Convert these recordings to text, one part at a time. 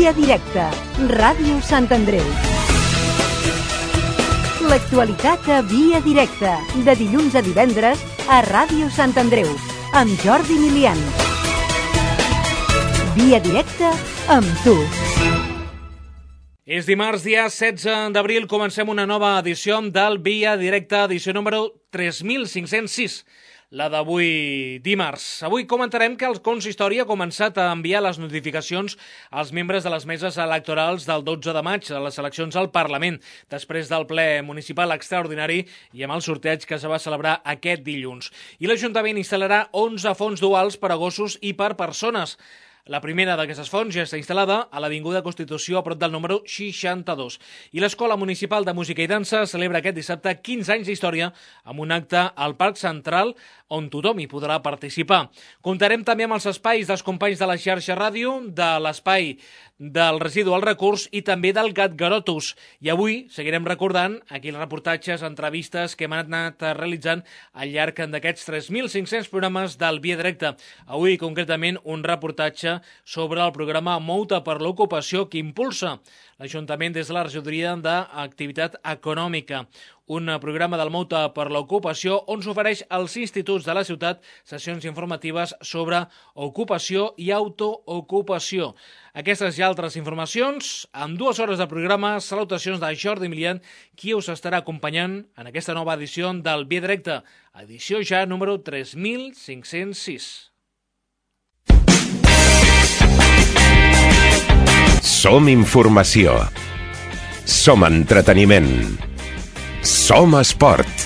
Via Directa, Ràdio Sant Andreu. L'actualitat a Via Directa, de dilluns a divendres a Ràdio Sant Andreu, amb Jordi Milian. Via Directa amb tu. És dimarts, dia 16 d'abril, comencem una nova edició del Via Directa, edició número 3506. La d'avui dimarts. Avui comentarem que el consistori ha començat a enviar les notificacions als membres de les meses electorals del 12 de maig a les eleccions al Parlament, després del ple municipal extraordinari i amb el sorteig que se va celebrar aquest dilluns. I l'Ajuntament instal·larà 11 fonts duals per a gossos i per persones. La primera d'aquestes fonts ja està instal·lada a l'Avinguda Constitució a prop del número 62. I l'Escola Municipal de Música i Dansa celebra aquest dissabte 15 anys d'història amb un acte al Parc Central on tothom hi podrà participar. Comptarem també amb els espais dels companys de la xarxa ràdio, de l'espai del residu al recurs i també del Gat Garotos. I avui seguirem recordant aquells reportatges, entrevistes que hem anat realitzant al llarg d'aquests 3.500 programes del Via Directa. Avui, concretament, un reportatge sobre el programa Mouta per l'Ocupació que impulsa l'Ajuntament des de la regidoria d'Activitat Econòmica. Un programa del Mouta per l'Ocupació on s'ofereix als instituts de la ciutat sessions informatives sobre ocupació i autoocupació. Aquestes i altres informacions, en 2 hores de programa, salutacions de Jordi Milian, qui us estarà acompanyant en aquesta nova edició del Via Directa, edició ja número 3506. Som informació. Som entreteniment. Som esport.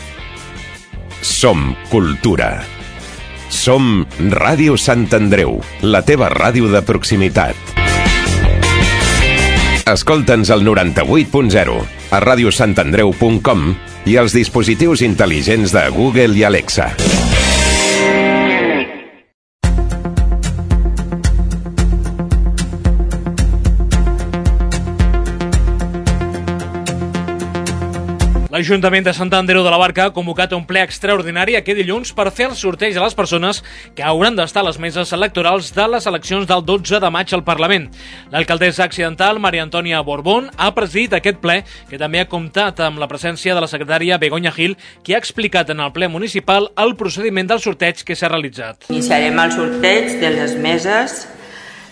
Som cultura. Som Ràdio Sant Andreu, la teva ràdio de proximitat. Escolta'ns al 98.0, a radiosantandreu.com i als dispositius intel·ligents de Google i Alexa. L'Ajuntament de Sant Andreu de la Barca ha convocat un ple extraordinari aquest dilluns per fer el sorteig a les persones que hauran d'estar a les meses electorals de les eleccions del 12 de maig al Parlament. L'alcaldessa accidental, Maria Antònia Borbón, ha presidit aquest ple, que també ha comptat amb la presència de la secretària Begoña Gil, que ha explicat en el ple municipal el procediment del sorteig que s'ha realitzat. Iniciarem el sorteig de les meses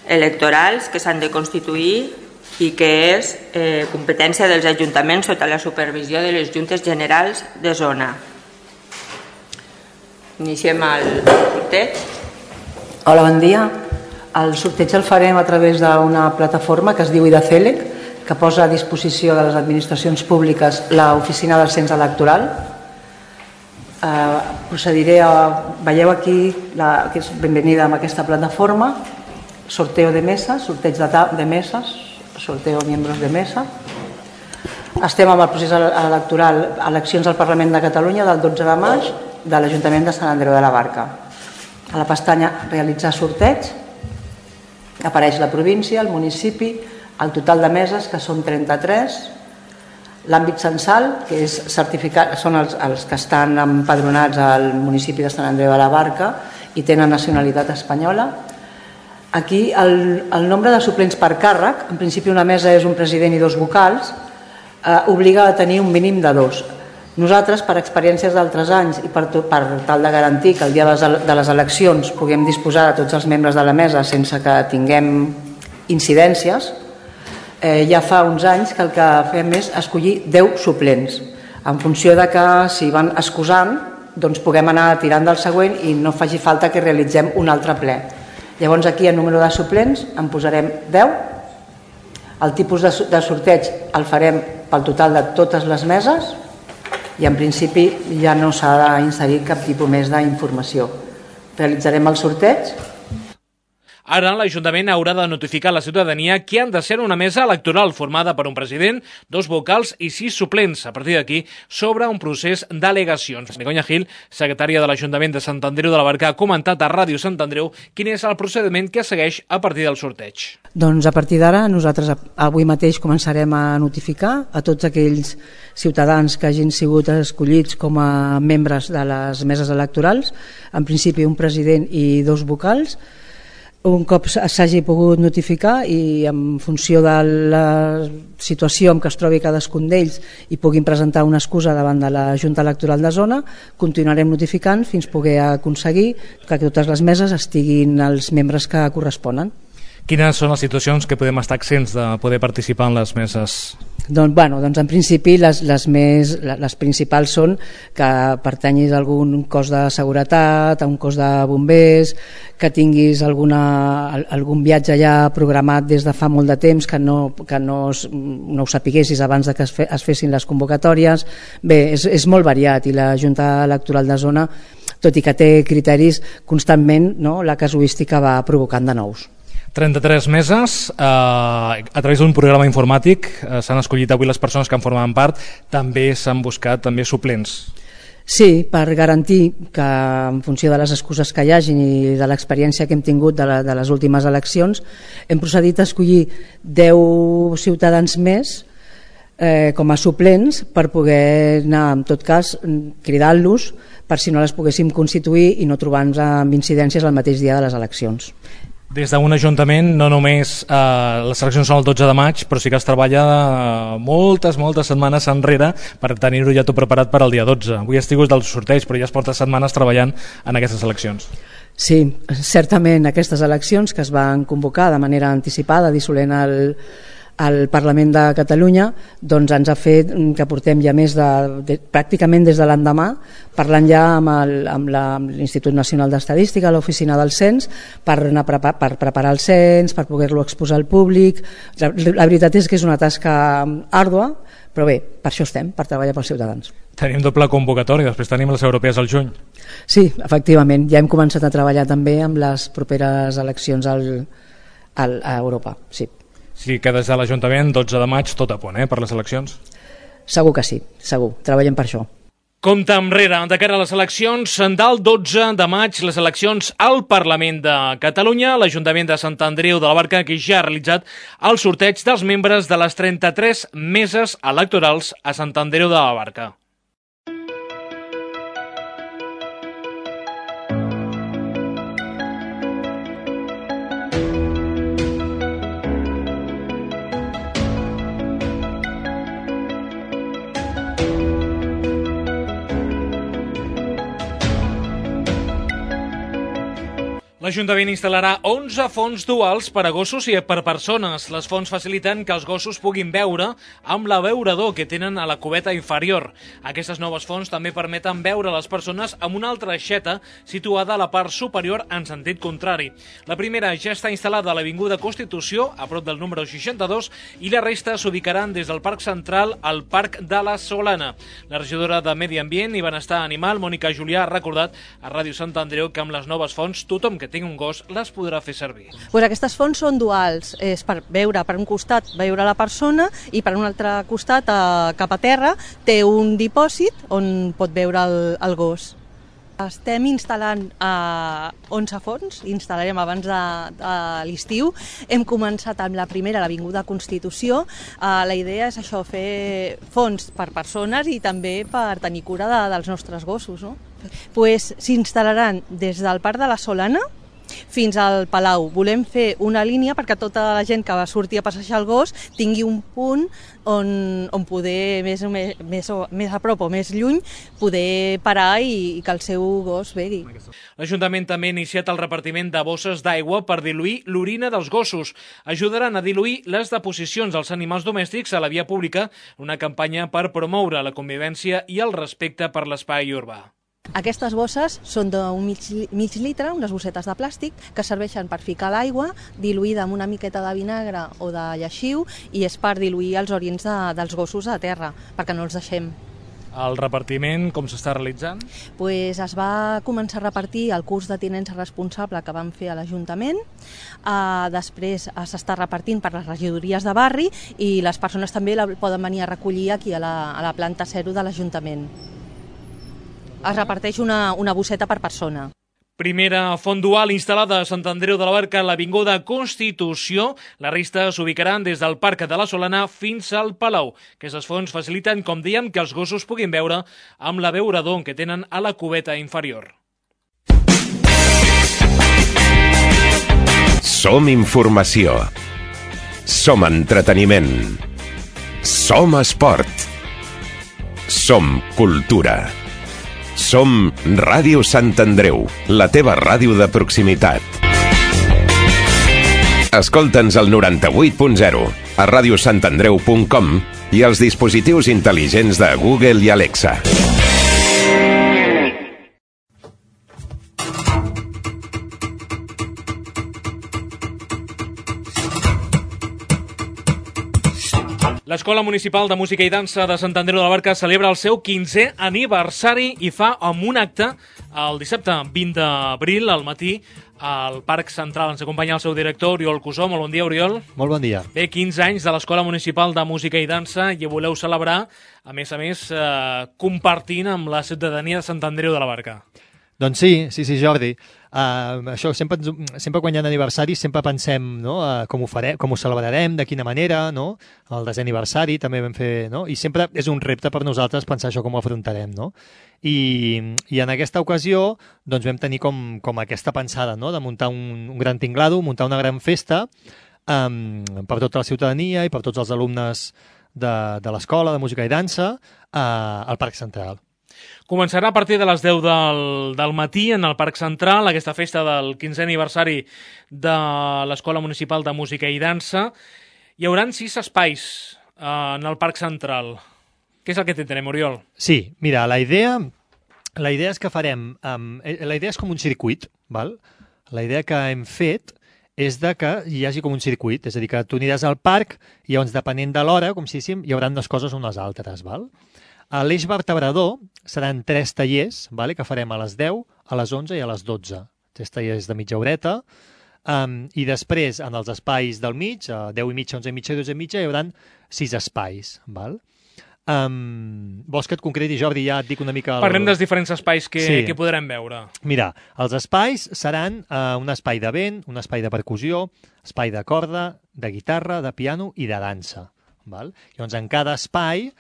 electorals que s'han de constituir i que és competència dels ajuntaments sota la supervisió de les Juntes Generals de Zona. Iniciem el sorteig. Hola, bon dia. El sorteig el farem a través d'una plataforma que es diu IDACELEC, que posa a disposició de les administracions públiques l'oficina del cens electoral. Procediré a... Veieu aquí, que és benvenida amb aquesta plataforma, sorteo de meses, sorteig de meses, sorteo miembros de mesa. Estem amb el procés electoral, eleccions al Parlament de Catalunya del 12 de maig de l'Ajuntament de Sant Andreu de la Barca. A la pestanya realitzar sorteig apareix la província, el municipi, el total de meses, que són 33, l'àmbit censal, que és certificat, són els que estan empadronats al municipi de Sant Andreu de la Barca i tenen nacionalitat espanyola. Aquí el nombre de suplents per càrrec, en principi una mesa és un president i 2 vocals, obliga a tenir un mínim de 2. Nosaltres, per experiències d'altres anys i per tal de garantir que el dia de les eleccions puguem disposar de tots els membres de la mesa sense que tinguem incidències, ja fa uns anys que el que fem és escollir 10 suplents. En funció de que si van excusant, doncs puguem anar tirant del següent i no faci falta que realitzem un altre ple. Llavors aquí el número de suplents en posarem 10. El tipus de sorteig el farem pel total de totes les meses i en principi ja no s'ha d'inserir cap tipus més d'informació. Realitzarem el sorteig. Ara l'Ajuntament haurà de notificar a la ciutadania que han de ser una mesa electoral formada per un president, 2 vocals i 6 suplents. A partir d'aquí s'obre un procés d'al·legacions. Begoña Gil, secretària de l'Ajuntament de Sant Andreu de la Barca, ha comentat a Ràdio Sant Andreu quin és el procediment que segueix a partir del sorteig. Doncs a partir d'ara nosaltres avui mateix començarem a notificar a tots aquells ciutadans que hagin sigut escollits com a membres de les meses electorals, en principi un president i 2 vocals. un cop s'hagi pogut notificar i en funció de la situació en què es trobi cadascun d'ells i puguin presentar una excusa davant de la Junta Electoral de Zona, continuarem notificant fins poder aconseguir que totes les meses estiguin els membres que corresponen. Quines són les situacions que podem estar exents de poder participar en les meses? Doncs en principi les principals són que pertanyis a algun cos de seguretat, a un cos de bombers, que tinguis algun viatge ja programat des de fa molt de temps que no ho sapiguessis abans de que es fessin les convocatòries. Bé, és molt variat i la Junta Electoral de Zona, tot i que té criteris constantment, no, la casuística va provocant de nous. 33 meses, a través d'un programa informàtic s'han escollit avui les persones que en formaven part, també s'han buscat també suplents. Sí, per garantir que en funció de les excuses que hi hagin i de l'experiència que hem tingut de les últimes eleccions, hem procedit a escollir 10 ciutadans més com a suplents per poder anar, en tot cas, cridant-los per si no les poguéssim constituir i no trobar-nos amb incidències el mateix dia de les eleccions. Des d'un ajuntament no només les eleccions són el 12 de maig, però sí que es treballa moltes setmanes enrere per tenir-ho ja tot preparat per al dia 12. Avui has tingut del sorteig, però ja es porta setmanes treballant en aquestes eleccions. Sí, certament aquestes eleccions que es van convocar de manera anticipada, dissolent al Parlament de Catalunya, doncs ens ha fet que portem ja més pràcticament des de l'endemà parlant ja amb l'Institut Nacional d'Estadística, l'Oficina del Cens, per preparar el cens, per poder-lo exposar al públic. La veritat és que és una tasca àrdua, però bé, per això estem, per treballar pels ciutadans. Tenim doble convocatòria, després tenim les europees al juny. Sí, efectivament, ja hem començat a treballar també amb les properes eleccions a Europa, sí. Sí que des de l'Ajuntament, 12 de maig, tot a punt, per les eleccions? Segur que sí, segur, treballem per això. Compte enrere, de cara a les eleccions del 12 de maig, les eleccions al Parlament de Catalunya, l'Ajuntament de Sant Andreu de la Barca, que ja ha realitzat el sorteig dels membres de les 33 meses electorals a Sant Andreu de la Barca. L'Ajuntament instal·larà 11 fonts duals per a gossos i per persones. Les fonts faciliten que els gossos puguin beure amb l'abeurador que tenen a la cubeta inferior. Aquestes noves fonts també permeten beure les persones amb una altra aixeta situada a la part superior en sentit contrari. La primera ja està instal·lada a l'Avinguda Constitució, a prop del número 62, i la resta s'ubicaran des del Parc Central al Parc de la Solana. La regidora de Medi Ambient i Benestar Animal, Mònica Julià, ha recordat a Ràdio Sant Andreu que amb les noves fonts tothom que tingui un gos les podrà fer servir. Aquestes fonts són duals, és per veure per un costat veure la persona i per un altre costat cap a terra té un dipòsit on pot veure el gos. Estem instal·lant 11 fonts, instal·larem abans de l'estiu. Hem començat amb la primera a l'Avinguda Constitució. La idea és això, fer fonts per persones i també per tenir cura dels nostres gossos, no? S'instal·laran des del Parc de la Solana fins al Palau. Volem fer una línia perquè tota la gent que va sortir a passejar el gos tingui un punt on poder, més a prop o més lluny, poder parar i que el seu gos begui. L'Ajuntament també ha iniciat el repartiment de bosses d'aigua per diluir l'orina dels gossos. Ajudaran a diluir les deposicions dels animals domèstics a la via pública, una campanya per promoure la convivència i el respecte per l'espai urbà. Aquestes bosses són d'un mig litre, unes bossetes de plàstic, que serveixen per ficar l'aigua diluïda amb una miqueta de vinagre o de lleixiu i és per diluir els orins dels gossos a terra, perquè no els deixem. El repartiment, com s'està realitzant? Es va començar a repartir el curs de tinença responsable que vam fer a l'Ajuntament, després s'està repartint per les regidories de barri i les persones també la poden venir a recollir aquí a la planta 0 de l'Ajuntament. Es reparteix una bosseta per persona. Primera font dual instal·lada a Sant Andreu de la Barca a l'Avinguda Constitució. La resta s'ubicaran des del Parc de la Solana fins al Palau. Aquestes fonts faciliten, com dèiem, que els gossos puguin beure amb l'abeurador que tenen a la cubeta inferior. Som informació. Som entreteniment. Som esport. Som cultura. Som Ràdio Sant Andreu, la teva ràdio de proximitat. Escolta'ns al 98.0, a radiosantandreu.com i als dispositius intel·ligents de Google i Alexa. L'Escola Municipal de Música i Dansa de Sant Andreu de la Barca celebra el seu 15è aniversari i fa amb un acte el dissabte 20 d'abril al matí al Parc Central. Ens acompanya el seu director, Oriol Cusó. Molt bon dia, Oriol. Molt bon dia. Bé, 15 anys de l'Escola Municipal de Música i Dansa i voleu celebrar, a més, compartint amb la ciutadania de Sant Andreu de la Barca. Doncs sí, Jordi. Això sempre quan hi ha aniversaris sempre pensem, no? Com ho farem, com ho celebrarem, de quina manera, no? El desè aniversari també vam fer, no? I sempre és un repte per nosaltres pensar això com ho afrontarem, no? I en aquesta ocasió doncs vam tenir com aquesta pensada, no? De muntar un gran tinglado, muntar una gran festa per tota la ciutadania i per tots els alumnes de l'Escola de Música i Dansa al Parc Central. Començarà a partir de les 10 del matí en el Parc Central, aquesta festa del 15è aniversari de l'Escola Municipal de Música i Dansa. Hi haurà 6 espais en el Parc Central. Què és el que tindrem, Oriol? Sí, mira, la idea és que farem... la idea és com un circuit, val? La idea que hem fet és de que hi hagi com un circuit, és a dir, que tu aniràs al parc i llavors, depenent de l'hora, com si diguéssim, hi haurà unes coses o unes altres, val? A l'eix vertebrador seran 3 tallers, vale, que farem a les 10, a les 11 i a les 12. 3 tallers de mitja horeta. I després, en els espais del mig, a 10 i mitja, 11 i mitja i 12 i mitja, hi haurà 6 espais. Val? Vols que et concreti, Jordi? Ja et dic una mica... Parlem dels diferents espais que podrem veure. Mira, els espais seran un espai de vent, un espai de percussió, espai de corda, de guitarra, de piano i de dansa. Val? Llavors, en cada espai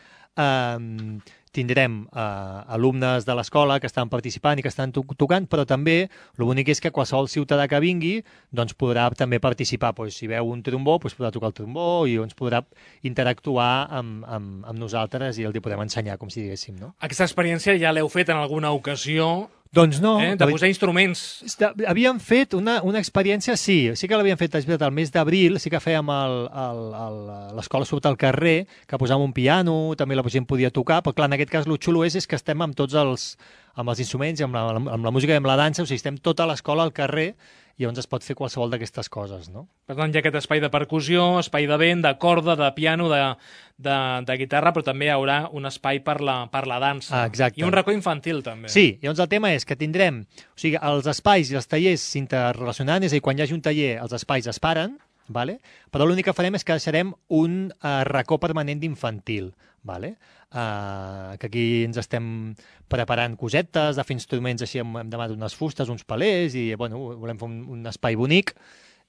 tindrem alumnes de l'escola que estan participant i que estan tocant, però també l'únic és que qualsevol ciutadà que vingui doncs podrà també participar. Si veu un trombó, podrà tocar el trombó i ens podrà interactuar amb nosaltres i el podem ensenyar, com si diguéssim. No? Aquesta experiència ja l'heu fet en alguna ocasió? Doncs no. De posar instruments. Havíem fet una experiència, sí que l'havíem fet al mes d'abril, sí que fèiem l'escola surt al carrer, que posàvem un piano, també la gent podia tocar, però clar, en aquest cas el xulo és que estem amb tots els instruments i amb la música i amb la dansa, o sigui, estem tota l'escola al carrer i llavors es pot fer qualsevol d'aquestes coses, no? Per tant, hi ha aquest espai de percussió, espai de vent, de corda, de piano, de guitarra, però també hi haurà un espai per la dansa. Exacte. I un racó infantil, també. Sí, llavors el tema és que tindrem... O sigui, els espais i els tallers s'interrelacionaran, és a dir, quan hi hagi un taller, els espais es paren, vale? Però l'únic que farem és que deixarem un racó permanent d'infantil, vale? Que aquí ens estem preparant cosetes, de fer instruments així, hem demanat unes fustes, uns palers, i bueno, volem fer un espai bonic,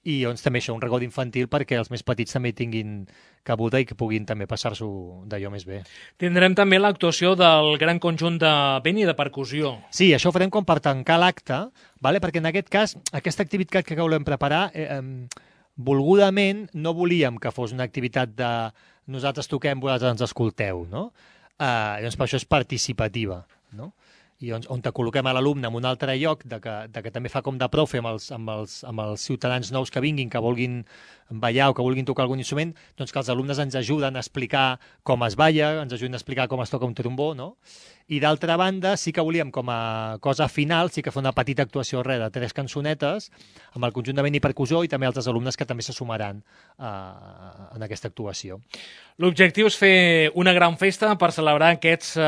i llavors també això, un racó d'infantil perquè els més petits també tinguin cabuda i que puguin també passar-s'ho d'allò més bé. Tindrem també l'actuació del gran conjunt de vent i de percussió. Sí, això ho farem com per tancar l'acte, vale? Perquè en aquest cas, aquesta activitat que volem preparar, volgudament no volíem que fos una activitat de nosaltres toquem, vosaltres ens escolteu, no? Llavors per això és participativa, no? I on te col·loquem a l'alumne en un altre lloc de que també fa com de profe amb els ciutadans nous que vinguin, que vulguin ballar o que vulguin tocar algun instrument, doncs que els alumnes ens ajuden a explicar com es balla, ens ajuden a explicar com es toca un trombó, no? I d'altra banda, sí que volíem com a cosa final, sí que fer una petita actuació de 3 cançonetes amb el conjunt de vent i percussió i també altres alumnes que també se sumaran en aquesta actuació. L'objectiu és fer una gran festa per celebrar aquests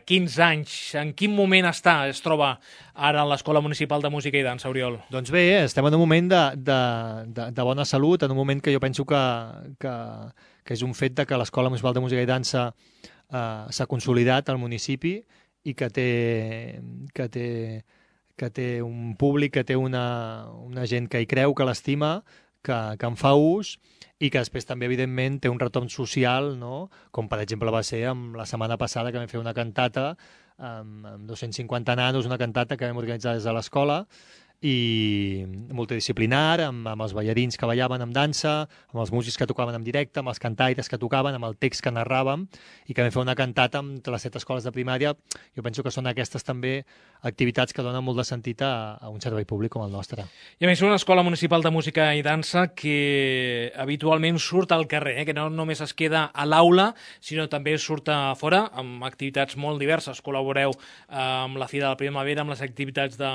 15 anys. En quin moment es troba ara a l'Escola Municipal de Música i Dansa, Oriol? Doncs bé, estem en un moment de bona salut, en un moment que jo penso que és un fet de que l'Escola Municipal de Música i Dansa s'ha consolidat al municipi i que té un públic, que té una gent que hi creu, que l'estima, que en fa ús i que després també, evidentment, té un retorn social, no? Com per exemple va ser la setmana passada que vam fer una cantata amb 250 nanos, una cantata que vam organitzar des de l'escola i multidisciplinar, amb els ballarins que ballaven amb dansa, amb els músics que tocaven en directe, amb els cantaires que tocaven, amb el text que narràvem, i que vam fer una cantata amb les 7 escoles de primària. Jo penso que són aquestes també activitats que donen molt de sentit a un servei públic com el nostre. I a més, una escola municipal de música i dansa que habitualment surt al carrer, que no només es queda a l'aula, sinó també surt a fora amb activitats molt diverses. Col·laboreu amb la Fira de la Primavera, amb les activitats de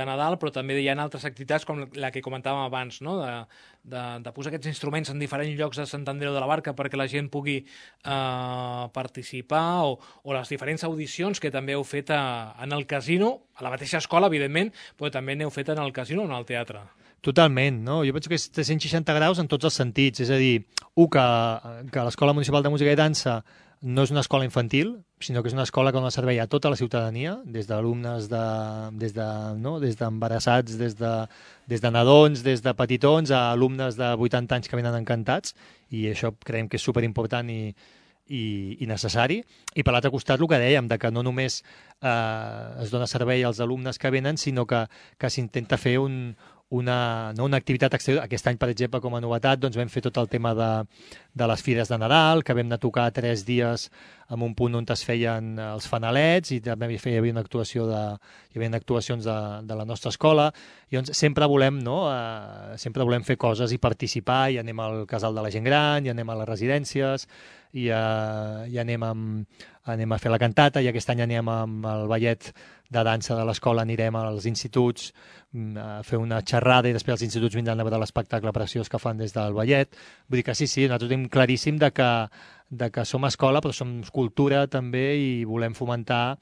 Nadal, però també hi ha altres activitats com la que comentàvem abans, no? de posar aquests instruments en diferents llocs de Sant Andreu de la Barca perquè la gent pugui participar, o les diferents audicions que també heu fet en el casino, a la mateixa escola, evidentment, però també n'heu fet en el casino o en el teatre. Totalment, no? Jo penso que és 360 graus en tots els sentits, és a dir, que l'Escola Municipal de Música i Dansa no és una escola infantil, sinó que és una escola que dona servei a tota la ciutadania, des d'alumnes, des d'embarassats, des de nadons, des de petitons, a alumnes de 80 anys que venen encantats, i això creiem que és superimportant i necessari. I per l'altre costat, el que dèiem, de que no només es dona servei als alumnes que venen, sinó que s'intenta fer una activitat exterior. Aquest any, per exemple, com a novetat, doncs vam fer tot el tema de les fires de Nadal, que vam anar a tocar 3 dies en un punt on es feien els fanalets, i també hi havia actuacions de la nostra escola. I doncs sempre volem fer coses i participar, i anem al casal de la gent gran, i anem a les residències, i anem a fer la cantata, i aquest any anem amb el ballet de dansa de l'escola, anirem als instituts a fer una xerrada, i després els instituts vindran a veure l'espectacle preciós que fan des del ballet. Vull dir que sí, nosaltres tenim claríssim de que som escola, però som cultura també, i volem fomentar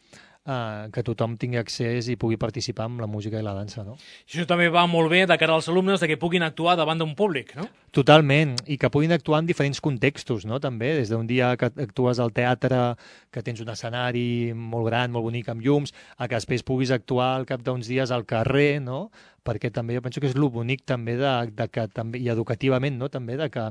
que tothom tingui accés i pugui participar amb la música i la dansa, no? Això també va molt bé de cara als alumnes, de que puguin actuar davant d'un públic, no? Totalment, i que puguin actuar en diferents contextos, no? També, des d'un dia que actues al teatre, que tens un escenari molt gran, molt bonic, amb llums, a que després puguis actuar al cap d'uns dies al carrer, no? Perquè també jo penso que és el bonic també i educativament, no? També de que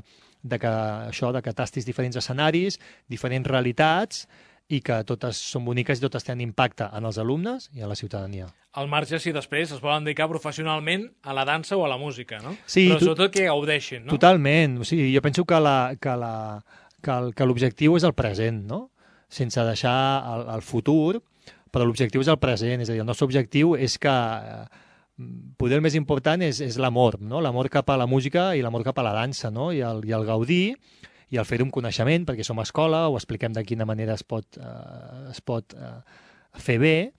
tastis diferents escenaris, diferents realitats, i que totes són boniques i totes tenen impacte en els alumnes i a la ciutadania. Al marge, si després es volen dedicar professionalment a la dansa o a la música, no? Sí, però sobretot que gaudeixin, no? Totalment. O sigui, jo penso que l'objectiu és el present, no? Sense deixar el futur, però l'objectiu és el present. És a dir, el nostre objectiu és que poder el més important és l'amor, no? L'amor cap a la música i l'amor cap a la dansa, no? I el gaudir, i el fer-ho amb coneixement, perquè som escola, ho expliquem de quina manera es pot fer bé,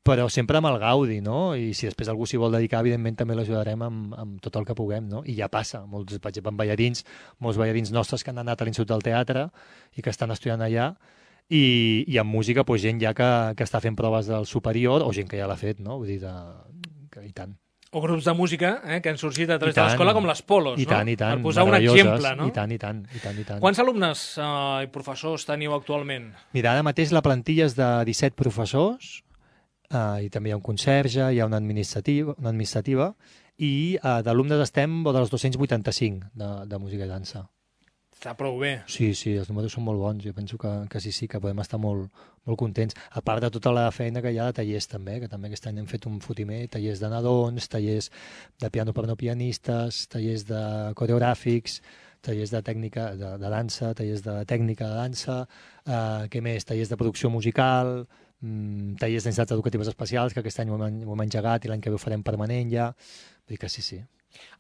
però sempre amb el gaudi, no? I si després algú s'hi vol dedicar, evidentment també l'ajudarem amb tot el que puguem, no? I ja passa, per exemple, amb ballarins, molts ballarins nostres que han anat a l'Institut del Teatre i que estan estudiant allà, i amb música, doncs, gent ja que està fent proves del superior, o gent que ja l'ha fet, no? Vull dir, que i tant. O grups de música que han sorgit a través de l'escola, com les Polos, no? I tant, per posar un exemple, no? I tant. Quants alumnes i professors teniu actualment? Mira, ara mateix la plantilla és de 17 professors, i també hi ha un conserge, hi ha una administrativa, i d'alumnes estem dels 285 de música i dansa. Està prou bé. Sí, els números són molt bons. Jo penso que sí, que podem estar molt contents. A part de tota la feina que hi ha de tallers també, que també aquest any hem fet un fotimer, tallers de nadons, tallers de piano per no pianistes, tallers de coreogràfics, tallers de tècnica de dansa, tallers de tècnica de dansa, què més? Tallers de producció musical, tallers d'entitats educatives especials, que aquest any ho hem engegat i l'any que ve ho farem permanent ja. Vull dir que sí.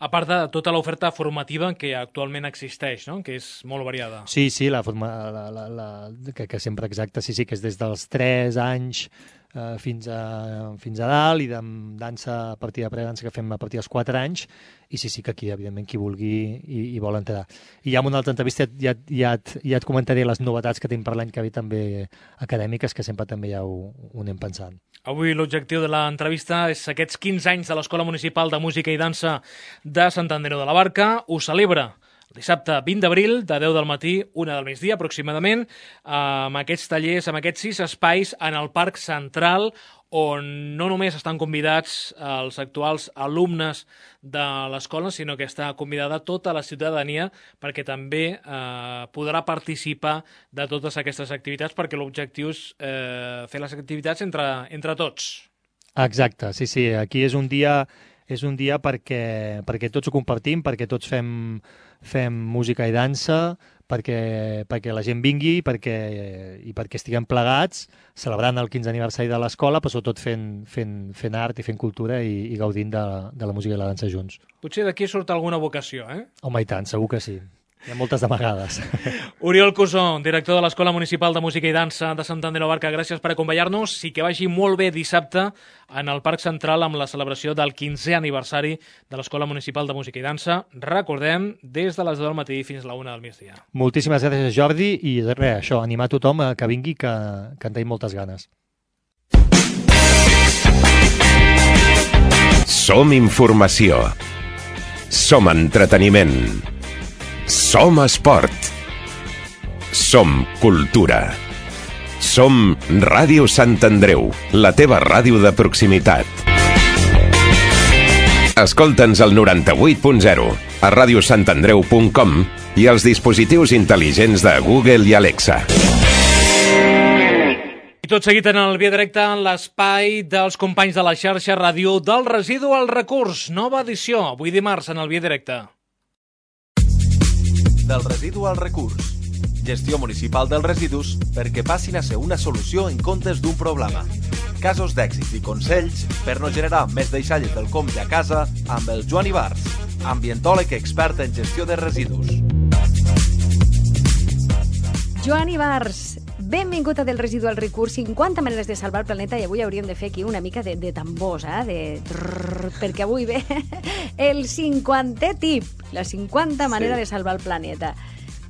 A part de tota l'oferta formativa que actualment existeix, no? Que és molt variada. Sí, que sempre exacte, sí, que és des dels 3 anys fins a dalt, i de dansa a partir de predansa que fem a partir dels 4 anys, i sí que aquí, evidentment, qui vulgui i vol entrar. I ja en una altra entrevista ja et comentaré les novetats que tenim per l'any que ve també acadèmiques, que sempre també ja ho anem pensant. Avui l'objectiu de l'entrevista és aquests 15 anys de l'Escola Municipal de Música i Dansa de Sant Andreu de la Barca. Ho celebra el dissabte 20 d'abril, de 10 del matí, 1 del migdia aproximadament, amb aquests tallers, amb aquests 6 espais en el Parc Central, on no només estan convidats els actuals alumnes de l'escola, sinó que està convidada tota la ciutadania perquè també podrà participar de totes aquestes activitats, perquè l'objectiu és fer les activitats entre tots. Exacte, sí. Aquí és un dia perquè tots ho compartim, perquè tots fem música i dansa, perquè la gent vingui i perquè estiguem plegats celebrant el 15è aniversari de l'escola, però sobretot fent art i fent cultura i gaudint de la música i la dansa junts. Potser d'aquí surt alguna vocació, eh? Home, i tant, segur que sí. Hi ha moltes d'amagades. Oriol Cusó, director de l'Escola Municipal de Música i Dansa de Sant Andreu Barca, gràcies per acompanyar-nos i que vagi molt bé dissabte en el Parc Central amb la celebració del 15è aniversari de l'Escola Municipal de Música i Dansa. Recordem, des de les 10 del matí fins a la 1 del migdia. Moltíssimes gràcies, Jordi, i res, això, animar tothom a que vingui, que en tenim moltes ganes. Som informació. Som entreteniment. Som esport. Som cultura. Som Ràdio Sant Andreu, la teva ràdio de proximitat. Escolta'ns al 98.0, a radiosantandreu.com i als dispositius intel·ligents de Google i Alexa. I tot seguit en el Via Directa, l'espai dels companys de la xarxa ràdio del residu al recurs. Nova edició, avui dimarts en el Via Directa. Del residu al recurs. Gestió municipal dels residus perquè passin a ser una solució en comptes d'un problema. Casos d'èxit i consells per no generar més deixalles del compte a casa amb el Joan Ibars, ambientòleg expert en gestió de residus. Joan Ibars, benvingut a Del residu al recurs, 50 maneres de salvar el planeta, i avui hauríem de fer aquí una mica de tambors, perquè avui ve el 50è tip, la 50 manera de salvar el planeta.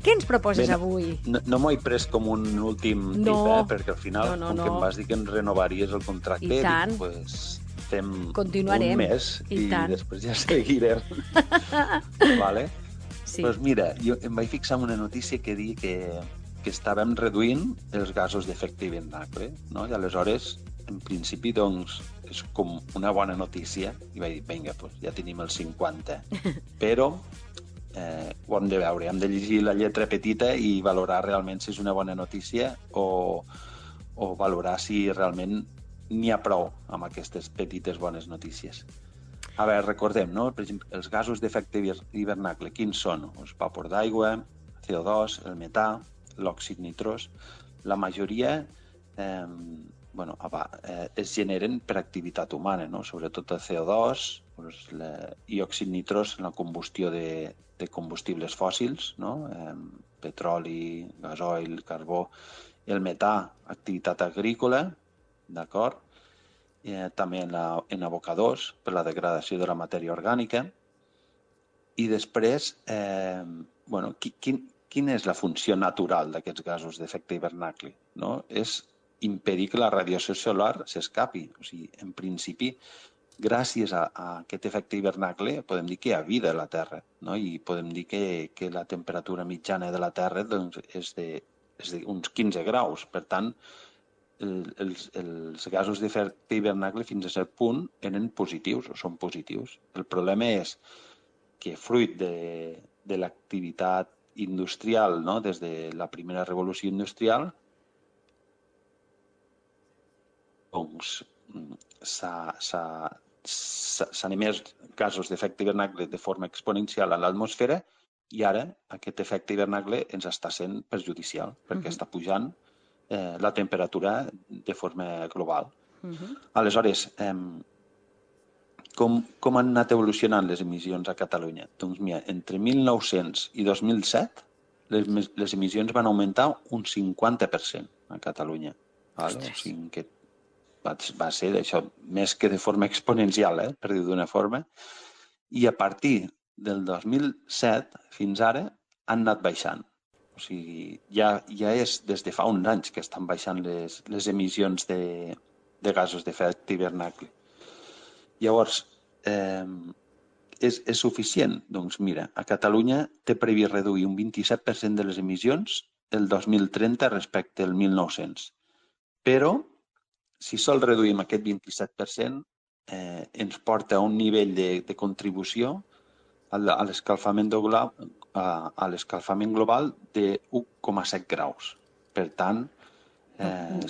Què ens proposes avui? No m'ho he pres com un últim tip, perquè al final, com que em vas dir que em renovaries el contracte, dic, pues, fem un mes i després ja seguirem. Vale? Sí. Doncs mira, jo em vaig fixar en una notícia que diu que estàvem reduint els gasos d'efecte hivernacle, no? I aleshores, en principi, doncs, és com una bona notícia, i vaig dir, vinga, doncs ja tenim el 50, però ho hem de veure, hem de llegir la lletra petita i valorar realment si és una bona notícia o valorar si realment n'hi ha prou amb aquestes petites bones notícies. A veure, recordem, no? Per exemple, els gasos d'efecte hivernacle, quins són? El vapor d'aigua, CO2, el metà, l'òxid nitrós. La majoria es generen per activitat humana, no? Sobretot el CO2 i òxid nitrós en la combustió de combustibles fòssils, no? Petroli, gasoil, carbó. El metà, activitat agrícola, d'acord? També en abocadors, per la degradació de la matèria orgànica. I després, quina és la funció natural d'aquests gasos d'efecte hivernacle? No? És impedir que la radiació solar s'escapi. O sigui, en principi, gràcies a aquest efecte hivernacle, podem dir que hi ha vida a la Terra, no? I podem dir que la temperatura mitjana de la Terra doncs, és d'uns 15 graus. Per tant, els gasos d'efecte hivernacle fins a cert punt eren positius o són positius. El problema és que fruit de l'activitat industrial, no? Des de la primera revolució industrial, doncs s'han emès gasos d'efecte hivernacle de forma exponencial a l'atmosfera i ara aquest efecte hivernacle ens està sent perjudicial perquè està pujant la temperatura de forma global. Aleshores, com han anat evolucionant les emissions a Catalunya? Doncs mira, entre 1900 i 2007 les emissions van augmentar un 50% a Catalunya. O sigui que va ser això, més que de forma exponencial, per dir d'una forma, i a partir del 2007 fins ara han anat baixant. O sigui, ja és des de fa uns anys que estan baixant les emissions de gasos d'efecte hivernacle. Llavors, és suficient? Doncs mira, a Catalunya té previst reduir un 27% de les emissions el 2030 respecte al 1900. Però, si sol reduïm aquest 27%, ens porta a un nivell de contribució a l'escalfament global de 1,7 graus. Per tant,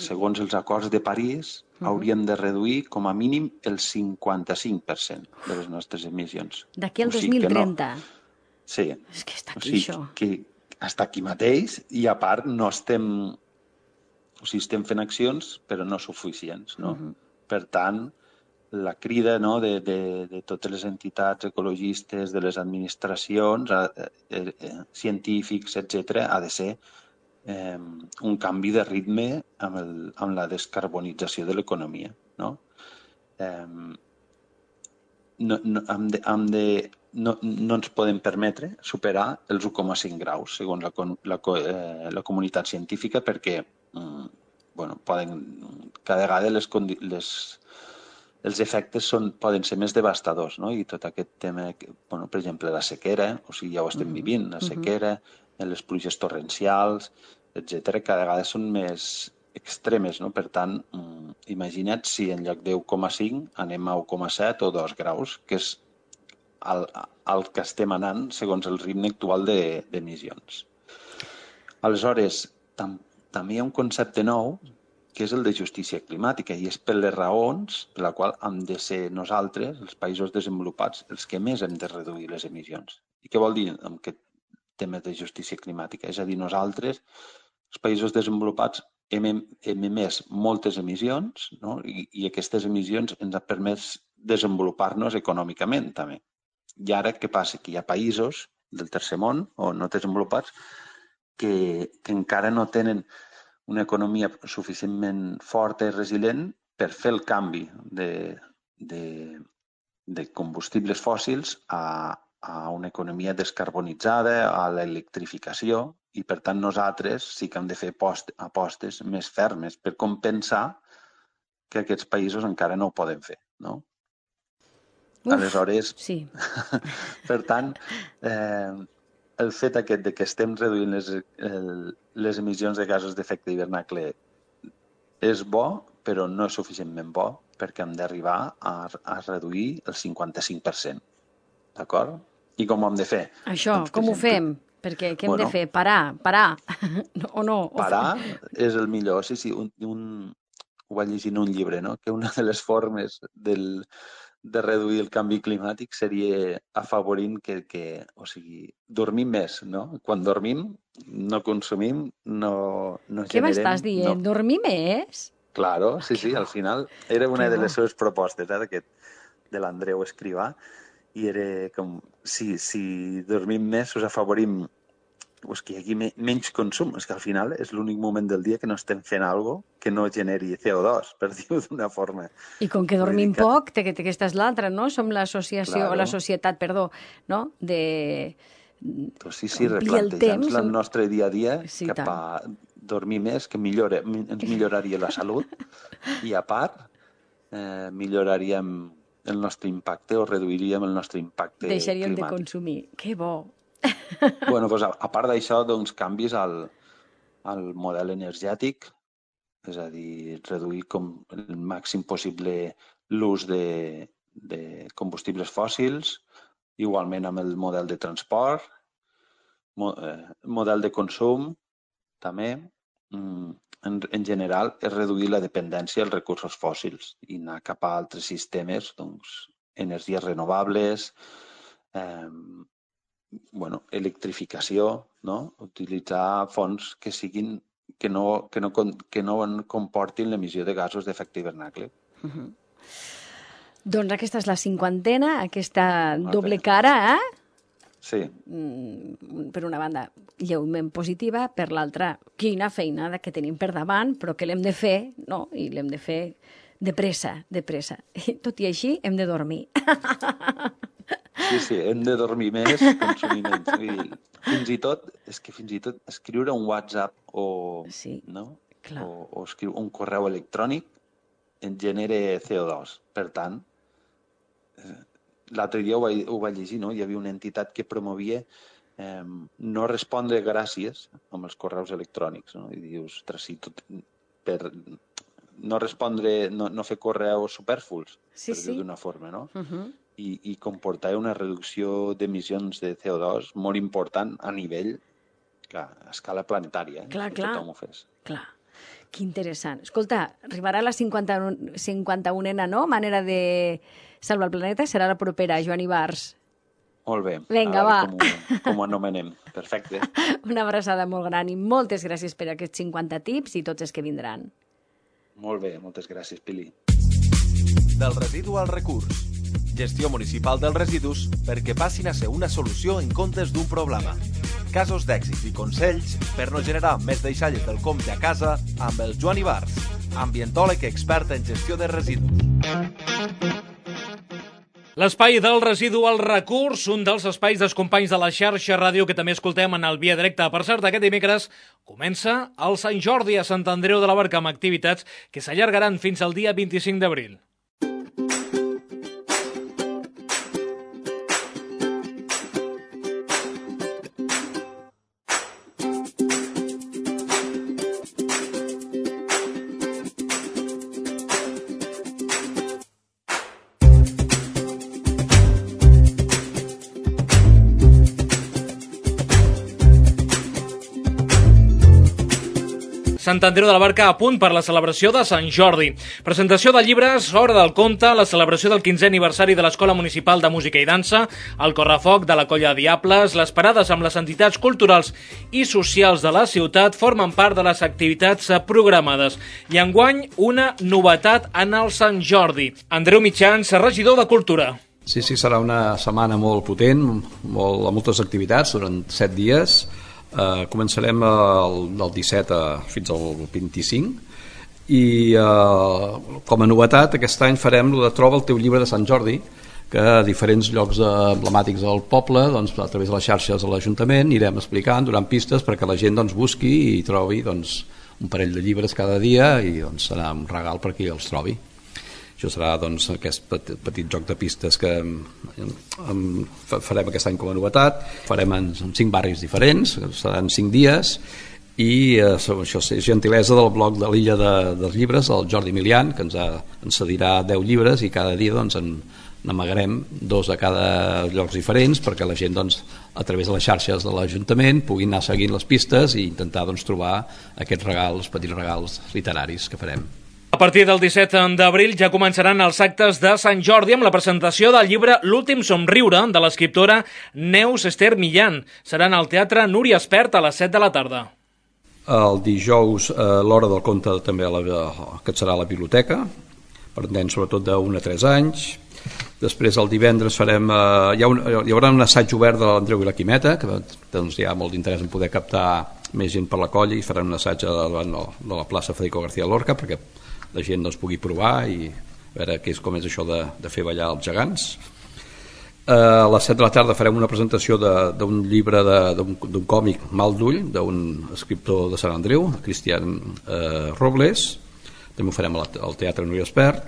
segons els acords de París, hauríem de reduir com a mínim el 55% de les nostres emissions. D'aquí al 2030? Sí. És que està aquí, això. Que està aquí mateix i, a part, no estem... O sigui, estem fent accions, però no suficients, no? Per tant, la crida de totes les entitats ecologistes, de les administracions, científics, etc., ha de ser un canvi de ritme amb la descarbonització de l'economia, no? No ens podem permetre superar els 1,5 graus, segons la comunitat científica, perquè cada vegada els efectes poden ser més devastadors, no? I tot aquest tema, per exemple, la sequera, o sigui, ja ho estem vivint, la sequera, les pluges torrencials, etc., cada vegada són més extremes, no? Per tant, imagina't si en lloc de 1,5 anem a 1,7 o 2 graus, que és el que estem anant segons el ritme actual d'emissions. Aleshores, també hi ha un concepte nou, que és el de justícia climàtica, i és per les raons per la qual hem de ser nosaltres, els països desenvolupats, els que més hem de reduir les emissions. I què vol dir amb aquest tema de justícia climàtica? És a dir, nosaltres, els països desenvolupats, hem emès moltes emissions, no? I aquestes emissions ens han permès desenvolupar-nos econòmicament, també. I ara què passa? Que hi ha països del tercer món, o no desenvolupats, que encara no tenen una economia suficientment forta i resilient per fer el canvi de combustibles fòssils a una economia descarbonitzada, a l'electrificació, i per tant nosaltres sí que hem de fer apostes més fermes per compensar que aquests països encara no ho poden fer, no? Aleshores, sí. Per tant, el fet aquest de que estem reduint les emissions de gasos d'efecte hivernacle és bo, però no és suficientment bo, perquè hem d'arribar a reduir el 55%. D'acord? I com ho hem de fer? Això, doncs, com ho fem? Perquè què hem de fer? Parar? O no? Parar és el millor. Sí, ho vaig llegir en un llibre, no? Que una de les formes de reduir el canvi climàtic seria afavorint o sigui, dormim més, no? Quan dormim, no consumim, no generem... Què m'estàs dient? No. Dormir més? Claro, sí, al final era una de les seves propostes, de l'Andreu Escrivà, i era com, si dormim més, us afavorim que hi hagi menys consum. És que al final és l'únic moment del dia que no estem fent alguna cosa que no generi CO2, per dir-ho d'una forma. I com que dormim poc, que aquesta és l'altra, no? Som l'associació, o la societat, perdó, no? Sí, replantejant-nos el nostre dia a dia cap a dormir més, que ens milloraria la salut, i a part milloraríem el nostre impacte o reduiríem el nostre impacte climàtic. Deixaríem de consumir. Que bo! Bueno, doncs, a part d'això, doncs, canvis al model energètic, és a dir, reduir com el màxim possible l'ús de combustibles fòssils, igualment amb el model de transport, model de consum, també. En general, és reduir la dependència als recursos fòssils i anar cap a altres sistemes, doncs, energies renovables, electrificació, no? Utilitzar fonts que no comportin l'emissió de gasos d'efecte hivernacle. Doncs aquesta és la 50ª, aquesta doble cara, Sí. Per una banda, lleument positiva, per l'altra, quina feinada que tenim per davant, però que l'hem de fer, no? I l'hem de fer de pressa. Tot i així, hem de dormir. Sí, hem de dormir més, consumir menys. Fins i tot escriure un WhatsApp o escriure un correu electrònic en genera CO2. Per tant, l'altre dia ho vaig llegir, no? Hi havia una entitat que promovia no respondre gràcies amb els correus electrònics, no? I dius, si per no respondre, no fer correus superfluos, per dir-ho d'una forma, no? I comportar una reducció d'emissions de CO2 molt important a nivell, a escala planetària, clar, si tothom ho fes. Clar. Que interessant. Escolta, arribarà la 51a, no? Manera de salvar el planeta, serà la propera, Joan Ibars. Molt bé. Vinga, va. Com ho anomenem. Perfecte. Una abraçada molt gran i moltes gràcies per aquests 50 tips i tots els que vindran. Molt bé, moltes gràcies, Pili. Del residu al recurs. Gestió municipal dels residus perquè passin a ser una solució en comptes d'un problema. Casos d'èxit i consells per no generar més deixalles del compte a casa amb el Joan Ibars, ambientòleg expert en gestió de residus. L'espai del residu al recurs, un dels espais dels companys de la xarxa ràdio que també escoltem en el Via Directa. Per cert, aquest dimecres comença el Sant Jordi a Sant Andreu de la Barca amb activitats que s'allargaran fins al dia 25 d'abril. Sant Andreu de la Barca a punt per la celebració de Sant Jordi. Presentació de llibres, Hora del conte, la celebració del 15è aniversari de l'Escola Municipal de Música i Dansa, el correfoc de la Colla Diables, les parades amb les entitats culturals i socials de la ciutat formen part de les activitats programades. I enguany, una novetat en el Sant Jordi. Andreu Mitjans, regidor de Cultura. Sí, serà una setmana molt potent, amb moltes activitats durant 7 dies. Començarem del 17 fins al 25 i com a novetat aquest any farem el de Troba el teu llibre de Sant Jordi, que a diferents llocs emblemàtics del poble, doncs, a través de les xarxes de l'Ajuntament anirem explicant, donant pistes perquè la gent busqui i trobi un parell de llibres cada dia i serà un regal per qui els trobi. Això serà aquest petit joc de pistes que farem aquest any com a novetat. Farem en 5 barris diferents, seran 5 dies, i això és gentilesa del bloc de l'Illa dels Llibres, el Jordi Milian, que ens cedirà 10 llibres i cada dia n'amagarem 2 a cada llocs diferents perquè la gent a través de les xarxes de l'Ajuntament pugui anar seguint les pistes i intentar trobar aquests regals, petits regals literaris que farem. A partir del 17 d'abril ja començaran els actes de Sant Jordi amb la presentació del llibre L'últim somriure de l'escriptora Neus Ester Millán. Seran al Teatre Núria Espert a les 7 de la tarda. El dijous l'hora del conte també que serà a la biblioteca, per nens sobretot d'1 a 3 anys. Després el divendres hi haurà un assaig obert de l'Andreu i la Quimeta, que hi ha molt d'interès en poder captar més gent per la colla, i faran un assaig davant de la plaça Federico García Lorca perquè la gent pugui provar i veure com és això de fer ballar els gegants. A les 7 de la tarda farem una presentació d'un llibre d'un còmic Mal d'ull, d'un escriptor de Sant Andreu, Cristian Robles. També ho farem al Teatre Núria Espert.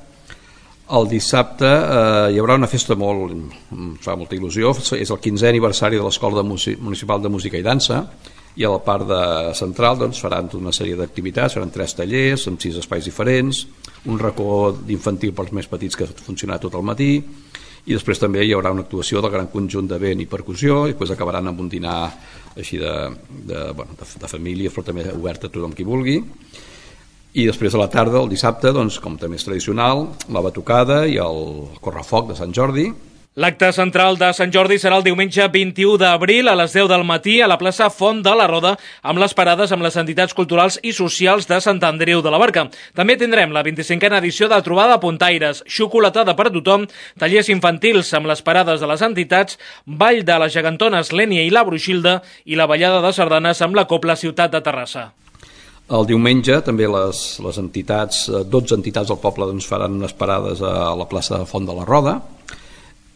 El dissabte hi haurà una festa em fa molta il·lusió, és el 15è aniversari de l'Escola Municipal de Música i Dansa, i a la part central faran tota una sèrie d'activitats, faran 3 tallers amb 6 espais diferents, un racó d'infantil pels més petits que funcionarà tot el matí, i després també hi haurà una actuació del gran conjunt de vent i percussió, i després acabaran amb un dinar així de família, però també obert a tothom qui vulgui. I després a la tarda, el dissabte, com també és tradicional, la batucada i el correfoc de Sant Jordi. L'acte central de Sant Jordi serà el diumenge 21 d'abril a les 10 del matí a la plaça Font de la Roda amb les parades amb les entitats culturals i socials de Sant Andreu de la Barca. També tindrem la 25a edició de Trobada Puntaires, xocolatada per a tothom, tallers infantils amb les parades de les entitats, ball de les gegantones Lènia i la Bruixilda i la ballada de sardanes amb la Cobla Ciutat de Terrassa. El diumenge també les entitats, 12 entitats del poble faran unes parades a la plaça Font de la Roda,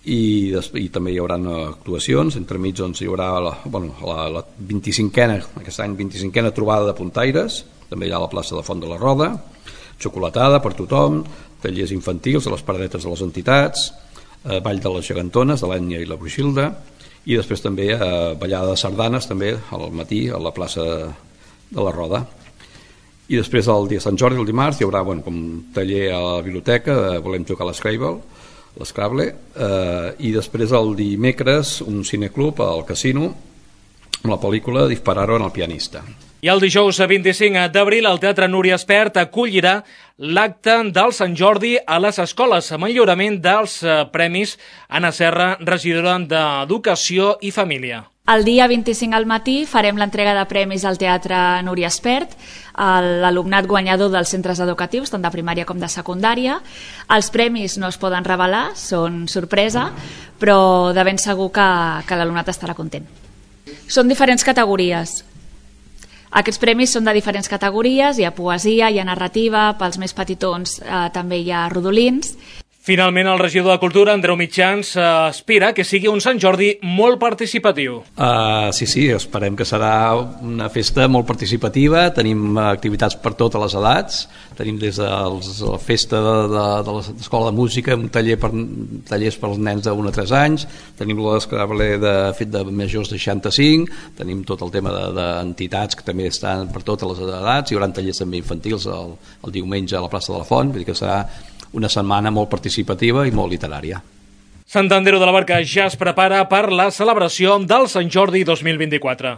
i també hi haurà actuacions. Entremig hi haurà la 25a, aquest any 25a trobada de puntaires, també hi ha a la plaça de Font de la Roda, xocolatada per tothom, tallers infantils a les paradetes de les entitats, ball de les gegantones de l'Ènia i la Bruixilda, i després també ballada de sardanes també al matí a la plaça de la Roda. I després el dia de Sant Jordi, el dimarts, hi haurà com taller a la biblioteca, volem tocar l'Scrabble, i després el dimecres un cineclub al casino amb la pel·lícula Dispararo en el pianista. I el dijous 25 d'abril el Teatre Núria Espert acollirà l'acte del Sant Jordi a les escoles amb el lliurament dels premis Anna Serra, regidora d'Educació i Família. El dia 25 al matí farem l'entrega de premis al Teatre Núria Espert a l'alumnat guanyador dels centres educatius, tant de primària com de secundària. Els premis no es poden revelar, són sorpresa, però de ben segur que l'alumnat estarà content. Són diferents categories. Aquests premis són de diferents categories, hi ha poesia, hi ha narrativa, pels més petitons també hi ha rodolins. Finalment, el regidor de Cultura, Andreu Mitjans, aspira que sigui un Sant Jordi molt participatiu. Sí, esperem que serà una festa molt participativa, tenim activitats per totes les edats, tenim des de la festa de l'escola de música, un tallers per als nens de 1 a 3 anys, tenim l'escrable fet de majors de 65, tenim tot el tema d'entitats que també estan per totes les edats, hi haurà tallers també infantils el diumenge a la plaça de la Font, vull dir que serà una setmana molt participativa i molt literària. Sant Andreu de la Barca ja es prepara per la celebració del Sant Jordi 2024.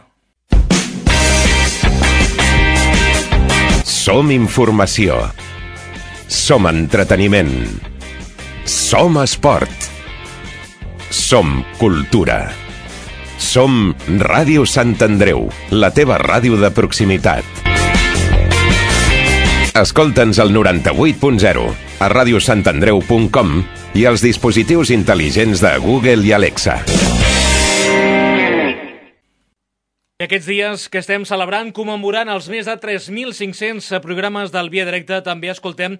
Som informació. Som entreteniment. Som esport. Som cultura. Som Ràdio Sant Andreu, la teva ràdio de proximitat. Escolta'ns al 98.0, a radiosantandreu.com i als dispositius intel·ligents de Google i Alexa. I aquests dies que estem celebrant, commemorant els més de 3.500 programes del Via Directe, també escoltem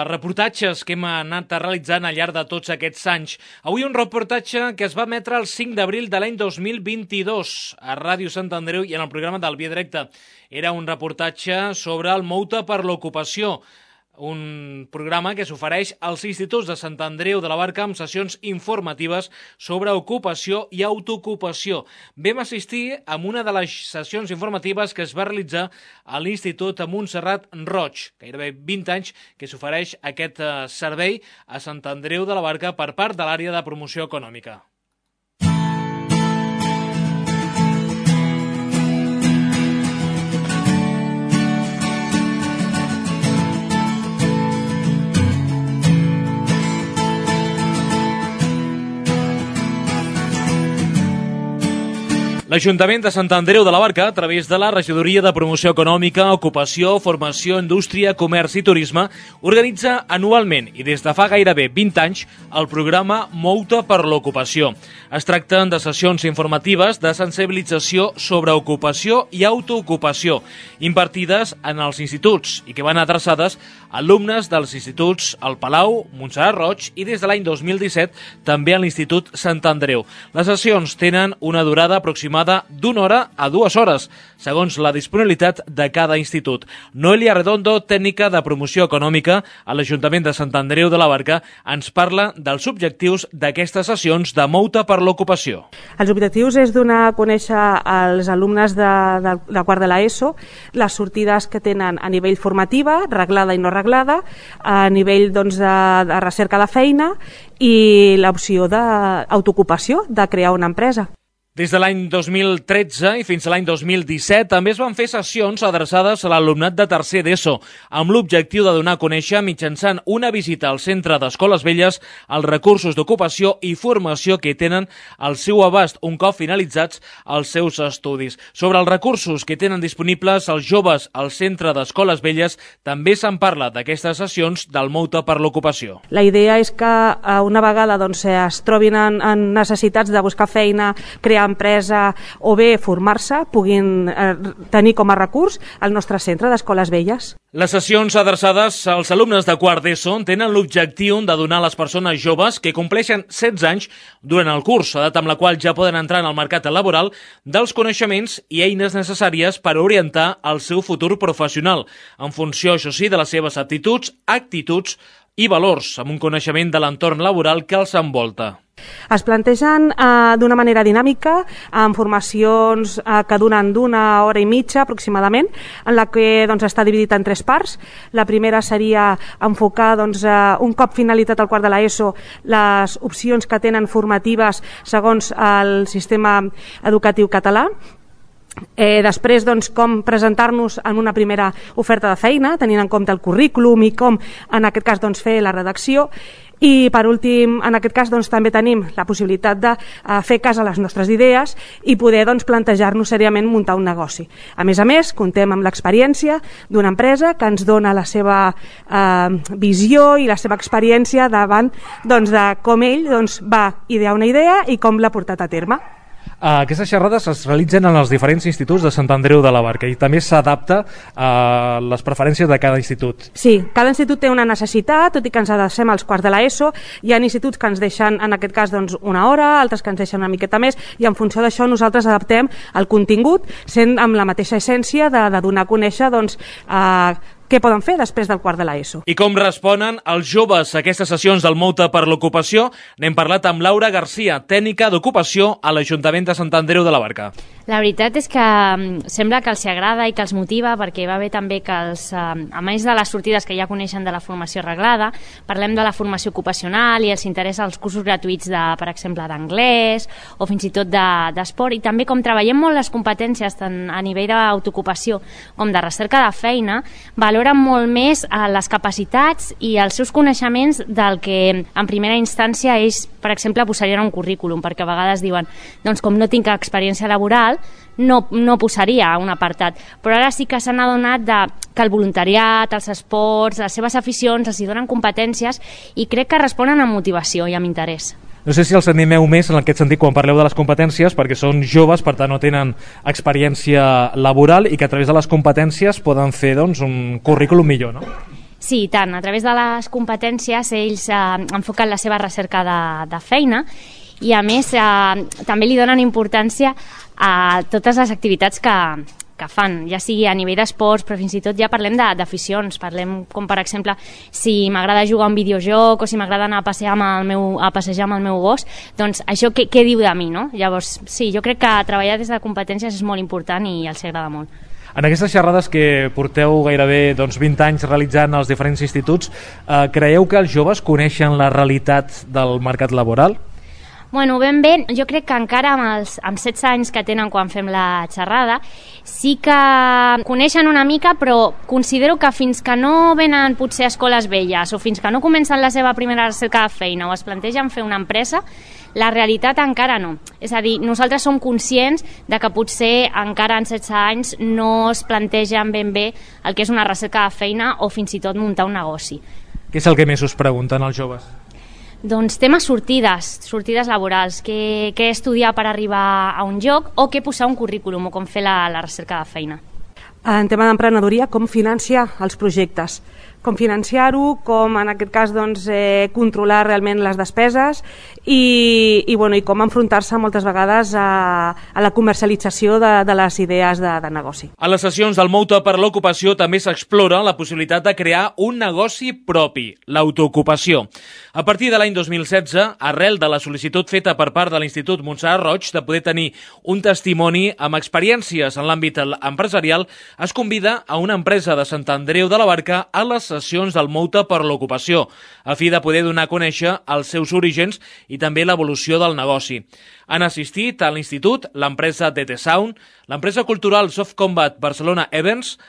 reportatges que hem anat realitzant al llarg de tots aquests anys. Avui un reportatge que es va emetre el 5 d'abril de l'any 2022 a Ràdio Sant Andreu i en el programa del Via Directe. Era un reportatge sobre el Mou-te per l'ocupació, un programa que s'ofereix als instituts de Sant Andreu de la Barca amb sessions informatives sobre ocupació i autoocupació. Vam assistir a una de les sessions informatives que es va realitzar a l'Institut Montserrat Roig, gairebé 20 anys que s'ofereix aquest servei a Sant Andreu de la Barca per part de l'àrea de promoció econòmica. L'Ajuntament de Sant Andreu de la Barca, a través de la Regidoria de Promoció Econòmica, Ocupació, Formació, Indústria, Comerç i Turisme, organitza anualment i des de fa gairebé 20 anys el programa Mou-te per l'ocupació. Es tracten de sessions informatives de sensibilització sobre ocupació i autoocupació, impartides en els instituts i que van adreçades a alumnes dels instituts El Palau, Montserrat Roig i des de l'any 2017 també a l'Institut Sant Andreu. Les sessions tenen una durada aproximada d'1 hora a 2 hores, segons la disponibilitat de cada institut. Noelia Redondo, tècnica de promoció econòmica a l'Ajuntament de Sant Andreu de la Barca, ens parla dels objectius d'aquestes sessions de Mou-te per l'ocupació. Els objectius és donar a conèixer als alumnes de quart de l'ESO les sortides que tenen a nivell formativa, reglada i no reglada, a nivell de recerca de feina i l'opció d'autoocupació, de crear una empresa. Des de l'any 2013 i fins a l'any 2017 també es van fer sessions adreçades a l'alumnat de tercer d'ESO, amb l'objectiu de donar a conèixer mitjançant una visita al Centre d'Escoles Velles els recursos d'ocupació i formació que tenen al seu abast un cop finalitzats els seus estudis. Sobre els recursos que tenen disponibles els joves al Centre d'Escoles Velles també se'n parla d'aquestes sessions del Mou-te per l'ocupació. La idea és que una vegada es trobin en necessitats de buscar feina, crear empresa o bé formar-se, puguin tenir com a recurs el nostre centre d'Escoles Velles. Les sessions adreçades als alumnes de quart d'ESO tenen l'objectiu de donar a les persones joves que compleixen 16 anys durant el curs, edat amb la qual ja poden entrar en el mercat laboral, dels coneixements i eines necessàries per orientar el seu futur professional, en funció, això sí, de les seves aptituds, actituds i valors, amb un coneixement de l'entorn laboral que els envolta. Es plantegen d'una manera dinàmica, amb formacions que duren d'1 hora i mitja aproximadament, en la que està dividit en 3 parts. La primera seria enfocar, un cop finalitzat el quart de l'ESO, les opcions que tenen formatives segons el sistema educatiu català. Després, doncs, com presentar-nos en una primera oferta de feina, tenint en compte el currículum i com, en aquest cas, doncs, fer la redacció. I, per últim, en aquest cas, doncs, també tenim la possibilitat de fer cas a les nostres idees i poder, doncs, plantejar-nos seriament muntar un negoci. A més, comptem amb l'experiència d'una empresa que ens dona la seva visió i la seva experiència davant, doncs, de com ell, doncs, va idear una idea i com l'ha portat a terme. Aquestes xerrades es realitzen en els diferents instituts de Sant Andreu de la Barca i també s'adapta a les preferències de cada institut. Sí, cada institut té una necessitat, tot i que ens adrecem als quarts de l'ESO. Hi ha instituts que ens deixen, en aquest cas, doncs, una hora, altres que ens deixen una miqueta més, i en funció d'això nosaltres adaptem el contingut, sent amb la mateixa essència de donar a conèixer, doncs, què poden fer després del quart de l'ESO. I com responen els joves a aquestes sessions del Mouta per l'Ocupació? N'hem parlat amb Laura Garcia, tècnica d'ocupació a l'Ajuntament de Sant Andreu de la Barca. La veritat és que sembla que els agrada i que els motiva, perquè va bé també que a més de les sortides que ja coneixen de la formació reglada, parlem de la formació ocupacional i els interessa els cursos gratuïts, per exemple, d'anglès o fins i tot d'esport, i també com treballem molt les competències tant a nivell d'autoocupació com de recerca de feina, valoren molt més les capacitats i els seus coneixements del que en primera instància ells, per exemple, posarien un currículum, perquè a vegades diuen, doncs com no tinc experiència laboral, no posaria un apartat, però ara sí que s'han adonat que el voluntariat, els esports, les seves aficions els hi donen competències i crec que responen amb motivació i amb interès. No sé si els animeu més en aquest sentit quan parleu de les competències, perquè són joves, per tant no tenen experiència laboral i que a través de les competències poden fer, doncs, un currículum millor, no? Sí, i tant. A través de les competències ells enfoquen la seva recerca de feina i a més també li donen importància a totes les activitats que fan, ja sigui a nivell d'esports, però fins i tot ja parlem d'aficions, parlem com per exemple si m'agrada jugar a un videojoc o si m'agrada anar a passejar amb el meu gos, doncs això què diu de mi, no? Llavors, sí, jo crec que treballar des de competències és molt important i els agrada molt. En aquestes xerrades que porteu gairebé 20 anys realitzant als diferents instituts, creieu que els joves coneixen la realitat del mercat laboral? Bueno, ben bé, jo crec que encara amb 16 anys que tenen quan fem la xerrada sí que coneixen una mica, però considero que fins que no venen potser a escoles velles o fins que no comencen la seva primera recerca de feina o es plantegen fer una empresa, la realitat encara no. És a dir, nosaltres som conscients de que potser encara en 16 anys no es plantegen ben bé el que és una recerca de feina o fins i tot muntar un negoci. Què és el que més us pregunten els joves? Doncs temes sortides laborals, què estudiar per arribar a un lloc o què posar un currículum o com fer la recerca de feina. En tema d'emprenedoria, com financiar els projectes, com financiar-ho, com en aquest cas doncs, controlar realment les despeses i com enfrontar-se moltes vegades a la comercialització de les idees de negoci. A les sessions del Mouta per l'Ocupació també s'explora la possibilitat de crear un negoci propi, l'autoocupació. A partir de l'any 2016, arrel de la sol·licitud feta per part de l'Institut Montserrat Roig de poder tenir un testimoni amb experiències en l'àmbit empresarial, es convida a una empresa de Sant Andreu de la Barca a les sessions del Mouta per l'Ocupació, a fi de poder donar a conèixer els seus orígens i també l'evolució del negoci. Han assistit a l'Institut, l'empresa DT Sound, l'empresa cultural Soft Combat Barcelona Events,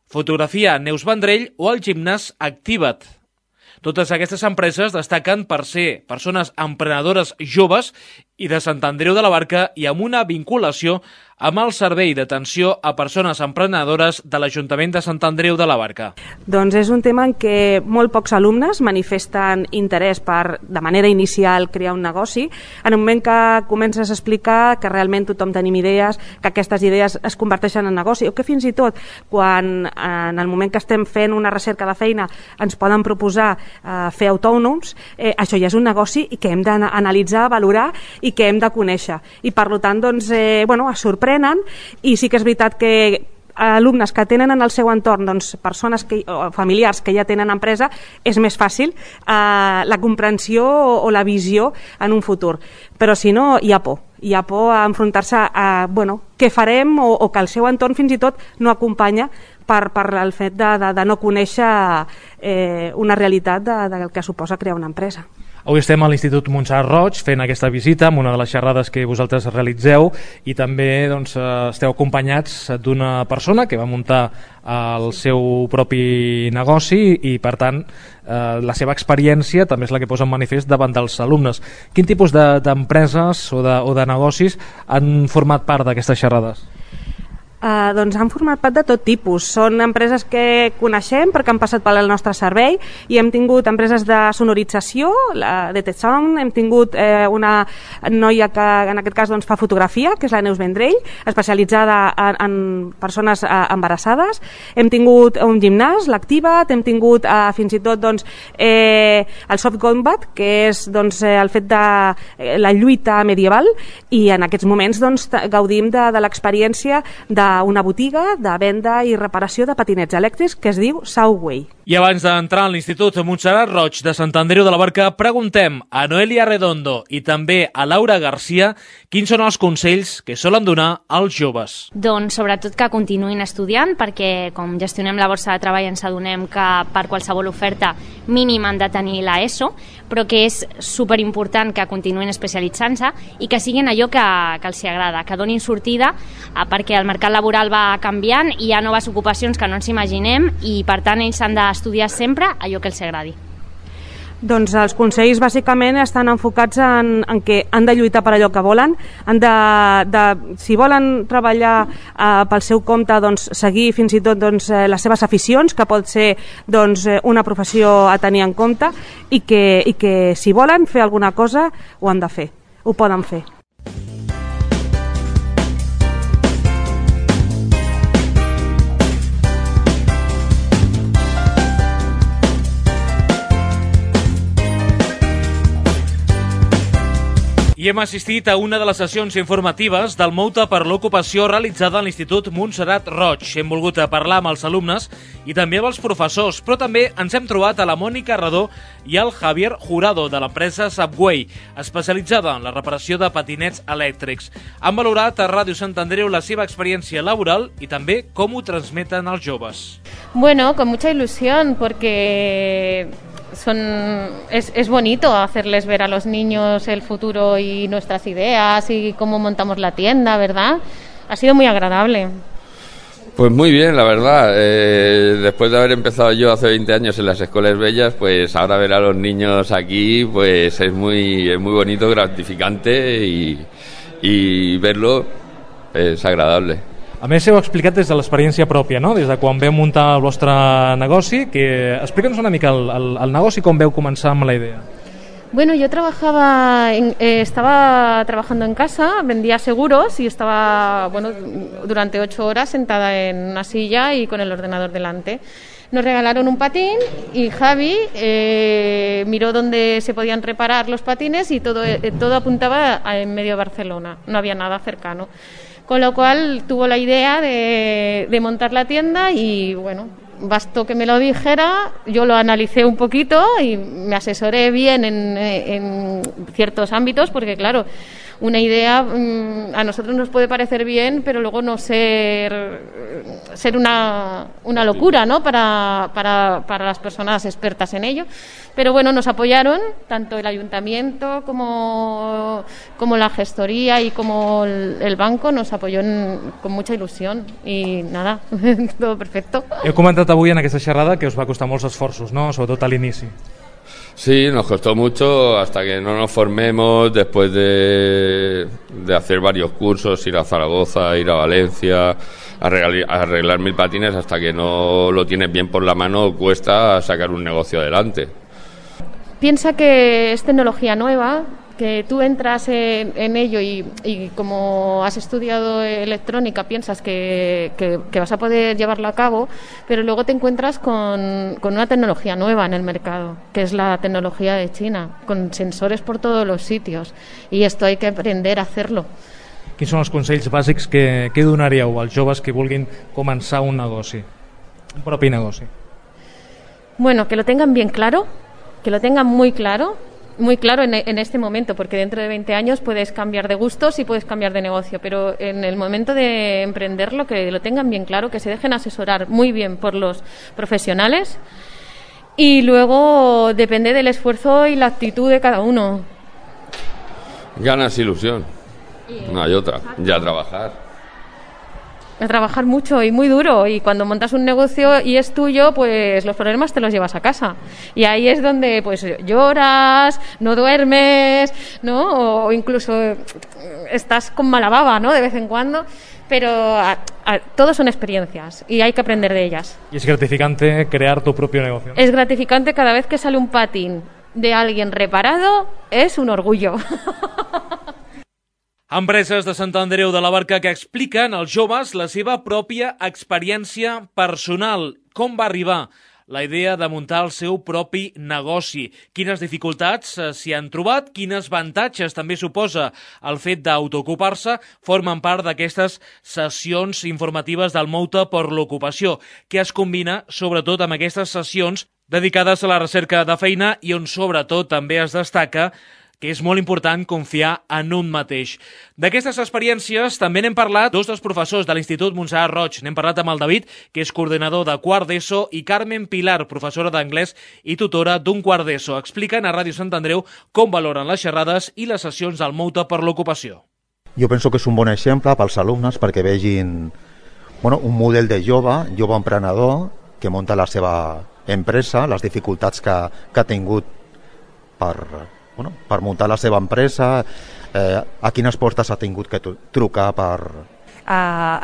Fotografia Neus Vendrell o el gimnàs Activa't. Totes aquestes empreses destaquen per ser persones emprenedores joves i de Sant Andreu de la Barca i amb una vinculació amb el servei d'atenció a persones emprenedores de l'Ajuntament de Sant Andreu de la Barca. Doncs és un tema en què molt pocs alumnes manifesten interès per, de manera inicial, crear un negoci. En el moment que comences a explicar que realment tothom tenim idees, que aquestes idees es converteixen en negoci, o que fins i tot quan en el moment que estem fent una recerca de feina ens poden proposar fer autònoms, això ja és un negoci i que hem d'analitzar, valorar i que hem de conèixer. I per tant, doncs, es sorprenen i sí que és veritat que alumnes que tenen en el seu entorn persones o familiars que ja tenen empresa, és més fàcil la comprensió o la visió en un futur. Però si no, hi ha por. Hi ha por a enfrontar-se a què farem o que el seu entorn fins i tot no acompanya per el fet de no conèixer una realitat del que suposa crear una empresa. Avui estem a l'Institut Montserrat Roig fent aquesta visita amb una de les xerrades que vosaltres realitzeu i també esteu acompanyats d'una persona que va muntar el seu propi negoci i per tant la seva experiència també és la que posa en manifest davant dels alumnes. Quin tipus d'empreses o de negocis han format part d'aquestes xerrades? Doncs han format part de tot tipus. Són empreses que coneixem perquè han passat pel nostre servei i hem tingut empreses de sonorització, la de Sound, hem tingut una noia que en aquest cas fa fotografia, que és la Neus Vendrell, especialitzada en persones embarassades. Hem tingut un gimnàs, l'Activat, hem tingut fins i tot el Soft Combat, que és el fet de la lluita medieval, i en aquests moments gaudim de l'experiència d'una botiga de venda i reparació de patinets elèctrics que es diu Southway. I abans d'entrar a l'Institut Montserrat Roig de Sant Andreu de la Barca, preguntem a Noelia Redondo i també a Laura Garcia quins són els consells que solen donar als joves. Doncs sobretot que continuïn estudiant, perquè com gestionem la borsa de treball ens adonem que per qualsevol oferta mínima han de tenir la ESO, però que és superimportant que continuïn especialitzant-se i que siguin allò que els agrada, que donin sortida, perquè el mercat laboral va canviant i hi ha noves ocupacions que no ens imaginem i per tant ells han d'estudiar sempre allò que els agradi. Doncs els consells bàsicament estan enfocats en que han de lluitar per allò que volen, si volen treballar pel seu compte, seguir fins i tot les seves aficions, que pot ser una professió a tenir en compte, i que si volen fer alguna cosa ho han de fer, ho poden fer. I hem assistit a una de les sessions informatives del Mouta per l'Ocupació realitzada a l'Institut Montserrat Roig. Hem volgut parlar amb els alumnes i també amb els professors, però també ens hem trobat a la Mònica Redó i al Javier Jurado de l'empresa Subway, especialitzada en la reparació de patinets elèctrics. Han valorat a Ràdio Sant Andreu la seva experiència laboral i també com ho transmeten els joves. Bueno, con mucha ilusión, porque es bonito hacerles ver a los niños el futuro y nuestras ideas y cómo montamos la tienda, ¿verdad? Ha sido muy agradable. Pues muy bien, la verdad. Después de haber empezado yo hace 20 años en las escuelas bellas, pues ahora ver a los niños aquí pues es muy bonito, gratificante y verlo es agradable. A més, heu explicat des de l'experiència pròpia, no? Des de quan veu muntar el vostre negoci, explica'ns una mica el negoci, com veu començar amb la idea. Bueno, yo estaba trabajando en casa, vendía seguros y estaba durante 8 horas sentada en una silla y con el ordenador delante. Nos regalaron un patín y Javi miró dónde se podían reparar los patines y todo apuntaba en medio de Barcelona, no había nada cercano. Con lo cual tuvo la idea de montar la tienda y bastó que me lo dijera, yo lo analicé un poquito y me asesoré bien en ciertos ámbitos, porque claro, una idea a nosotros nos puede parecer bien, pero luego no ser una locura, ¿no? para las personas expertas en ello. Pero nos apoyaron, tanto el ayuntamiento como la gestoría y como el banco nos apoyó con mucha ilusión y nada, todo perfecto. Heu comentat avui en aquesta xerrada que us va costar molts esforços, no? Sobretot a l'inici. Sí, nos costó mucho hasta que no nos formemos, después de hacer varios cursos, ir a Zaragoza, ir a Valencia, arreglar 1000 patines, hasta que no lo tienes bien por la mano cuesta sacar un negocio adelante. Piensa que es tecnología nueva, que tú entras en ello y como has estudiado electrónica piensas que vas a poder llevarlo a cabo, pero luego te encuentras con una tecnología nueva en el mercado, que es la tecnología de China, con sensores por todos los sitios, y esto hay que aprender a hacerlo. Quins són els consells bàsics que donaríeu als joves que vulguin començar un negoci, un propi negoci? Que lo tengan bien claro, que lo tengan muy claro en este momento, porque dentro de 20 años puedes cambiar de gustos y puedes cambiar de negocio, pero en el momento de emprenderlo, que lo tengan bien claro, que se dejen asesorar muy bien por los profesionales y luego depende del esfuerzo y la actitud de cada uno. Ganas, ilusión. No hay otra. Ya a trabajar. A trabajar mucho y muy duro, y cuando montas un negocio y es tuyo, pues los problemas te los llevas a casa, y ahí es donde pues lloras, no duermes, ¿no? O incluso estás con mala baba, ¿no? De vez en cuando, pero todos son experiencias y hay que aprender de ellas. Y es gratificante crear tu propio negocio, ¿no? Es gratificante cada vez que sale un patín de alguien reparado, es un orgullo. Empreses de Sant Andreu de la Barca que expliquen als joves la seva pròpia experiència personal. Com va arribar la idea de muntar el seu propi negoci? Quines dificultats s'hi han trobat? Quines avantatges també suposa el fet d'autoocupar-se? Formen part d'aquestes sessions informatives del Moute per l'Ocupació, que es combina sobretot amb aquestes sessions dedicades a la recerca de feina i on sobretot també es destaca que és molt important confiar en un mateix. D'aquestes experiències també n'hem parlat dos dels professors de l'Institut Montserrat Roig. N'hem parlat amb el David, que és coordinador de quart d'ESO, i Carmen Pilar, professora d'anglès i tutora d'un quart d'ESO. Expliquen a Ràdio Sant Andreu com valoren les xerrades i les sessions del Moute per l'Ocupació. Jo penso que és un bon exemple pels alumnes perquè vegin un model de jove emprenedor que munta la seva empresa, les dificultats que ha tingut per muntar la seva empresa, a quines portes ha tingut que trucar per...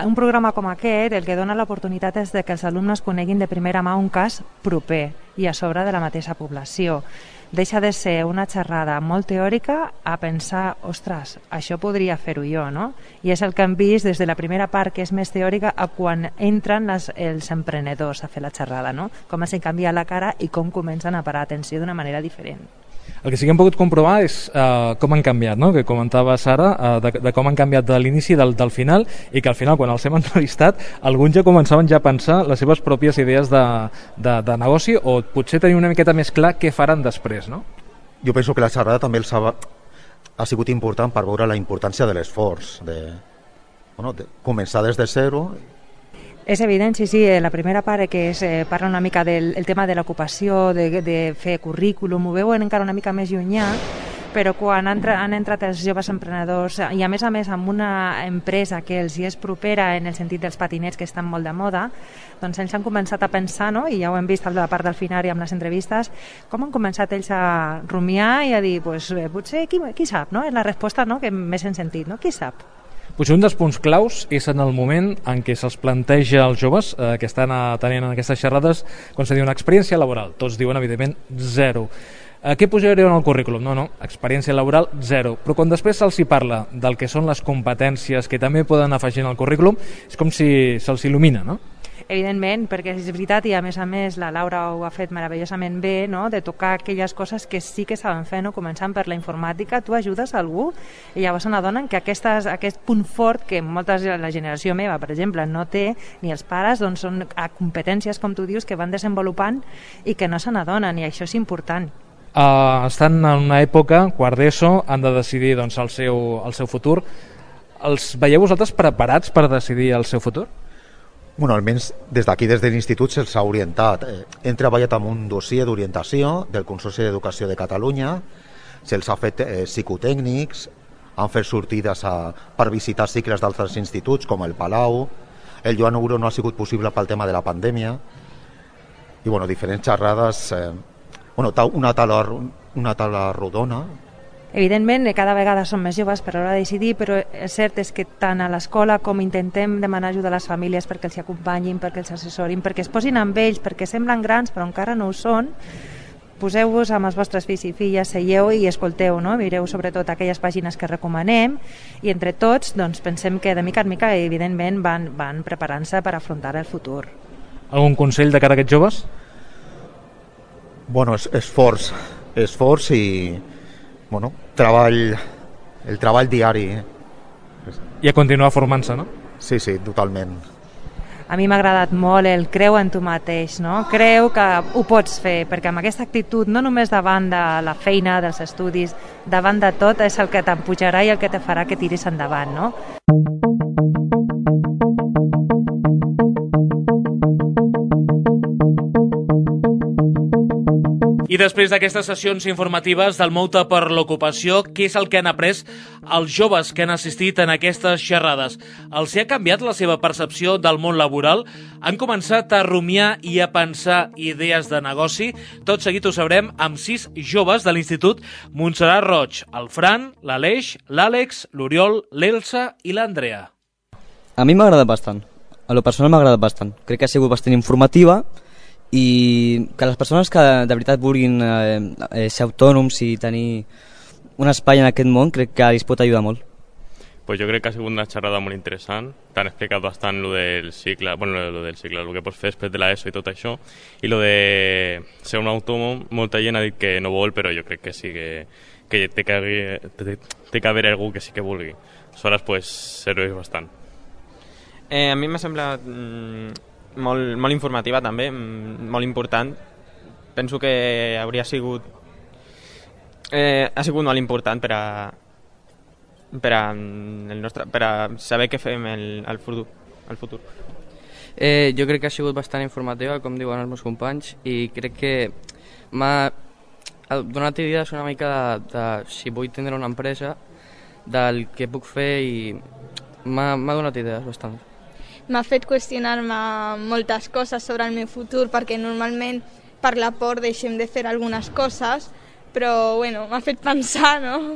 Un programa com aquest el que dona l'oportunitat és que els alumnes coneguin de primera mà un cas proper i a sobre de la mateixa població. Deixa de ser una xerrada molt teòrica a pensar, ostres, això podria fer-ho jo, no? I és el que hem vist des de la primera part, que és més teòrica, a quan entren els emprenedors a fer la xerrada, no? Com es canvia la cara i com comencen a parar atenció d'una manera diferent. El que sí que hem pogut comprovar és com han canviat, no? Que comentava Sara, de com han canviat de l'inici del final, i que al final, quan els hem entrevistat, alguns ja començaven ja a pensar les seves pròpies idees de negoci, o potser tenir una miqueta més clar què faran després, no? Jo penso que la xerrada també ha sigut important per veure la importància de l'esforç, de començar des de zero. És evident, sí, la primera part que parla una mica del tema de l'ocupació, de fer currículum, ho veuen encara una mica més llunyà, però quan han entrat els joves emprenedors, i a més amb una empresa que els hi és propera en el sentit dels patinets que estan molt de moda, doncs ells han començat a pensar, no? I ja ho hem vist a la part del final i amb les entrevistes, com han començat ells a rumiar i a dir, potser qui sap, no? És la resposta, no?, que més hem sentit, no? Qui sap? Potser un dels punts claus és en el moment en què se'ls planteja als joves que estan tenint en aquestes xerrades, quan se diu una experiència laboral. Tots diuen, evidentment, 0. Què posareu en el currículum? No, experiència laboral 0. Però quan després se'ls parla del que són les competències que també poden afegir en el currículum, és com si se'ls il·lumina, no? Evidentment, perquè és veritat, i a més la Laura ho ha fet meravellosament bé, no?, de tocar aquelles coses que sí que saben fer, no? Començant per la informàtica, tu ajudes a algú i llavors n'adonen que aquest punt fort que la generació meva, per exemple, no té, ni els pares, doncs són competències, com tu dius, que van desenvolupant i que no se n'adonen, i això és important. Estan en una època, quart d'ESO, han de decidir doncs, el seu futur. Els veieu vosaltres preparats per decidir el seu futur? Almenys des d'aquí, des de l'Institut, se'ls ha orientat. Hem treballat amb un dossier d'orientació del Consorci d'Educació de Catalunya, se'ls ha fet psicotècnics, han fet sortides per visitar cicles d'altres instituts, com el Palau. El Joan Euro no ha sigut possible pel tema de la pandèmia. I diferents xerrades, una taula rodona. Evidentment, cada vegada som més joves per a l'hora de decidir, però el cert és que tant a l'escola com intentem demanar ajuda a les famílies perquè els acompanyin, perquè els assessorin, perquè es posin amb ells, perquè semblen grans però encara no ho són. Poseu-vos amb els vostres fills i filles, seieu i escolteu, no? Mireu sobretot aquelles pàgines que recomanem i entre tots doncs, pensem que de mica en mica evidentment van preparant-se per afrontar el futur. Algun consell de cara a aquests joves? Esforç i el treball diari. I a continuar formant-se, no? Sí, totalment. A mi m'ha agradat molt el creu en tu mateix, no? Creu que ho pots fer, perquè amb aquesta actitud, no només davant de la feina, dels estudis, davant de tot és el que t'empujarà i el que te farà que tiris endavant, no? I després d'aquestes sessions informatives del Mou-te per l'ocupació, què és el que han après els joves que han assistit en aquestes xerrades? Els ha canviat la seva percepció del món laboral? Han començat a rumiar i a pensar idees de negoci? Tot seguit ho sabrem amb 6 joves de l'Institut Montserrat Roig, el Fran, l'Aleix, l'Àlex, l'Oriol, l'Elsa i l'Andrea. A mi m'ha agradat bastant. A lo personal m'ha agradat bastant. Crec que ha sigut bastant informativa i que les persones que de veritat vulguin ser autònoms i tenir un espai en aquest món crec que els pot ajudar molt. Pues yo creo que ha sido una charrada muy interesante. T'han explicat bastant lo del cicle, lo que pots fer després de l'ESO i tot això, i lo de ser un autònom. Molta gent ha dit que no vol, però jo crec que sí que té que haver algú que sí que vulgui. Aleshores, pues, serveix bastant. A mi m'ha semblat molt informativa també, molt important. Penso que ha sigut molt important per a saber què fem al futur. Jo crec que ha sigut bastant informativa, com diuen els meus companys, i crec que m'ha donat idees una mica de si vull tindre una empresa, del que puc fer, i m'ha donat idees bastant. M'ha fet qüestionar-me moltes coses sobre el meu futur, perquè normalment per la por deixem de fer algunes coses, però bueno, m'ha fet pensar, no?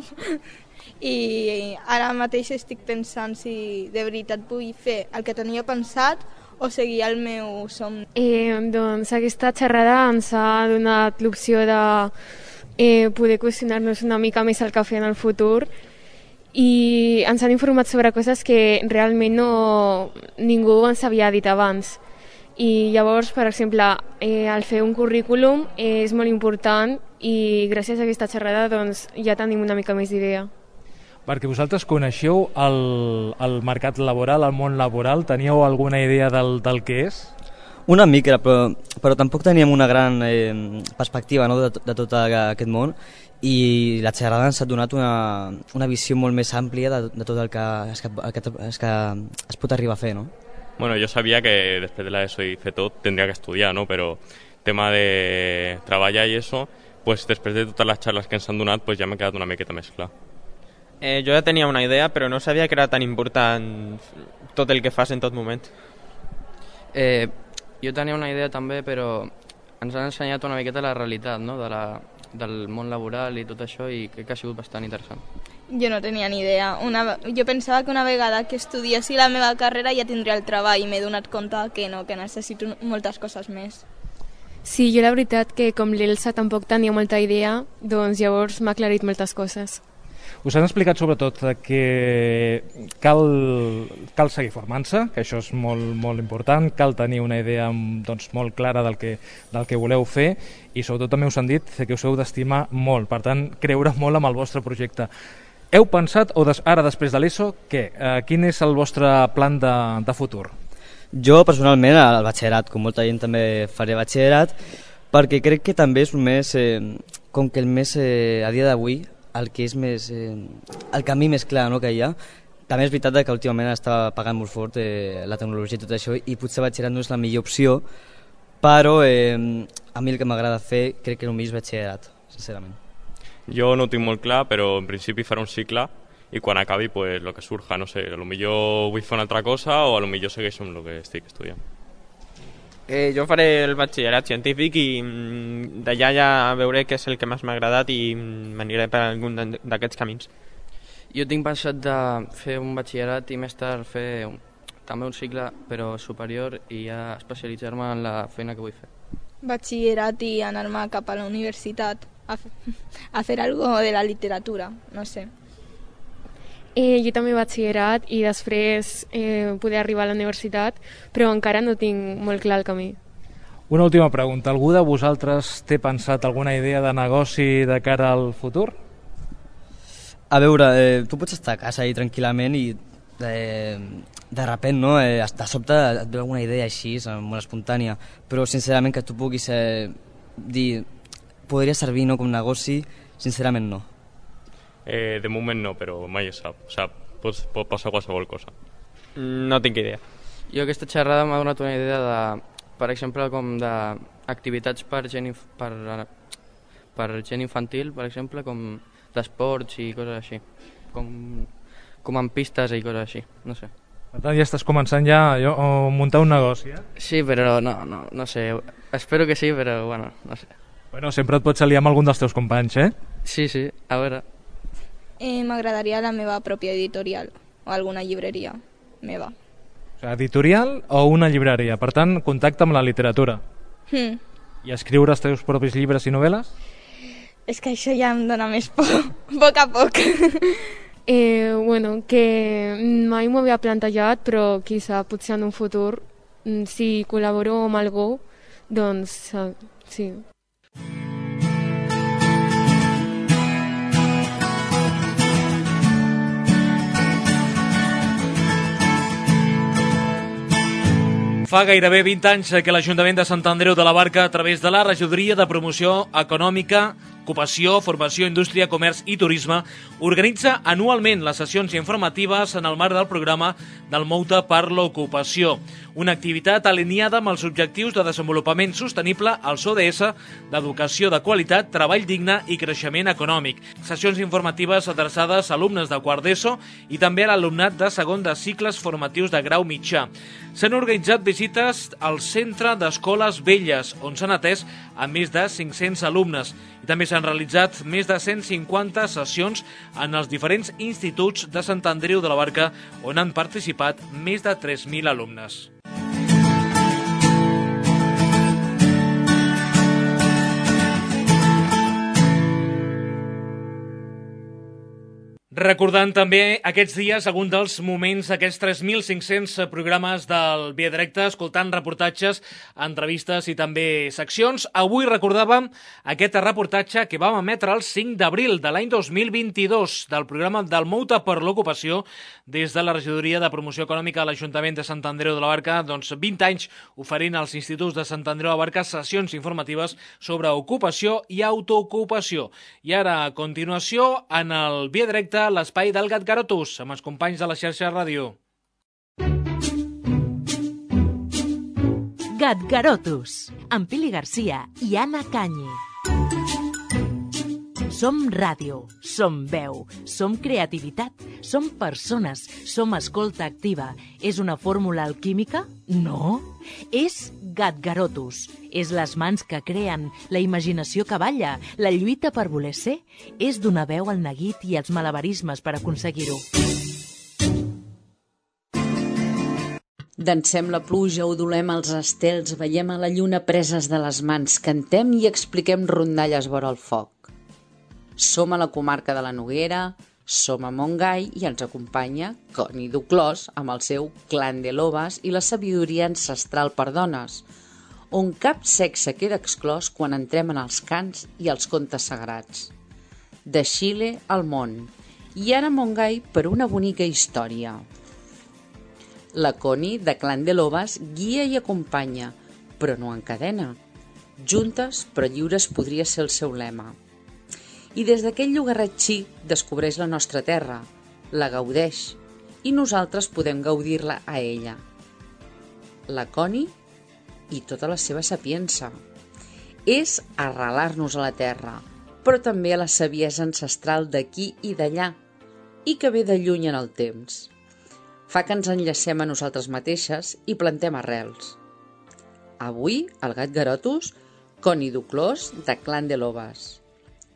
I ara mateix estic pensant si de veritat vull fer el que tenia pensat o seguir el meu somni. Doncs aquesta xerrada ens ha donat l'opció de poder qüestionar-nos una mica més el que fer en el futur, i ens han informat sobre coses que realment ningú ens havia dit abans. I llavors, per exemple, el fer un currículum és molt important, i gràcies a aquesta xerrada doncs, ja tenim una mica més d'idea. Perquè vosaltres coneixeu el mercat laboral, el món laboral, teníeu alguna idea del que és? Una mica, però tampoc teníem una gran perspectiva, no, de tot aquest món, i la xerrada ens ha donat una visió molt més àmplia de tot el que es pot arribar a fer, no? Bueno, yo sabía que después de la ESO y fer tot tendría que estudiar, ¿no? Pero tema de treballar y eso, pues després de totes les xarles que ens han donat, pues ja m'ha quedat una miqueta més clar. Jo ja tenia una idea, però no sabia que era tan important tot el que fas en tot moment. Jo tenia una idea també, però ens han ensenyat una miqueta la realitat, no? Del món laboral i tot això, i crec que ha sigut bastant interessant. Jo no tenia ni idea. Jo pensava que una vegada que estudiessi la meva carrera ja tindria el treball, i m'he donat compte que no, que necessito moltes coses més. Sí, jo la veritat que com l'Elsa tampoc tenia molta idea, doncs llavors m'ha aclarit moltes coses. Us han explicat sobretot que cal seguir formant-se, que això és molt important, cal tenir una idea doncs, molt clara del que voleu fer, i sobretot també us han dit que us heu d'estimar molt, per tant, creure molt amb el vostre projecte. Heu pensat, ara després de l'ESO, quin és el vostre plan de futur? Jo personalment al batxillerat, com molta gent també faré batxillerat, perquè crec que també és un més, com que el més a dia d'avui, el que és més el camí més clar, no, que hi ha. També és veritat que últimament està pagant molt fort la tecnologia i tot això, i potser batxillerat no és la millor opció, però a mi el que m'agrada fer crec que el millor és batxillerat, sincerament. Jo no ho tinc molt clar, però en principi faré un cicle, i quan acabi pues lo que surja, no sé, a lo millor vull fer una altra cosa o a lo millor segueixo amb el que estic estudiant. Jo faré el batxillerat científic i d'allà ja veuré què és el que més m'ha agradat i m'aniré per algun d'aquests camins. Jo tinc pensat de fer un batxillerat i més tard fer també un cicle però superior i ja especialitzar-me en la feina que vull fer. Batxillerat i anar-me cap a la universitat a fer algo de la literatura, no sé. Jo també batxillerat i després poder arribar a la universitat, però encara no tinc molt clar el camí. Una última pregunta. Algú de vosaltres té pensat alguna idea de negoci de cara al futur? A veure, tu pots estar a casa i tranquil·lament i de repent, no? De sobte et ve alguna idea així, molt espontània, però sincerament que tu puguis dir podria servir, no, com negoci, sincerament no. De moment no, però mai es sap. O sigui, pot passar qualsevol cosa. No tinc idea. Jo aquesta xerrada m'ha donat una idea de, per exemple, com d'activitats per gent, per gent infantil, per exemple, com d'esports i coses així, com en pistes i coses així, no sé. Per tant, ja estàs començant ja a muntar un negoci, eh? Sí, però no sé, espero que sí, però bueno, no sé. Bueno, sempre et pots aliar amb algun dels teus companys, eh? Sí, a veure. M'agradaria la meva pròpia editorial o alguna llibreria meva. O sigui, editorial o una llibreria, per tant, contacte amb la literatura. I escriure els teus propis llibres i novel·les? És que això ja em dóna més por, a poc a poc. Bueno, que mai m'ho havia plantejat, però quizá potser en un futur, si col·laboro amb algú, doncs sí. Fa gairebé 20 anys que l'Ajuntament de Sant Andreu de la Barca, a través de la Regidoria de Promoció Econòmica, Ocupació, Formació, Indústria, Comerç i Turisme, organitza anualment les sessions informatives en el marc del programa del Mou-te per l'Ocupació, una activitat alineada amb els objectius de desenvolupament sostenible als ODS d'educació de qualitat, treball digne i creixement econòmic. Sessions informatives adreçades a alumnes de quart d'ESO i també a l'alumnat de segon de cicles formatius de grau mitjà. S'han organitzat visites al Centre d'Escoles Velles, on s'han atès a més de 500 alumnes. I també s'han realitzat més de 150 sessions en els diferents instituts de Sant Andreu de la Barca, on han participat més de 3.000 alumnes. Recordant també aquests dies algun dels moments d'aquests 3.500 programes del Via Directe, escoltant reportatges, entrevistes i també seccions. Avui recordàvem aquest reportatge que vam emetre el 5 d'abril de l'any 2022 del programa del Mou-te per l'Ocupació des de la Regidoria de Promoció Econòmica de l'Ajuntament de Sant Andreu de la Barca, 20 anys oferint als instituts de Sant Andreu de la Barca sessions informatives sobre ocupació i autoocupació. I ara, a continuació, en el Via Directe, l'espai del Gat Garotus, amb els companys de la xarxa ràdio. Gat Garotus, amb Pili Garcia i Anna Canyi. Som ràdio, som veu, som creativitat, som persones, som escolta activa. És una fórmula alquímica? No. És Gat Garotus. És les mans que creen, la imaginació que balla, la lluita per voler ser. És donar veu al neguit i els malabarismes per aconseguir-ho. Dansem la pluja, odolem els estels, veiem a la lluna preses de les mans, cantem i expliquem rondalles vora el foc. Som a la comarca de la Noguera, som a Montgai i ens acompanya Connie Duclos amb el seu Clan de Lobas i la sabidoria ancestral per dones, on cap sexe queda exclòs quan entrem en els cants i els contes sagrats. De Xile al món, i ara a Montgai per una bonica història. La Connie, de Clan de Lobas, guia i acompanya, però no encadena. Juntes però lliures podria ser el seu lema. I des d'aquell llogarret xic descobreix la nostra terra, la gaudeix, i nosaltres podem gaudir-la a ella. La Connie i tota la seva sapiença. És arrelar-nos a la terra, però també a la saviesa ancestral d'aquí i d'allà, i que ve de lluny en el temps. Fa que ens enllacem a nosaltres mateixes i plantem arrels. Avui, al Gat Garotus, Connie Duclos, de Clan de Lobas.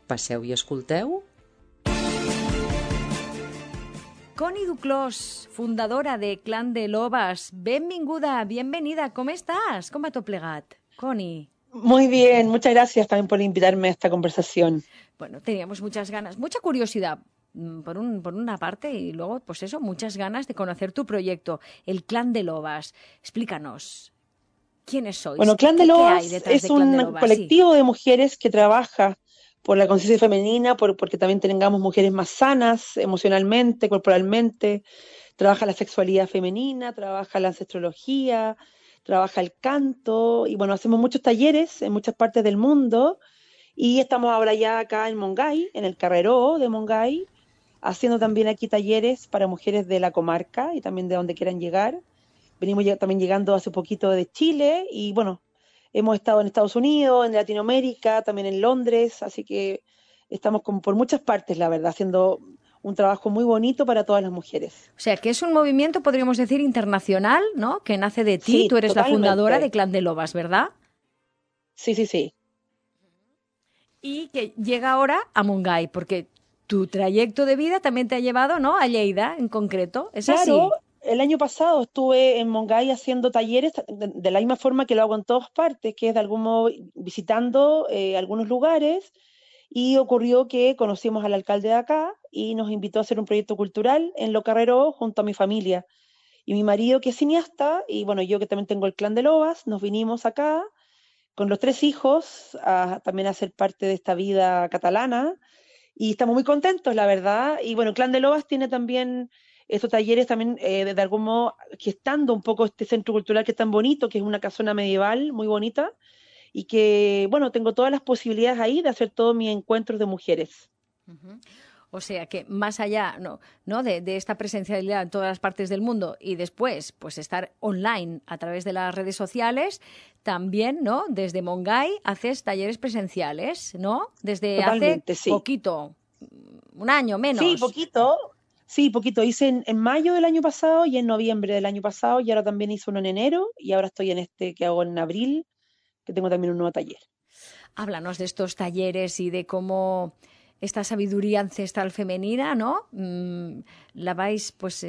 Passeu i escolteu. Connie Duclos, fundadora de Clan de Lobas. Benvinguda, bienvenida. ¿Cómo estás? ¿Cómo va todo plegat? Connie. Muy bien, muchas gracias también por invitarme a esta conversación. Bueno, teníamos muchas ganas, mucha curiosidad por una parte y luego, pues eso, muchas ganas de conocer tu proyecto, el Clan de Lobas. Explícanos, ¿quiénes sois? Bueno, Clan de Lobas es un colectivo de mujeres que trabaja por la conciencia femenina, porque también tengamos mujeres más sanas emocionalmente, corporalmente. Trabaja la sexualidad femenina, trabaja la ancestrología, trabaja el canto, y bueno, hacemos muchos talleres en muchas partes del mundo, y estamos ahora ya acá en Montgai, en el Carreró de Montgai, haciendo también aquí talleres para mujeres de la comarca y también de donde quieran llegar. Venimos también llegando hace poquito de Chile, y bueno, Hemos estado en Estados Unidos, en Latinoamérica, también en Londres, así que estamos como por muchas partes, la verdad, haciendo un trabajo muy bonito para todas las mujeres. O sea, que es un movimiento, podríamos decir, internacional, ¿no? Que nace de ti, Sí, tú eres totalmente. la fundadora de Clan de Lobas, ¿verdad? Sí, sí, sí. Y que llega ahora a Montgai, porque tu trayecto de vida también te ha llevado, ¿no?, a Lleida en concreto, ¿es así? Claro, el año pasado estuve en Montgai haciendo talleres de la misma forma que lo hago en todas partes, que es de algún modo visitando algunos lugares, y ocurrió que conocimos al alcalde de acá y nos invitó a hacer un proyecto cultural en Lo Carrero junto a mi familia. Y mi marido, que es cineasta, y bueno, yo que también tengo el Clan de Lobas, nos vinimos acá con los 3 hijos también a ser parte de esta vida catalana, y estamos muy contentos, la verdad. Y bueno, Clan de Lobas tiene también estos talleres también de algún modo gestando un poco este centro cultural que es tan bonito, que es una casona medieval muy bonita, y que, bueno, tengo todas las posibilidades ahí de hacer todos mis encuentros de mujeres. O sea que más allá de esta presencialidad en todas las partes del mundo y después pues estar online a través de las redes sociales, también, ¿no?, desde Montgai haces talleres presenciales, ¿no? Desde Totalmente, hace sí. poquito, un año menos. Sí, poquito. Sí, poquito. Hice en mayo del año pasado y en noviembre del año pasado, y ahora también hice uno en enero, y ahora estoy en este que hago en abril, que tengo también un nuevo taller. Háblanos de estos talleres y de cómo esta sabiduría ancestral femenina, ¿no?, la vais pues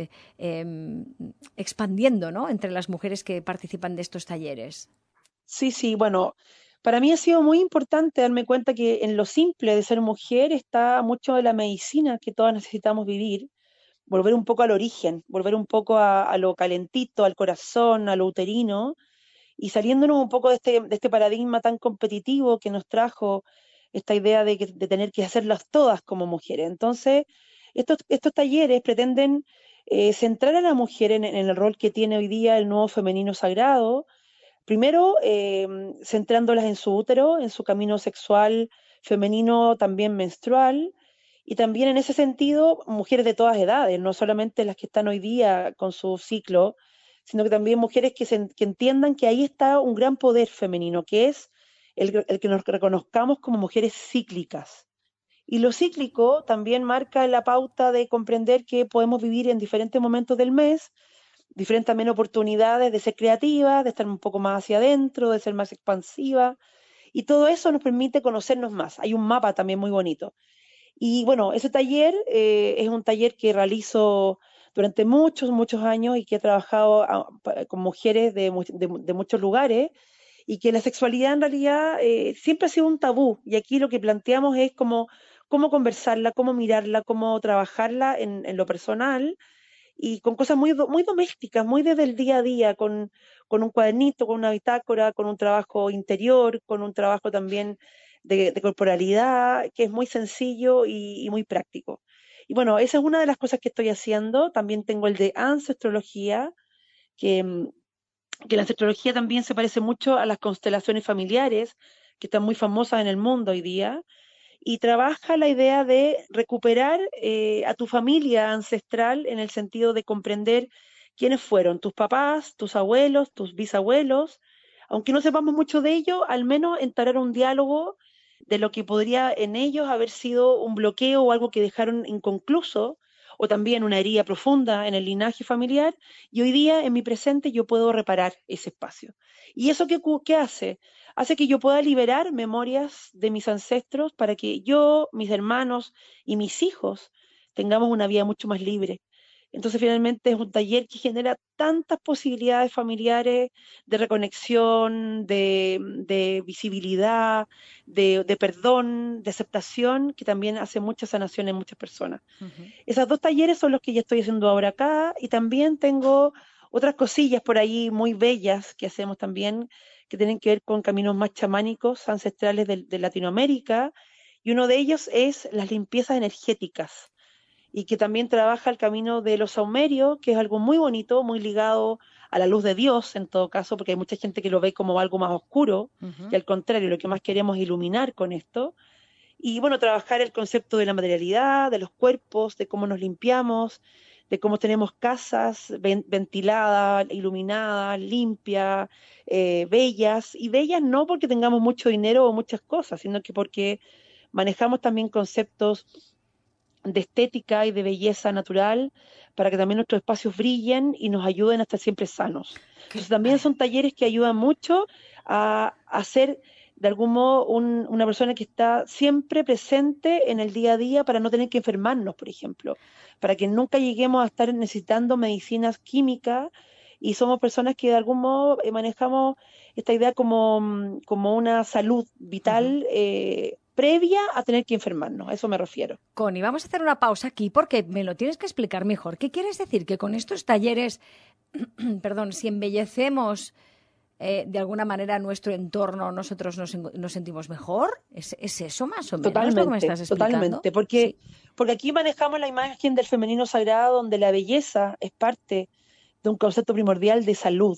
expandiendo, ¿no?, entre las mujeres que participan de estos talleres. Sí, sí, bueno, para mí ha sido muy importante darme cuenta que en lo simple de ser mujer está mucho de la medicina que todas necesitamos vivir, volver un poco al origen, volver un poco a lo calentito, al corazón, a lo uterino, y saliéndonos un poco de este paradigma tan competitivo que nos trajo esta idea de tener que hacerlas todas como mujeres. Entonces, estos talleres pretenden centrar a la mujer en el rol que tiene hoy día el nuevo femenino sagrado. Primero, centrándolas en su útero, en su camino sexual femenino también menstrual, y también en ese sentido, mujeres de todas edades, no solamente las que están hoy día con su ciclo, sino que también mujeres que entiendan que ahí está un gran poder femenino, que es el que nos reconozcamos como mujeres cíclicas. Y lo cíclico también marca la pauta de comprender que podemos vivir en diferentes momentos del mes diferentes también oportunidades de ser creativa, de estar un poco más hacia adentro, de ser más expansiva, y todo eso nos permite conocernos más. Hay un mapa también muy bonito. Y bueno, ese taller es un taller que realizo durante muchos, muchos años y que he trabajado con mujeres de muchos lugares, y que la sexualidad en realidad siempre ha sido un tabú, y aquí lo que planteamos es cómo conversarla, cómo mirarla, cómo trabajarla en lo personal, y con cosas muy domésticas, muy desde el día a día, con un cuadernito, con una bitácora, con un trabajo interior, con un trabajo también de corporalidad, que es muy sencillo y muy práctico. Y bueno, esa es una de las cosas que estoy haciendo. También tengo el de ancestrología, que la ancestrología también se parece mucho a las constelaciones familiares, que están muy famosas en el mundo hoy día, y trabaja la idea de recuperar a tu familia ancestral en el sentido de comprender quiénes fueron tus papás, tus abuelos, tus bisabuelos, aunque no sepamos mucho de ello, al menos entablar un diálogo de lo que podría en ellos haber sido un bloqueo o algo que dejaron inconcluso, o también una herida profunda en el linaje familiar, y hoy día en mi presente yo puedo reparar ese espacio. ¿Y eso qué hace? Hace que yo pueda liberar memorias de mis ancestros para que yo, mis hermanos y mis hijos tengamos una vida mucho más libre. Entonces finalmente es un taller que genera tantas posibilidades familiares de reconexión, de visibilidad, de perdón, de aceptación, que también hace mucha sanación en muchas personas. Esos 2 talleres son los que ya estoy haciendo ahora acá, y también tengo otras cosillas por ahí muy bellas que hacemos también, que tienen que ver con caminos más chamánicos, ancestrales de Latinoamérica, y uno de ellos es las limpiezas energéticas, y que también trabaja el camino de los saumerios, que es algo muy bonito, muy ligado a la luz de Dios en todo caso, porque hay mucha gente que lo ve como algo más oscuro, y al contrario, lo que más queremos es iluminar con esto. Y bueno, trabajar el concepto de la materialidad, de los cuerpos, de cómo nos limpiamos, de cómo tenemos casas ventiladas, iluminadas, limpias, bellas, y bellas no porque tengamos mucho dinero o muchas cosas, sino que porque manejamos también conceptos de estética y de belleza natural para que también nuestros espacios brillen y nos ayuden a estar siempre sanos. Entonces también son talleres que ayudan mucho a ser de algún modo una persona que está siempre presente en el día a día para no tener que enfermarnos, por ejemplo, para que nunca lleguemos a estar necesitando medicinas químicas y somos personas que de algún modo manejamos esta idea como una salud vital previa a tener que enfermarnos, a eso me refiero. Connie, vamos a hacer una pausa aquí porque me lo tienes que explicar mejor. ¿Qué quieres decir? Que con estos talleres, perdón, si embellecemos de alguna manera nuestro entorno, nosotros nos sentimos mejor. ¿Es eso más o menos totalmente, lo que me estás explicando? Totalmente, porque aquí manejamos la imagen del femenino sagrado donde la belleza es parte de un concepto primordial de salud.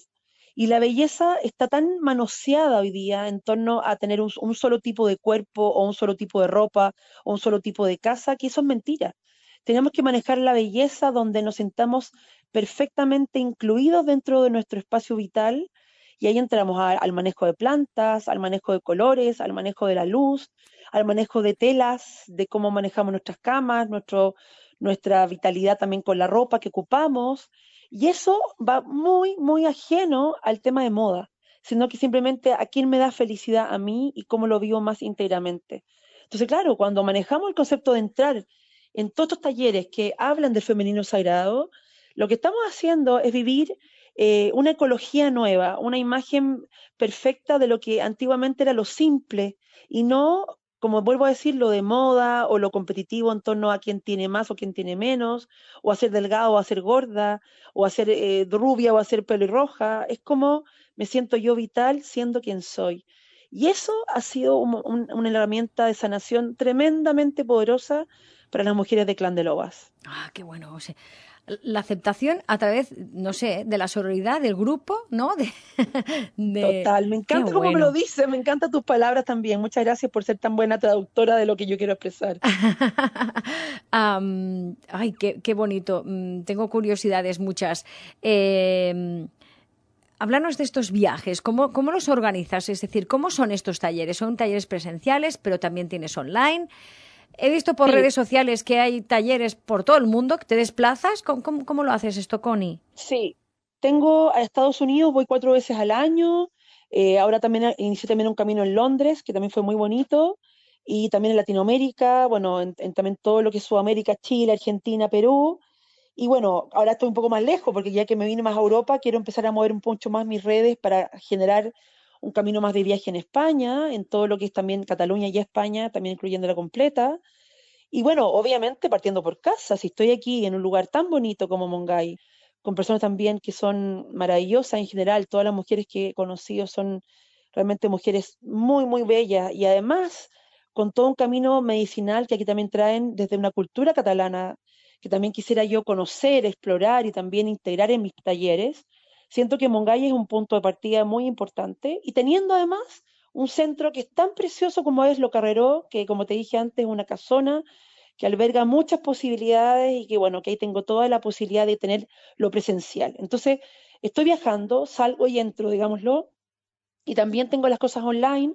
Y la belleza está tan manoseada hoy día en torno a tener un solo tipo de cuerpo o un solo tipo de ropa o un solo tipo de casa, que eso es mentira. Tenemos que manejar la belleza donde nos sintamos perfectamente incluidos dentro de nuestro espacio vital y ahí entramos al manejo de plantas, al manejo de colores, al manejo de la luz, al manejo de telas, de cómo manejamos nuestras camas, nuestra vitalidad también con la ropa que ocupamos. Y eso va muy, muy ajeno al tema de moda, sino que simplemente a quién me da felicidad a mí y cómo lo vivo más íntegramente. Entonces, claro, cuando manejamos el concepto de entrar en todos estos talleres que hablan del femenino sagrado, lo que estamos haciendo es vivir una ecología nueva, una imagen perfecta de lo que antiguamente era lo simple y no, como vuelvo a decir, lo de moda o lo competitivo en torno a quién tiene más o quién tiene menos, o a ser delgado o a ser gorda, o a ser rubia o a ser pelirroja. Es como me siento yo vital siendo quien soy. Y eso ha sido una herramienta de sanación tremendamente poderosa para las mujeres de Clan de Lobas. Ah, qué bueno, o sea, la aceptación a través, no sé, de la sororidad, del grupo, ¿no? Total, me encanta cómo me lo dices, me encantan tus palabras también. Muchas gracias por ser tan buena traductora de lo que yo quiero expresar. Ay, qué bonito. Tengo curiosidades muchas. Háblanos de estos viajes, ¿cómo los organizas? Es decir, ¿cómo son estos talleres? ¿Son talleres presenciales, pero también tienes online? He visto por redes sociales que hay talleres por todo el mundo, que te desplazas. ¿Cómo lo haces esto, Connie? Sí, tengo a Estados Unidos, voy 4 veces al año. Ahora también inicié también un camino en Londres, que también fue muy bonito. Y también en Latinoamérica, bueno, también todo lo que es Sudamérica, Chile, Argentina, Perú. Y bueno, ahora estoy un poco más lejos, porque ya que me vine más a Europa, quiero empezar a mover un poco más mis redes para generar un camino más de viaje en España, en todo lo que es también Cataluña y España, también incluyendo la completa. Y bueno, obviamente partiendo por casa, si estoy aquí en un lugar tan bonito como Mongay, con personas también que son maravillosas en general, todas las mujeres que he conocido son realmente mujeres muy, muy bellas y además con todo un camino medicinal que aquí también traen desde una cultura catalana que también quisiera yo conocer, explorar y también integrar en mis talleres. Siento que Mongay es un punto de partida muy importante y teniendo además un centro que es tan precioso como es Lo Carreró, que como te dije antes es una casona que alberga muchas posibilidades y que bueno, que ahí tengo toda la posibilidad de tener lo presencial. Entonces, estoy viajando, salgo y entro, digámoslo, y también tengo las cosas online,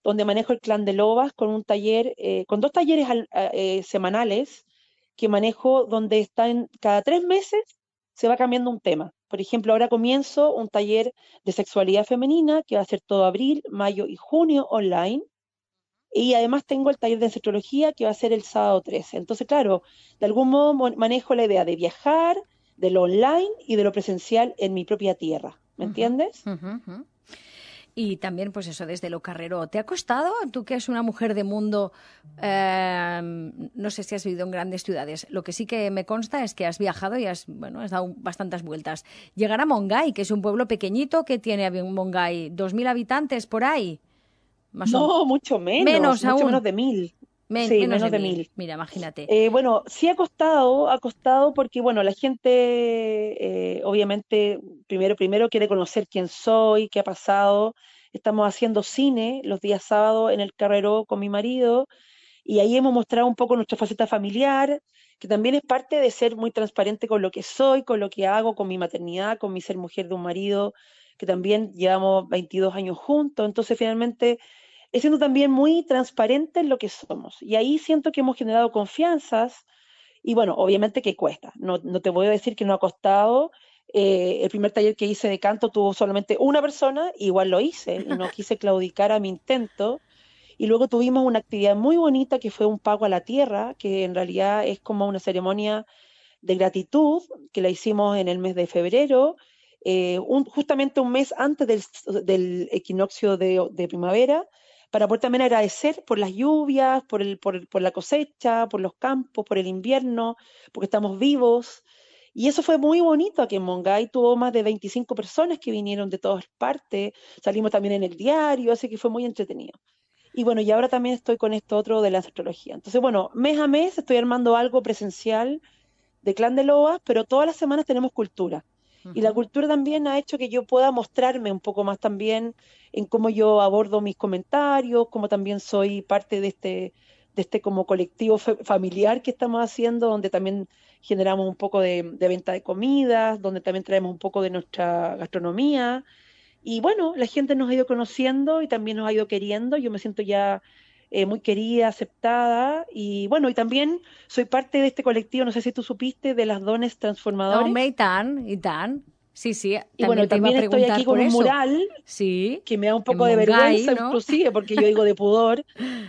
donde manejo el Clan de Lobas con un taller, con 2 talleres semanales que manejo, donde están cada 3 meses se va cambiando un tema. Por ejemplo, ahora comienzo un taller de sexualidad femenina que va a ser todo abril, mayo y junio online. Y además tengo el taller de ancestrología que va a ser el sábado 13. Entonces, claro, de algún modo manejo la idea de viajar, de lo online y de lo presencial en mi propia tierra. ¿Me entiendes? Y también, pues eso, desde Lo Carreró. ¿Te ha costado, tú que eres una mujer de mundo, no sé si has vivido en grandes ciudades, lo que sí que me consta es que has viajado y has dado bastantes vueltas. Llegar a Mongay, que es un pueblo pequeñito que tiene Mongay, 2.000 habitantes por ahí. No, mucho menos de 1.000. Sí, menos de 1.000. Mira, imagínate. Bueno, sí ha costado porque, bueno, la gente obviamente primero quiere conocer quién soy, qué ha pasado. Estamos haciendo cine los días sábados en el Carreró con mi marido y ahí hemos mostrado un poco nuestra faceta familiar que también es parte de ser muy transparente con lo que soy, con lo que hago, con mi maternidad, con mi ser mujer de un marido, que también llevamos 22 años juntos, entonces finalmente es siendo también muy transparente en lo que somos. Y ahí siento que hemos generado confianzas, y bueno, obviamente que cuesta, no te voy a decir que no ha costado. El primer taller que hice de canto tuvo solamente una persona, igual lo hice, y no quise claudicar a mi intento. Y luego tuvimos una actividad muy bonita que fue un pago a la tierra, que en realidad es como una ceremonia de gratitud, que la hicimos en el mes de febrero, justamente un mes antes del equinoccio de primavera, para poder también agradecer por las lluvias, por la cosecha, por los campos, por el invierno, porque estamos vivos. Y eso fue muy bonito aquí en Mongay. Tuvo más de 25 personas que vinieron de todas partes. Salimos también en el diario, así que fue muy entretenido. Y bueno, y ahora también estoy con esto otro de la astrología. Entonces, bueno, mes a mes estoy armando algo presencial de Clan de Lobas, pero todas las semanas tenemos cultura. Y la cultura también ha hecho que yo pueda mostrarme un poco más también en cómo yo abordo mis comentarios, cómo también soy parte de este como colectivo familiar que estamos haciendo, donde también generamos un poco de venta de comidas, donde también traemos un poco de nuestra gastronomía. Y bueno, la gente nos ha ido conociendo y también nos ha ido queriendo. Yo me siento ya muy querida, aceptada. Y bueno, y también soy parte de este colectivo, no sé si tú supiste, de las dones transformadores. Home, i tant. Sí, sí. Y bueno, también estoy aquí con un mural que me da un poco de vergüenza, ¿no? Inclusive, porque yo digo de pudor,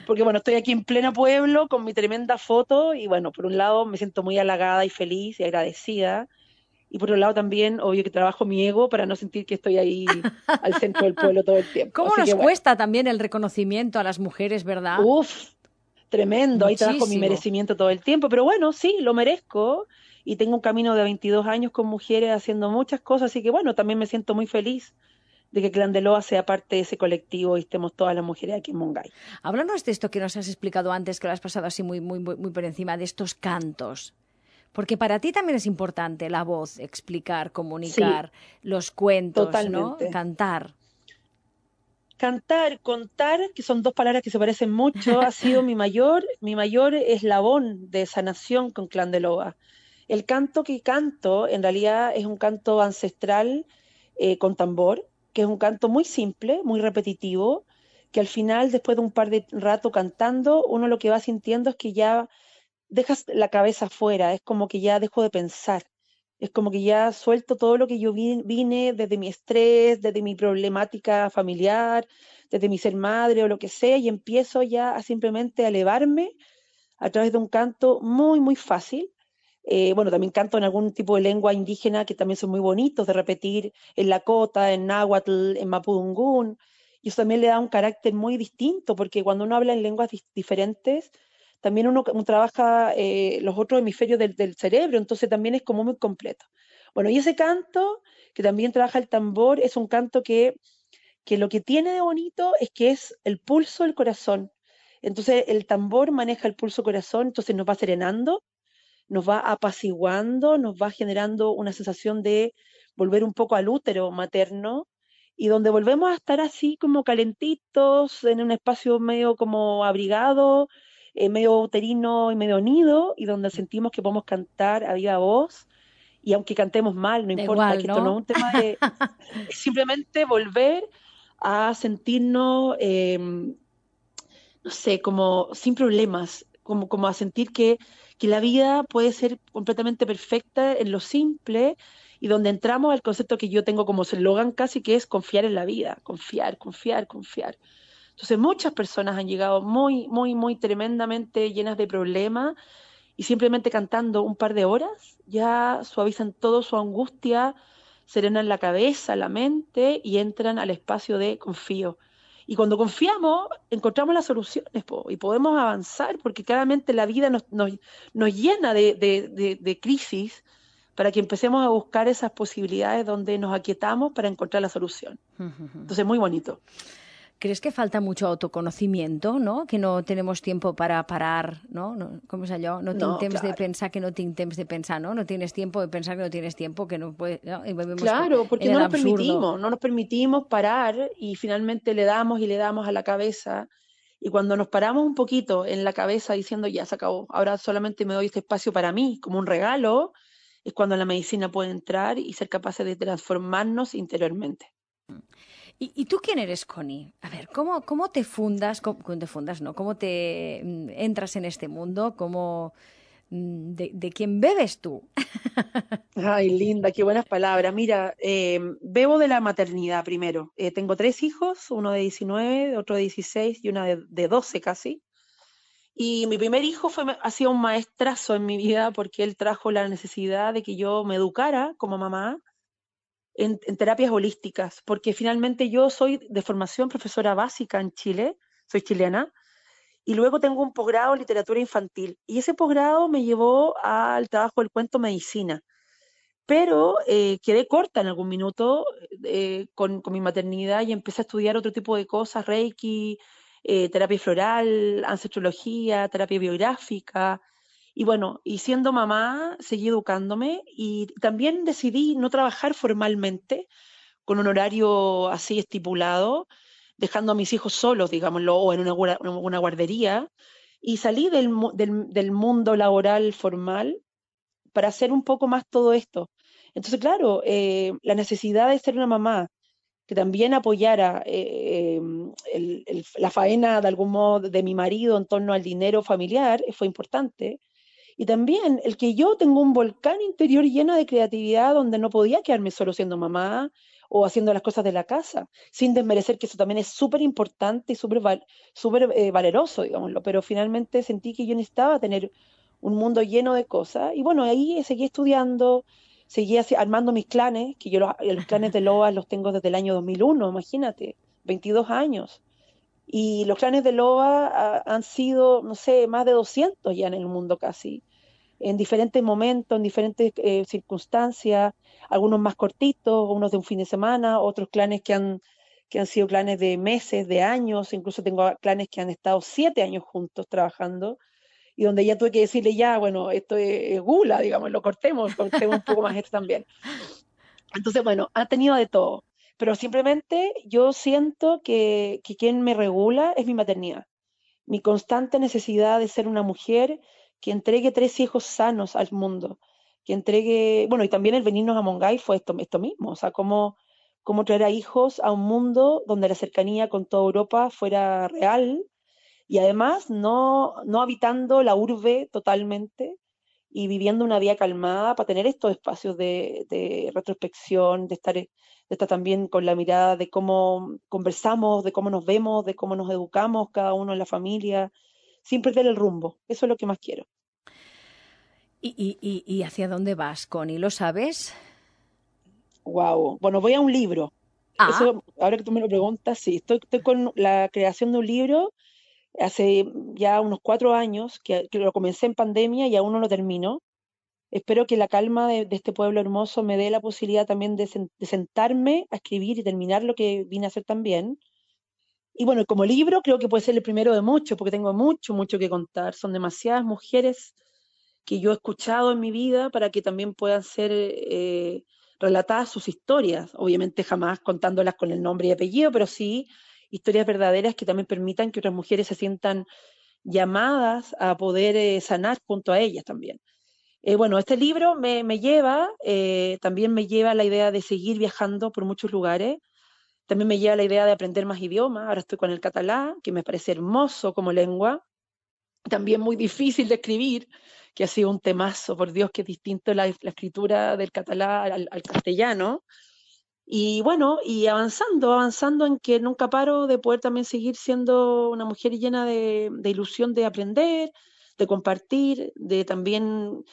porque bueno, estoy aquí en pleno pueblo con mi tremenda foto y bueno, por un lado me siento muy halagada y feliz y agradecida. Y por otro lado también, obvio que trabajo mi ego para no sentir que estoy ahí al centro del pueblo todo el tiempo. ¿Cómo nos cuesta también el reconocimiento a las mujeres, verdad? Uf, tremendo. Muchísimo. Ahí trabajo mi merecimiento todo el tiempo. Pero bueno, sí, lo merezco. Y tengo un camino de 22 años con mujeres haciendo muchas cosas. Así que bueno, también me siento muy feliz de que Clan de Loa sea parte de ese colectivo y estemos todas las mujeres aquí en Mongay. Háblanos de esto que nos has explicado antes, que lo has pasado así muy por encima, de estos cantos. Porque para ti también es importante la voz, explicar, comunicar, los cuentos, totalmente. ¿no? Cantar. Cantar, contar, que son dos palabras que se parecen mucho, ha sido mi mayor eslabón de sanación con Clan de Loa. El canto que canto, en realidad, es un canto ancestral con tambor, que es un canto muy simple, muy repetitivo, que al final, después de un par de rato cantando, uno lo que va sintiendo es que ya dejas la cabeza afuera, es como que ya dejo de pensar, es como que ya suelto todo lo que yo vine desde mi estrés, desde mi problemática familiar, desde mi ser madre o lo que sea, y empiezo ya a simplemente elevarme a través de un canto muy, muy fácil. Bueno, también canto en algún tipo de lengua indígena que también son muy bonitos de repetir, en lakota, en náhuatl, en mapudungún, y eso también le da un carácter muy distinto, porque cuando uno habla en lenguas diferentes, también uno trabaja los otros hemisferios del cerebro, entonces también es como muy completo. Bueno, y ese canto, que también trabaja el tambor, es un canto que lo que tiene de bonito es que es el pulso del corazón. Entonces el tambor maneja el pulso corazón, entonces nos va serenando, nos va apaciguando, nos va generando una sensación de volver un poco al útero materno, y donde volvemos a estar así como calentitos, en un espacio medio como abrigado, medio uterino y medio nido, y donde sentimos que podemos cantar a viva voz, y aunque cantemos mal, no importa, igual, que ¿no? esto no es un tema de es simplemente volver a sentirnos, no sé, como sin problemas, como a sentir que la vida puede ser completamente perfecta en lo simple, y donde entramos al concepto que yo tengo como eslogan casi, que es confiar en la vida, confiar, confiar, confiar. Entonces muchas personas han llegado muy, muy, muy tremendamente llenas de problemas, y simplemente cantando un par de horas ya suavizan todo su angustia, serenan la cabeza, la mente, y entran al espacio de confío. Y cuando confiamos, encontramos las soluciones y podemos avanzar, porque claramente la vida nos llena de crisis, para que empecemos a buscar esas posibilidades donde nos aquietamos para encontrar la solución. Entonces, muy bonito. ¿Crees que falta mucho autoconocimiento, no? Que no tenemos tiempo para parar, no? Com és allò? No tinc temps de pensar que no tinc temps de pensar, ¿no? No tienes tiempo de pensar que no tienes tiempo, que no puedes... ¿no? Y claro, porque no nos permitimos parar, y finalmente le damos y le damos a la cabeza, Y cuando nos paramos un poquito en la cabeza diciendo, ya se acabó, ahora solamente me doy este espacio para mí, como un regalo, es cuando la medicina puede entrar y ser capaces de transformarnos interiormente. ¿Y tú quién eres, Connie? A ver, ¿cómo te fundas? ¿Cómo te fundas, no? ¿Cómo te entras en este mundo? ¿De quién bebes tú? Ay, linda, qué buenas palabras. Mira, bebo de la maternidad primero. Tengo 3 hijos, uno de 19, otro de 16 y una de 12 casi. Y mi primer hijo ha sido un maestrazo en mi vida porque él trajo la necesidad de que yo me educara como mamá en terapias holísticas, porque finalmente yo soy de formación profesora básica en Chile, soy chilena, y luego tengo un posgrado en literatura infantil. Y ese posgrado me llevó al trabajo del cuento medicina. Pero quedé corta en algún minuto con mi maternidad y empecé a estudiar otro tipo de cosas, Reiki, terapia floral, ancestrología, terapia biográfica. Y bueno, y siendo mamá, seguí educándome y también decidí no trabajar formalmente con un horario así estipulado, dejando a mis hijos solos, digámoslo, o en una guardería, y salí del mundo laboral formal para hacer un poco más todo esto. Entonces, claro, la necesidad de ser una mamá que también apoyara la faena de algún modo de mi marido en torno al dinero familiar fue importante. Y también el que yo tengo un volcán interior lleno de creatividad donde no podía quedarme solo siendo mamá o haciendo las cosas de la casa, sin desmerecer que eso también es súper importante y súper valeroso, digámoslo, pero finalmente sentí que yo necesitaba tener un mundo lleno de cosas y bueno, ahí seguí estudiando, seguí armando mis clanes, que yo los clanes de Loa los tengo desde el año 2001, imagínate, 22 años. Y los clanes de Loa han sido, no sé, más de 200 ya en el mundo casi, en diferentes momentos, en diferentes circunstancias, algunos más cortitos, unos de un fin de semana, otros clanes que han sido clanes de meses, de años, incluso tengo clanes que han estado 7 años juntos trabajando, y donde ya tuve que decirle, ya, bueno, esto es gula, digamos, cortemos un poco más esto también. Entonces, bueno, ha tenido de todo, pero simplemente yo siento que quien me regula es mi maternidad, mi constante necesidad de ser una mujer que entregue 3 hijos sanos al mundo, que entregue, bueno, y también el venirnos a Mongay fue esto mismo, o sea, cómo traer a hijos a un mundo donde la cercanía con toda Europa fuera real y además no habitando la urbe totalmente y viviendo una vida calmada para tener estos espacios de retrospección, de estar también con la mirada de cómo conversamos, de cómo nos vemos, de cómo nos educamos cada uno en la familia, sin perder el rumbo. Eso es lo que más quiero. ¿Y hacia dónde vas, Connie? ¿Lo sabes? Wow. Bueno, voy a un libro. Eso, ahora que tú me lo preguntas, sí, estoy con la creación de un libro hace ya unos 4 años, que lo comencé en pandemia y aún no lo termino. Espero que la calma de este pueblo hermoso me dé la posibilidad también de sentarme a escribir y terminar lo que vine a hacer también. Y bueno, como libro creo que puede ser el primero de muchos, porque tengo mucho que contar. Son demasiadas mujeres que yo he escuchado en mi vida para que también puedan ser relatadas sus historias. Obviamente jamás contándolas con el nombre y apellido, pero sí historias verdaderas que también permitan que otras mujeres se sientan llamadas a poder sanar junto a ellas también. Bueno, este libro también me lleva a la idea de seguir viajando por muchos lugares, también me lleva a la idea de aprender más idiomas, ahora estoy con el catalán, que me parece hermoso como lengua, también muy difícil de escribir, que ha sido un temazo, por Dios, que es distinto la escritura del catalán al castellano, y bueno, y avanzando en que nunca paro de poder también seguir siendo una mujer llena de ilusión de aprender, de compartir, de también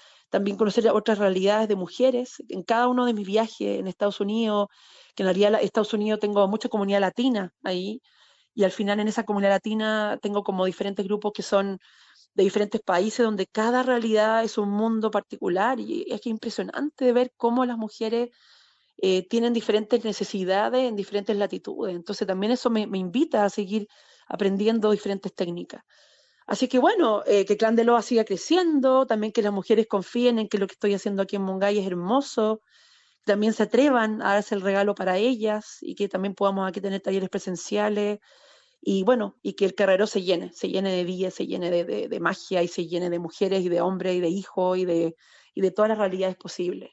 conocer otras realidades de mujeres. En cada uno de mis viajes en Estados Unidos, que en realidad en Estados Unidos tengo mucha comunidad latina ahí, y al final en esa comunidad latina tengo como diferentes grupos que son de diferentes países, donde cada realidad es un mundo particular, y es que impresionante de ver cómo las mujeres tienen diferentes necesidades en diferentes latitudes. Entonces también eso me invita a seguir aprendiendo diferentes técnicas. Así que bueno, que Clan de Loa siga creciendo, también que las mujeres confíen en que lo que estoy haciendo aquí en Mongay es hermoso, también se atrevan a darse el regalo para ellas y que también podamos aquí tener talleres presenciales y bueno, y que el Carreró se llene de vida, se llene de magia y se llene de mujeres y de hombres y de hijos y de todas las realidades posibles.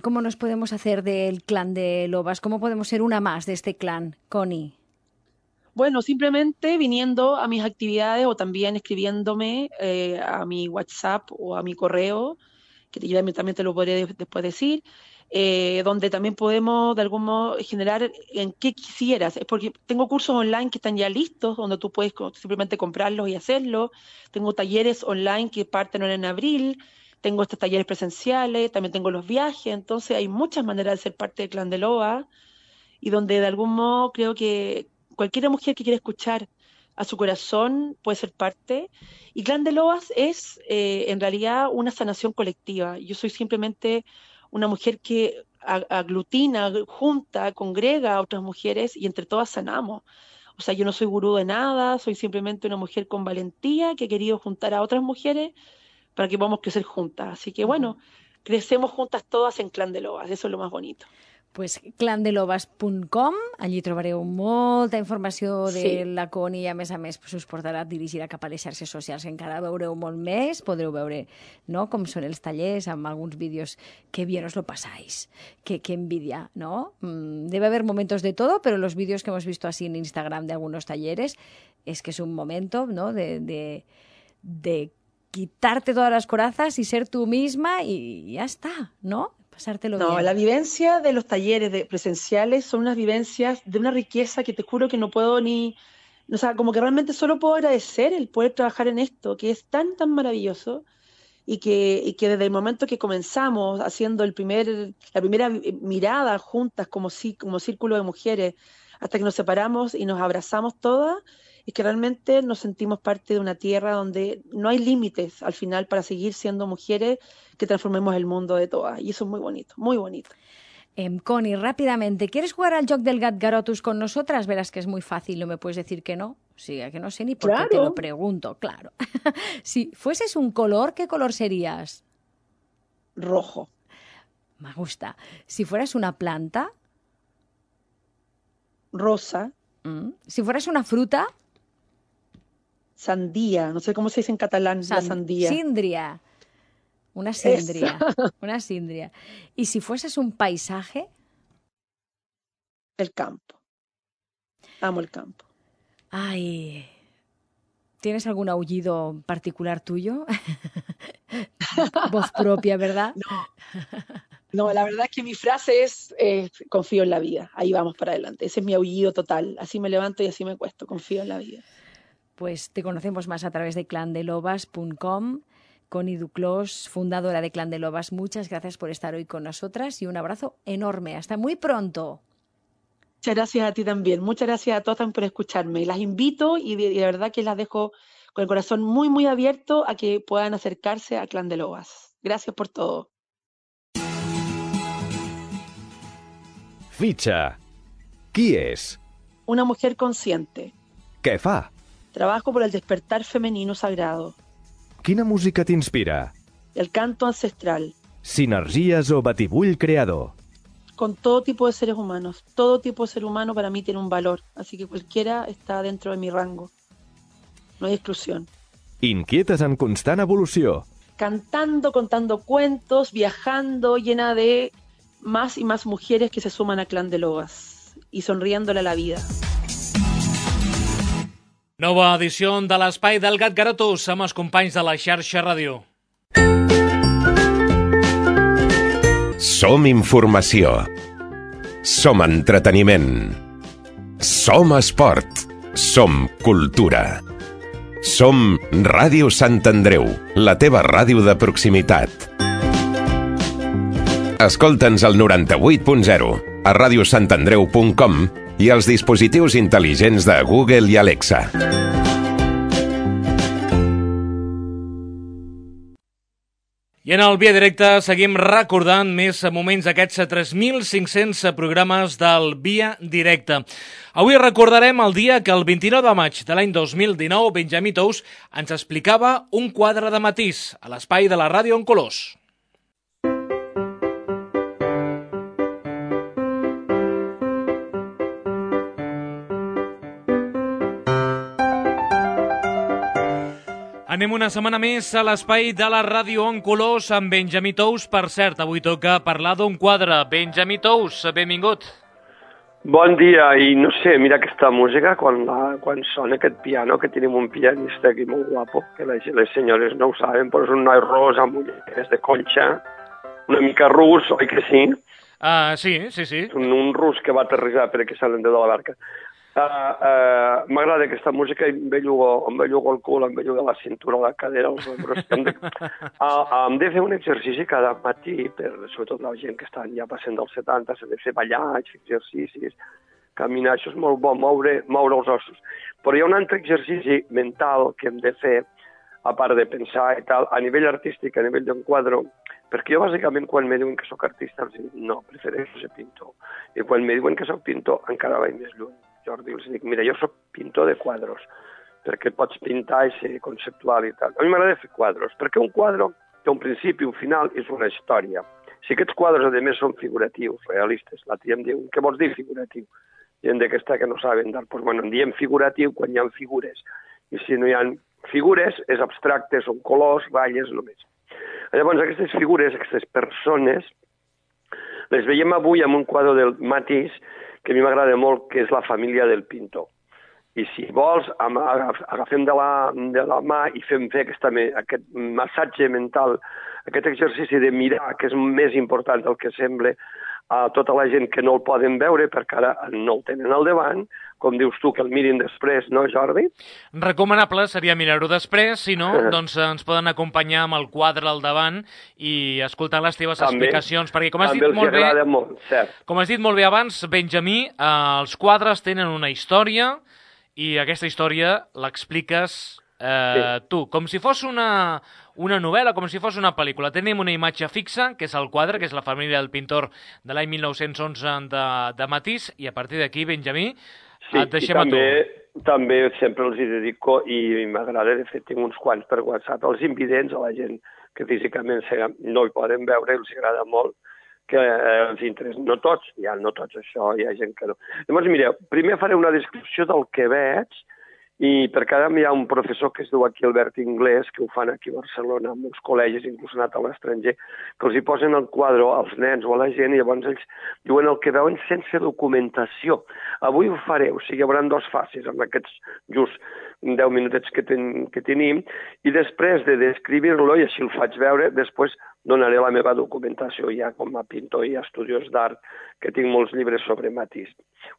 ¿Cómo nos podemos hacer del clan de Lobas? ¿Cómo podemos ser una más de este clan, Connie? Bueno, simplemente viniendo a mis actividades o también escribiéndome a mi WhatsApp o a mi correo, que yo también te lo podré después decir, donde también podemos de algún modo generar en qué quisieras. Es porque tengo cursos online que están ya listos, donde tú puedes simplemente comprarlos y hacerlo. Tengo talleres online que parten ahora en abril. Tengo estos talleres presenciales, también tengo los viajes. Entonces hay muchas maneras de ser parte del Clan de Loba y donde de algún modo creo que cualquier mujer que quiera escuchar a su corazón puede ser parte. Y Clan de Lobas es en realidad una sanación colectiva. Yo soy simplemente una mujer que aglutina, junta, congrega a otras mujeres y entre todas sanamos. O sea, yo no soy gurú de nada, soy simplemente una mujer con valentía que ha querido juntar a otras mujeres para que podamos crecer juntas. Así que bueno, crecemos juntas todas en Clan de Lobas, eso es lo más bonito. Pues clandelobas.com, allí trobareu molta informació de la Connie i a més us portarà dirigida cap a les xarxes socials, que encara veureu molt més, podreu veure com són els tallers amb alguns vídeos. Que bien os lo pasáis, que envidia, ¿no? Debe haber momentos de todo, pero los vídeos que hemos visto así en Instagram de algunos talleres es que es un momento, ¿no? de quitarte todas las corazas y ser tú misma y ya está, ¿no? Pasártelo bien. La vivencia de los talleres presenciales son unas vivencias de una riqueza que te juro que no puedo o sea, como que realmente solo puedo agradecer el poder trabajar en esto, que es tan, tan maravilloso y que desde el momento que comenzamos haciendo la primera mirada juntas como círculo de mujeres, hasta que nos separamos y nos abrazamos todas, es que realmente nos sentimos parte de una tierra donde no hay límites al final para seguir siendo mujeres que transformemos el mundo de todas. Y eso es muy bonito, muy bonito. Connie, rápidamente, ¿quieres jugar al joc del Gatgarotus con nosotras? Verás que es muy fácil, no me puedes decir que no. O sea, que no sé ni por qué te lo pregunto, claro. Si fueses un color, ¿qué color serías? Rojo. Me gusta. Si fueras una planta. Rosa. Si fueras una fruta. Sandía, no sé cómo se dice en catalán, la sandía. Síndria. Una síndria. Una síndria. ¿Y si fueses un paisaje? El campo. Amo el campo. Ay. ¿Tienes algún aullido particular tuyo? Voz propia, ¿verdad? No, la verdad es que mi frase es confío en la vida. Ahí vamos para adelante. Ese es mi aullido total. Así me levanto y así me acuesto. Confío en la vida. Pues te conocemos más a través de clandelobas.com. Connie Duclos, fundadora de Clan de Lobas, muchas gracias por estar hoy con nosotras y un abrazo enorme. Hasta muy pronto. Muchas gracias a ti también. Muchas gracias a todas también por escucharme. Las invito y de verdad que las dejo con el corazón muy, muy abierto a que puedan acercarse a Clan de Lobas. Gracias por todo. Fitxa. Qui és? Una mujer consciente. Què fa? Trabajo por el despertar femenino sagrado. Quina música t'inspira? El canto ancestral. Sinergies o batibull creador? Con todo tipo de seres humanos. Todo tipo de ser humano para mí tiene un valor. Así que cualquiera está dentro de mi rango. No hay exclusión. Inquietes en constant evolució? Cantando, contando cuentos, viajando, llena de más y más mujeres que se suman a Clan de Lobas y sonriéndole a la vida. Nova edició de l'Espai del Gatgarotus amb els companys de la xarxa ràdio. Som informació. Som entreteniment. Som esport. Som cultura. Som Ràdio Sant Andreu, la teva ràdio de proximitat. Escolta'ns al 98.0, a radiosantandreu.com i als dispositius intel·ligents de Google i Alexa. I en el Via Directe seguim recordant més moments d'aquests 3.500 programes del Via Directe. Avui recordarem el dia que el 29 de maig de l'any 2019 Benjamí Tous ens explicava un quadre de matís a l'espai de la ràdio en colors. Anem una setmana més a l'espai de la ràdio en colors amb Benjamí Tous. Per cert, avui toca parlar d'un quadre. Benjamí Tous, benvingut. Bon dia, i no sé, mira aquesta música, quan sona aquest piano, que tenim un pianista aquí molt guapo, que les senyores no ho saben, però és un noi rosa amb ulleres de conxa, una mica rus, oi que sí? Sí. Un rus que va aterrissar perquè se l'endeu de la barca. M'agrada aquesta música i em bellugo el cul, em bellugo la cintura, la cadera, els ombros. Hem de fer un exercici cada matí, sobretot la gent que estan ja passant dels 70, s'ha de fer ballats, exercicis, caminar, això és molt bo, moure els ossos. Però hi ha un altre exercici mental que hem de fer, a part de pensar i tal, a nivell artístic, a nivell d'un quadre, perquè jo bàsicament quan me diuen que sóc artista els dic, no, prefereixo ser pintor. I quan me diuen que sóc pintor encara vaig més lluny. Jordi, els dic, mira, jo sóc pintor de quadros, perquè pots pintar i ser conceptual i tal. A mi m'agrada fer quadros, perquè un quadre té un principi, un final, és una història. Si aquests quadres, a més, són figuratius, realistes, l'altre dia em diuen, què vols dir figuratiu? Gent d'aquesta que no saben d'art, doncs, bueno, en diem figuratiu quan hi ha figures. I si no hi ha figures, és abstracte, són colors, ratlles, només. Llavors, aquestes figures, aquestes persones, les veiem avui en un quadre del Matís, que a mi m'agrada molt, que és la família del pintor. I si vols, agafem de la mà i fem fer aquest massatge mental, aquest exercici de mirar, que és més important del que sembla, a tota la gent que no el poden veure, perquè ara no el tenen al davant, com dius tu, que el mirin després, no, Jordi? Recomanable seria mirar-ho després, si no, doncs ens poden acompanyar amb el quadre al davant i escoltar les teves explicacions, perquè com has dit molt bé, com has dit molt bé abans, Benjamí, els quadres tenen una història i aquesta història l'expliques tu, com si fos una novel·la, com si fos una pel·lícula. Tenim una imatge fixa, que és el quadre, que és la família del pintor de l'any 1911 de Matís, i a partir d'aquí, Benjamí, et deixem a tu. També sempre els hi dedico, i m'agrada, de fet, tinc uns quants per WhatsApp, els invidents, a la gent que físicament no hi poden veure, els agrada molt, que els interessa. No tots això, hi ha gent que no. Llavors, mireu, primer faré una descripció del que veig, i per cada hi ha un professor que es diu aquí Albert Inglés, que ho fan aquí a Barcelona, amb uns col·legis, inclús anat a l'estranger, que els hi posen el quadre als nens o a la gent i llavors ells diuen el que veuen sense documentació. Avui ho faré, o sigui, hi haurà dues fases amb aquests just 10 minutets que tenim, i després de descriure-lo, i així el faig veure, després donaré la meva documentació ja com a pintor i estudiós d'art, que tinc molts llibres sobre Matís.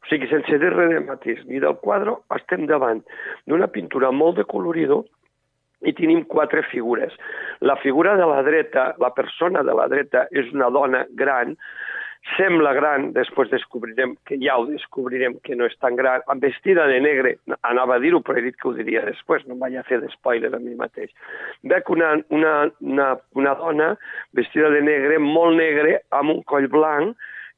O sigui, sense dir res de Matís ni del quadre, estem davant d'una pintura molt de colorido i tenim 4 figures. La figura de la dreta, la persona de la dreta, és una dona gran, sembla gran, després descobrirem, que ja ho descobrirem, que no és tan gran, vestida de negre, anava a dir-ho, però he dit que ho diria després, no em vaig a fer d'espoiler a mi mateix. Veig una dona vestida de negre, molt negre, amb un coll blanc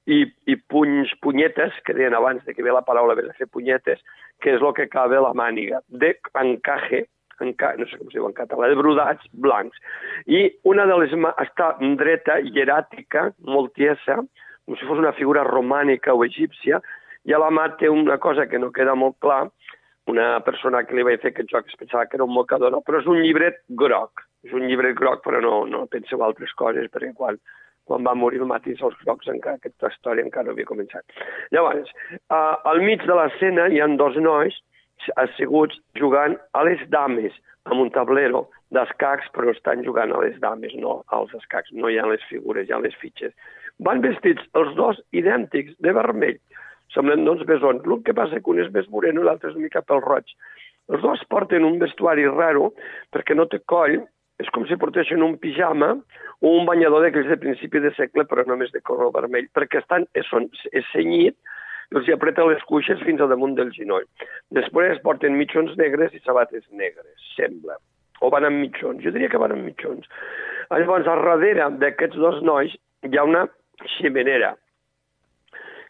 i punyetes, que deien abans de que ve la paraula de fer punyetes, que és el que acaba la màniga, d'encaje, no sé com es diu en català, de brodats blancs. I una de les està dreta, hieràtica, molt tiesa, com si fos una figura romànica o egípcia, i a la mà té una cosa que no queda molt clar, una persona que li vaig fer aquest joc es pensava que era un mocador, no, però és un llibret groc. És un llibret groc, però no penseu altres coses, perquè quan va morir el Matís, els grocs, aquesta història encara no havia començat. Llavors, al mig de l'escena hi ha 2 nois asseguts jugant a les dames, amb un tablero d'escacs, però estan jugant a les dames, no als escacs, no hi ha les figures, hi ha les fitxes. Van vestits els 2 idèntics, de vermell, semblen 2 besons. El que passa que un és més moreno i l'altre és una mica pel roig. Els 2 porten un vestuari raro, perquè no té coll, és com si portessin un pijama o un banyador d'aquells de principi de segle, però només de color vermell, perquè és cenyit, i els hi apreta les cuixes fins a damunt del genoll. Després porten mitjons negres i sabates negres, sembla. O van amb mitjons, jo diria que van amb mitjons. Llavors, al darrere d'aquests 2 nois hi ha una ximenera,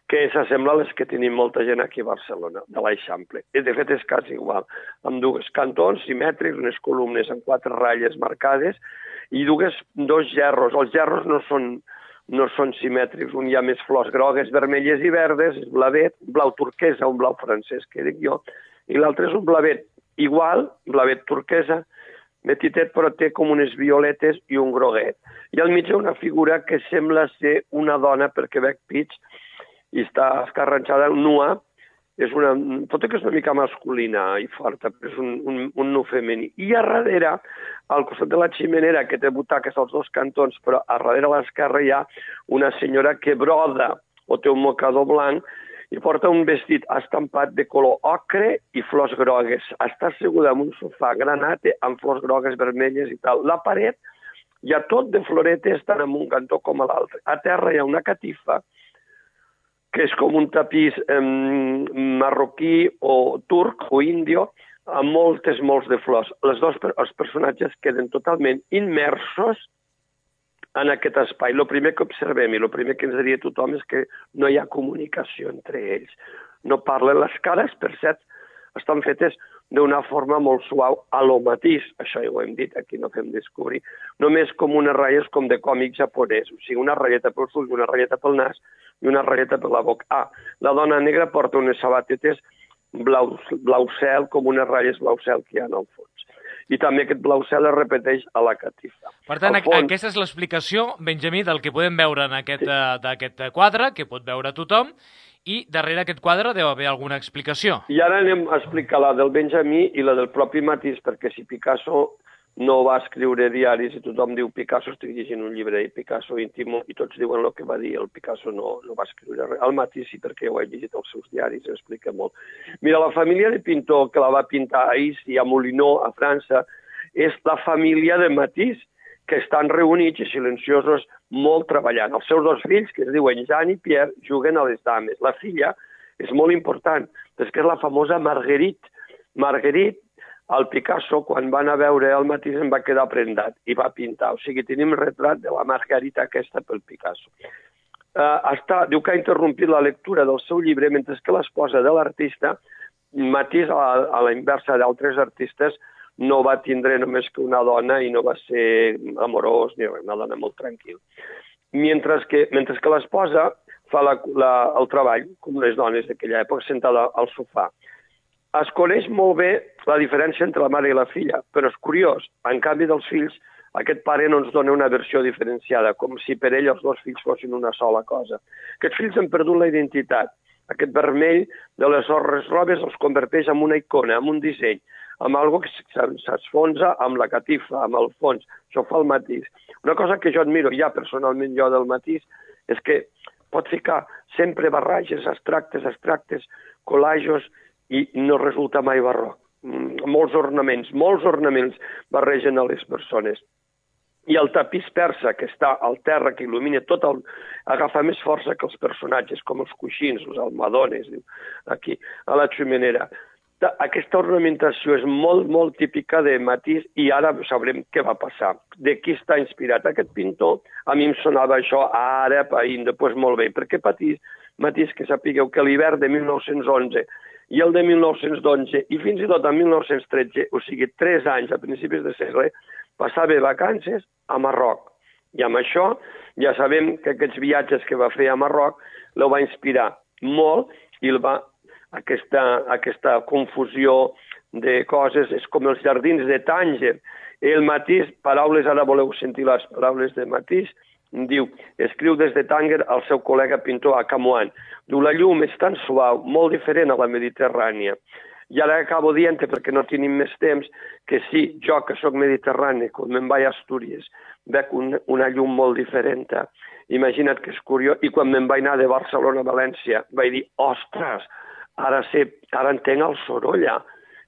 que s'assembla a les que tenim molta gent aquí a Barcelona, de l'Eixample. I de fet és quasi igual, amb 2 cantons simètrics, unes columnes amb 4 ratlles marcades i 2 gerros. Els gerros no són simètrics, un hi ha més flors grogues, vermelles i verdes, és blavet, blau turquesa, un blau francès, que dic jo, i l'altre és un blavet igual, blavet turquesa, petitet, però té com unes violetes i un groguet. I al mig hi ha una figura que sembla ser una dona perquè veig pits i està escarranxada, nua, tot i que és una mica masculina i forta, però és un nu femení. I a darrere, al costat de la ximenera, que té butaques als dos cantons, però a darrere a l'esquerra hi ha una senyora que broda o té un mocador blanc i porta un vestit estampat de color ocre i flors grogues. Està asseguda en un sofà granate amb flors grogues, vermelles i tal. La paret hi ha tot de floretes tant en un cantó com a l'altre. A terra hi ha una catifa que és com un tapís marroquí o turc o índio amb molts de flors. Els personatges queden totalment immersos en aquest espai. El primer que observem i el primer que ens diria tothom és que no hi ha comunicació entre ells. No parlen. Les cares, per cert, estan fetes d'una forma molt suau a lo matís. Això ja ho hem dit, aquí no fem descobrir. Només com unes ratlles com de còmic japonès. O sigui, una ratlleta pel ulls, una ratlleta pel nas i una ratlleta per la boca. La dona negra porta unes sabatetes blau cel, com unes ratlles blau cel que hi ha al fons. I també aquest blau cel es repeteix a la catifa. Per tant, aquesta és l'explicació, Benjamí, del que podem veure en aquest quadre, que pot veure tothom, i darrere aquest quadre deu haver alguna explicació. I ara anem a explicar la del Benjamí i la del propi Matisse, perquè si Picasso no va escriure diaris i tothom diu Picasso, estic llegint un llibre i Picasso íntimo i tots diuen el que va dir, el Picasso no va escriure res. El Matisse sí, perquè ho he llegit als seus diaris, explica molt. Mira, la família de pintor que la va pintar a Issy, a Moulineau, a França, és la família de Matisse, que estan reunits i silenciosos molt treballant. Els seus dos fills, que es diuen Jean i Pierre, juguen a les dames. La filla és molt important, és que és la famosa Marguerite. Marguerite, el Picasso, quan van a veure el Matisse, en va quedar prendat i va pintar. O sigui, tenim retrat de la Margarita aquesta pel Picasso. Diu que ha interrompit la lectura del seu llibre, mentre que l'esposa de l'artista, Matisse, a la inversa d'altres artistes, no va tindre només que una dona i no va ser amorós, ni una dona molt tranquil. Mentre que l'esposa fa el treball, com les dones d'aquella època, sentada al sofà. Es coneix molt bé la diferència entre la mare i la filla, però és curiós. En canvi dels fills, aquest pare no ens dona una versió diferenciada, com si per ell els dos fills fossin una sola cosa. Aquests fills han perdut la identitat. Aquest vermell de les robes els converteix en una icona, en un disseny, amb algo que s'esfonsa amb la catifa, amb el fons. Això fa el Matisse. Una cosa que jo admiro ja personalment jo del Matisse és que pot ficar sempre barrages, abstractes, collajos, i no resulta mai barroc. Molts ornaments barregen a les persones. I el tapís persa que està al terra, que il·lumina tot, agafa més força que els personatges, com els coixins, els almohadones, aquí, a la ximenera. Aquesta ornamentació és molt, molt típica de Matisse i ara sabrem què va passar. De qui està inspirat aquest pintor? A mi em sonava això àrab, indi, doncs molt bé, perquè Matisse, que sapigueu que l'hivern de 1911 i el de 1912 i fins i tot en 1913, o sigui, 3 anys a principis de segle, passava vacances a Marroc. I amb això ja sabem que aquests viatges que va fer a Marroc el va inspirar molt i aquesta confusió de coses és com els jardins de Tànger. El Matisse, paraules, ara voleu sentir les paraules de Matisse, diu, escriu des de Tànger al seu col·lega pintor a Camoan. Diu, la llum és tan suau, molt diferent a la Mediterrània. I ara acabo dient, perquè no tenim més temps, que sí, jo que sóc mediterrani, quan me'n vaig a Astúries, veig una llum molt diferent. Imagina't que és curiós. I quan me'n vaig anar de Barcelona a València, vaig dir, ostres, ara entenc el Sorolla.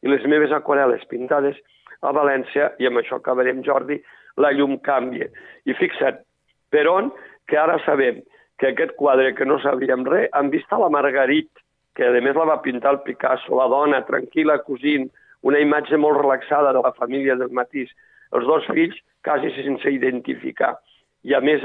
I les meves aquarel·les pintades a València, i amb això acabarem, Jordi, la llum canvia. I fixa't, per on, que ara sabem que aquest quadre que no sabíem res, han vist a la Marguerite, que a més la va pintar el Picasso, la dona tranquil·la cosint, una imatge molt relaxada de la família del Matisse, els dos fills quasi sense identificar. I a més,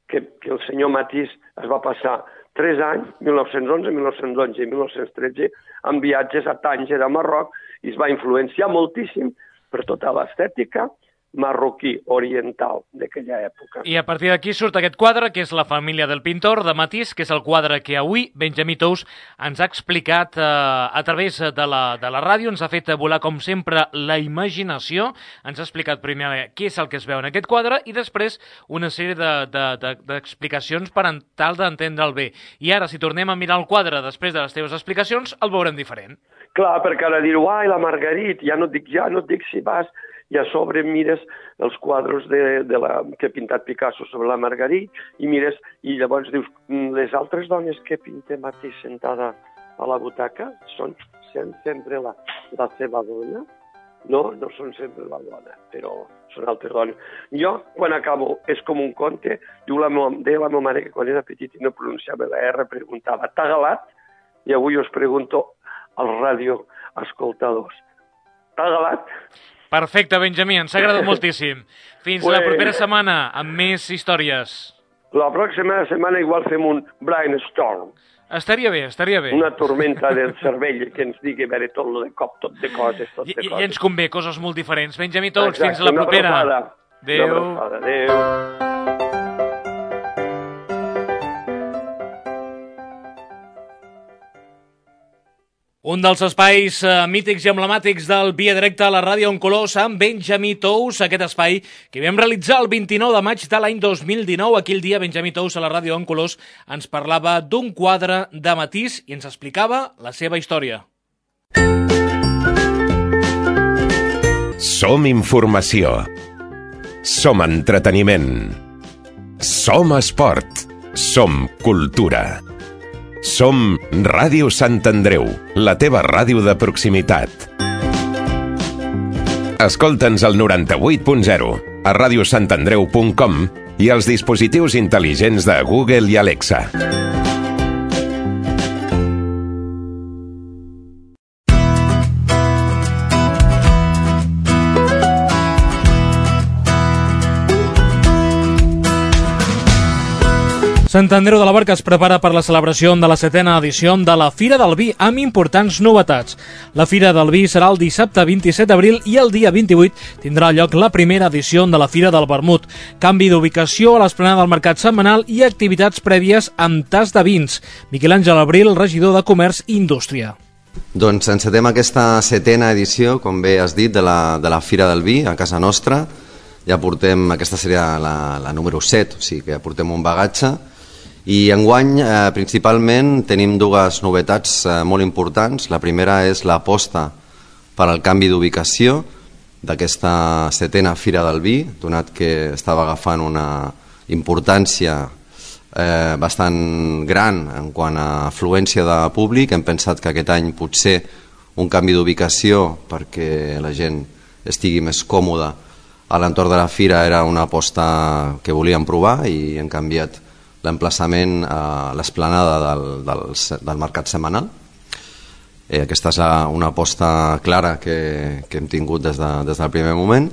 que el senyor Matisse es va passar 3 anys, 1911, 1912 i 1913, en viatges a Tànger, a Marroc, i es va influenciar moltíssim per tota l'estètica marroquí oriental d'aquella època. I a partir d'aquí surt aquest quadre, que és La família del pintor, de Matís, que és el quadre que avui Benjamí Tous ens ha explicat a través de la ràdio, ens ha fet volar, com sempre, la imaginació, ens ha explicat primer què és el que es veu en aquest quadre i després una sèrie d'explicacions per tal d'entendre'l bé. I ara, si tornem a mirar el quadre després de les teves explicacions, el veurem diferent. Clar, perquè ara dir, uai, la Margarit, ja no et dic si vas... I a sobre mires els quadres que ha pintat Picasso sobre la Margarit i mires, i llavors dius, les altres dones que pinta Matís sentada a la butaca són sempre la seva dona? No són sempre la dona, però són altres dones. Jo, quan acabo, és com un conte, deia la meva mare que quan era petit i no pronunciava la R, preguntava, t'ha galat? I avui us pregunto als radioescoltadors, t'ha galat? Perfecte, Benjamí, ens ha agradat moltíssim. Fins la propera setmana, amb més històries. La pròxima setmana igual fem un brainstorm. Estaria bé. Una tormenta del cervell que ens digui veure tot de cop, tot de coses. I ens convé coses molt diferents. Benjamí Tous, fins la propera. Adéu. Adéu. Un dels espais mítics i emblemàtics del Via Directa a la ràdio en colors amb Benjamí Tous, aquest espai que vam realitzar el 29 de maig de l'any 2019. Aquell dia Benjamí Tous a la ràdio en colors ens parlava d'un quadre de Matís i ens explicava la seva història. Som informació. Som entreteniment. Som esport. Som cultura. Som Ràdio Sant Andreu, la teva ràdio de proximitat. Escolta'ns al 98.0, a radiosantandreu.com i als dispositius intel·ligents de Google i Alexa. Sant Andreu de la Barca es prepara per la celebració de la 7ª edició de la Fira del Vi, amb importants novetats. La Fira del Vi serà el dissabte 27 d'abril i el dia 28 tindrà lloc la primera edició de la Fira del Vermut. Canvi d'ubicació a l'esplanada del Mercat Setmanal i activitats prèvies amb tas de vins. Miquel Àngel Abril, regidor de Comerç i Indústria. Doncs encetem aquesta 7ª edició, com bé has dit, de la Fira del Vi a casa nostra. Ja portem, aquesta seria la número 7, o sigui que ja portem un bagatge. I enguany principalment tenim dues novetats molt importants. La primera és l'aposta per al canvi d'ubicació d'aquesta 7ª Fira del Vi, donat que estava agafant una importància bastant gran en quant a afluència de públic. Hem pensat que aquest any potser un canvi d'ubicació perquè la gent estigui més còmoda a l'entorn de la fira era una aposta que volíem provar i hem canviat l'emplaçament a l'esplanada del Mercat Setmanal. Aquesta és una aposta clara que hem tingut des del primer moment.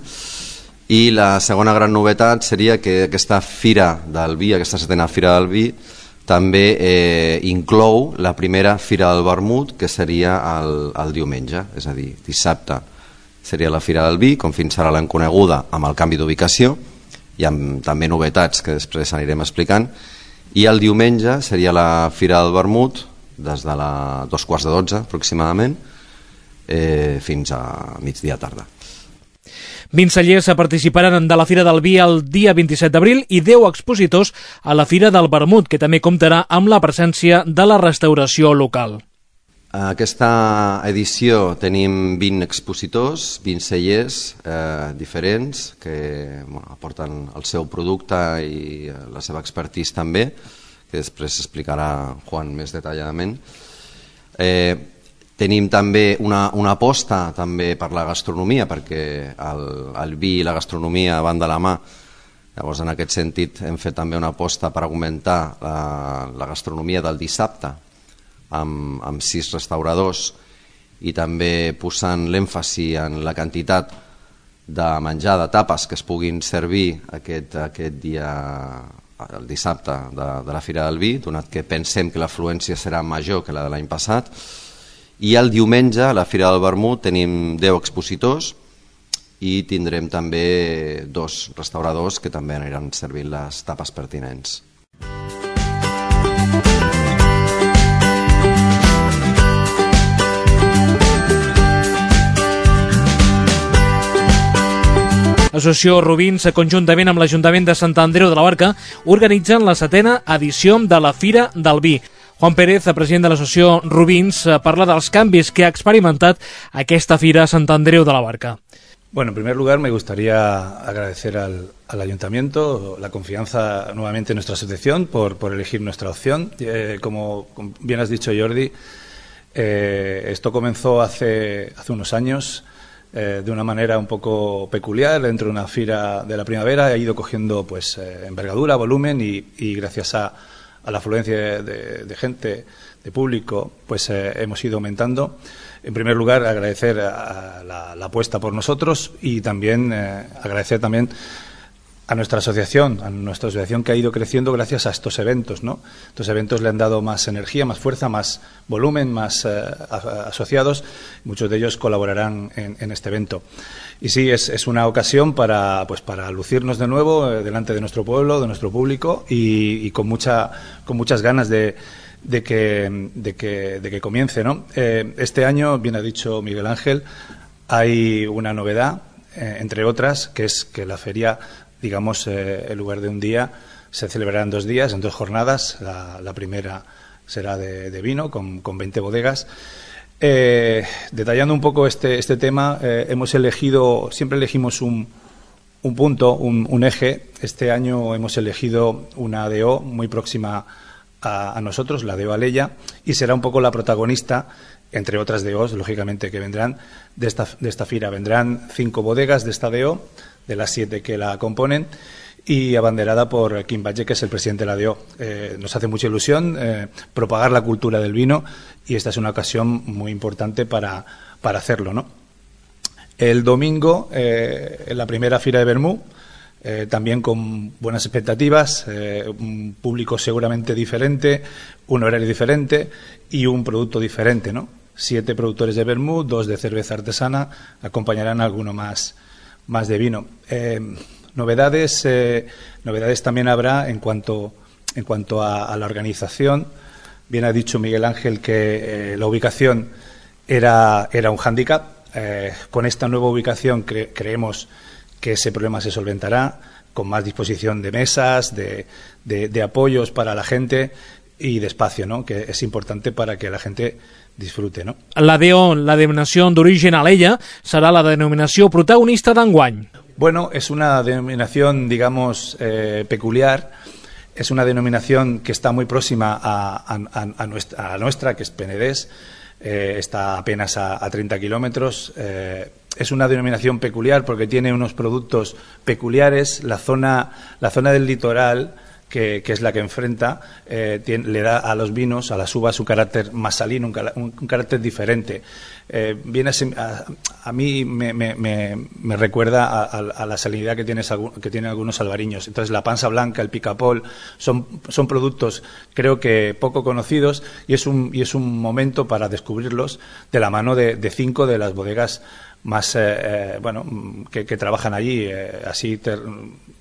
I la segona gran novetat seria que aquesta Fira del Vi, aquesta 7ª Fira del Vi, també inclou la primera Fira del Vermut, que seria el diumenge, és a dir, dissabte seria la Fira del Vi, com fins ara l'hem coneguda, amb el canvi d'ubicació i amb també novetats que després anirem explicant. I el diumenge seria la Fira del Vermut des de 2:45 aproximadament fins a migdia tarda. 20 cellers participaran de la Fira del Vi el dia 27 d'abril i 10 expositors a la Fira del Vermut, que també comptarà amb la presència de la restauració local. A aquesta edició tenim 20 expositors, 20 cellers diferents que aporten el seu producte i la seva expertise també, que després explicarà Juan més detalladament. Tenim també una aposta també per la gastronomia, perquè el vi i la gastronomia van de la mà. Llavors, en aquest sentit, hem fet també una aposta per augmentar la gastronomia del dissabte, amb 6 restauradors i també posant l'èmfasi en la quantitat de menjar de tapes que es puguin servir aquest dia, el dissabte de la Fira del Vi, donat que pensem que l'afluència serà major que la de l'any passat. I el diumenge a la Fira del Vermut tenim 10 expositors i tindrem també 2 restauradors que també aniran servint les tapes pertinents. L'associació Rubins, conjuntament amb l'Ajuntament de Sant Andreu de la Barca, organitzen la 7a edició de la Fira del Vi. Juan Pérez, president de l'associació Rubins, parla dels canvis que ha experimentat aquesta fira a Sant Andreu de la Barca. Bueno, en primer lugar me gustaría agradecer al Ayuntamiento la confianza nuevamente en nuestra asociación por elegir nuestra opción. Como bien has dicho, Jordi, esto comenzó hace unos años de una manera un poco peculiar dentro de una fira de la primavera. Ha ido cogiendo pues envergadura, volumen y gracias a la afluencia de gente, de público, pues hemos ido aumentando. En primer lugar, agradecer a la apuesta por nosotros y también agradecer también a nuestra asociación que ha ido creciendo gracias a estos eventos, ¿no? Estos eventos le han dado más energía, más fuerza, más volumen, más asociados. Muchos de ellos colaborarán en este evento. Y sí, es una ocasión para lucirnos de nuevo delante de nuestro pueblo, de nuestro público y con muchas ganas de que comience, ¿no? Este año, bien ha dicho Miguel Ángel, hay una novedad, entre otras, que es que la feria, digamos, en lugar de un día, se celebrará en 2 días, en 2 jornadas. La primera será de vino, con 20 bodegas. Detallando un poco este tema, siempre elegimos un punto, un eje. Este año hemos elegido una DO muy próxima a nosotros, la DO Alella, y será un poco la protagonista, entre otras DOs, lógicamente, que vendrán de esta fira. Vendrán 5 bodegas de esta DO, de las 7 que la componen, y abanderada por Quim Batlle, que es el presidente de la DO. Nos hace mucha ilusión propagar la cultura del vino y esta es una ocasión muy importante para hacerlo, ¿no? El domingo, en la primera Fira de Vermú, también con buenas expectativas, un público seguramente diferente, un horario diferente y un producto diferente, ¿no? 7 productores de vermú, 2 de cerveza artesana, acompañarán a alguno más de vino. Novedades también habrá en cuanto a la organización. Bien ha dicho Miguel Ángel que la ubicación era un hándicap. Con esta nueva ubicación creemos que ese problema se solventará con más disposición de mesas, de apoyos para la gente y de espacio, ¿no? Que es importante para que la gente disfrute, ¿no? La DO, la denominació d'origen Alella, serà la denominació protagonista d'enguany. Bueno, es una denominación, digamos, peculiar. Es una denominación que está muy próxima a nuestra, que es Penedés. Está apenas a 30 kilómetros. Es una denominación peculiar porque tiene unos productos peculiares. La zona del litoral, que es la que enfrenta, le da a los vinos, a las uvas, un carácter más salino, un carácter diferente. A mí me recuerda a la salinidad que tienen algunos albariños. Entonces, la pansa blanca, el picapol, son productos, creo que poco conocidos, y es un momento para descubrirlos de la mano de 5 de las bodegas más que trabajan allí.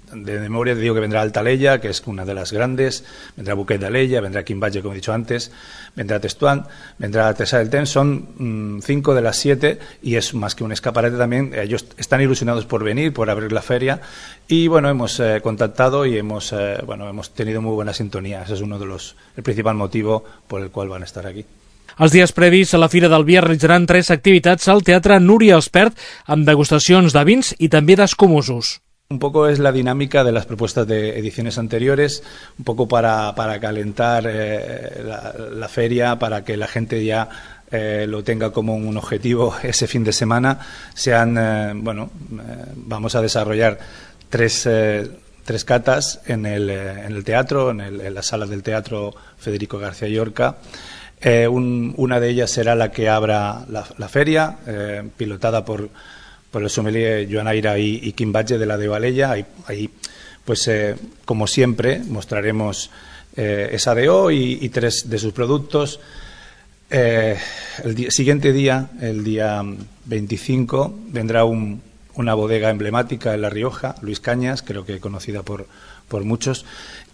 De memoria te digo que vendrá Alta Alella, que es una de las grandes, vendrá Buquet de Alella, vendrá Quim Batlle, como he dicho antes, vendrá Testuán, vendrá Artesà del Ten. Son 5 de las 7 y es más que un escaparate también. Ellos están ilusionados por venir, por abrir la feria y bueno, hemos contactado y hemos tenido muy buena sintonía. Ese es el principal motivo por el cual van a estar aquí. Els dies previs a la Fira del Vi es realitzaran 3 activitats al Teatre Núria Espert amb degustacions de vins i també d'escumosos. Un poco es la dinámica de las propuestas de ediciones anteriores, un poco para calentar la feria, para que la gente ya lo tenga como un objetivo ese fin de semana. Vamos a desarrollar 3 catas en el teatro, en la sala del Teatro Federico García Llorca. Una de ellas será la que abra la feria, pilotada por el sommelier Joan Aira y Quim Batlle de la DO Alella. Ahí como siempre, mostraremos esa DO y 3 de sus productos. El siguiente día, el día 25, vendrá un una bodega emblemática en La Rioja, Luis Cañas, creo que conocida por muchos,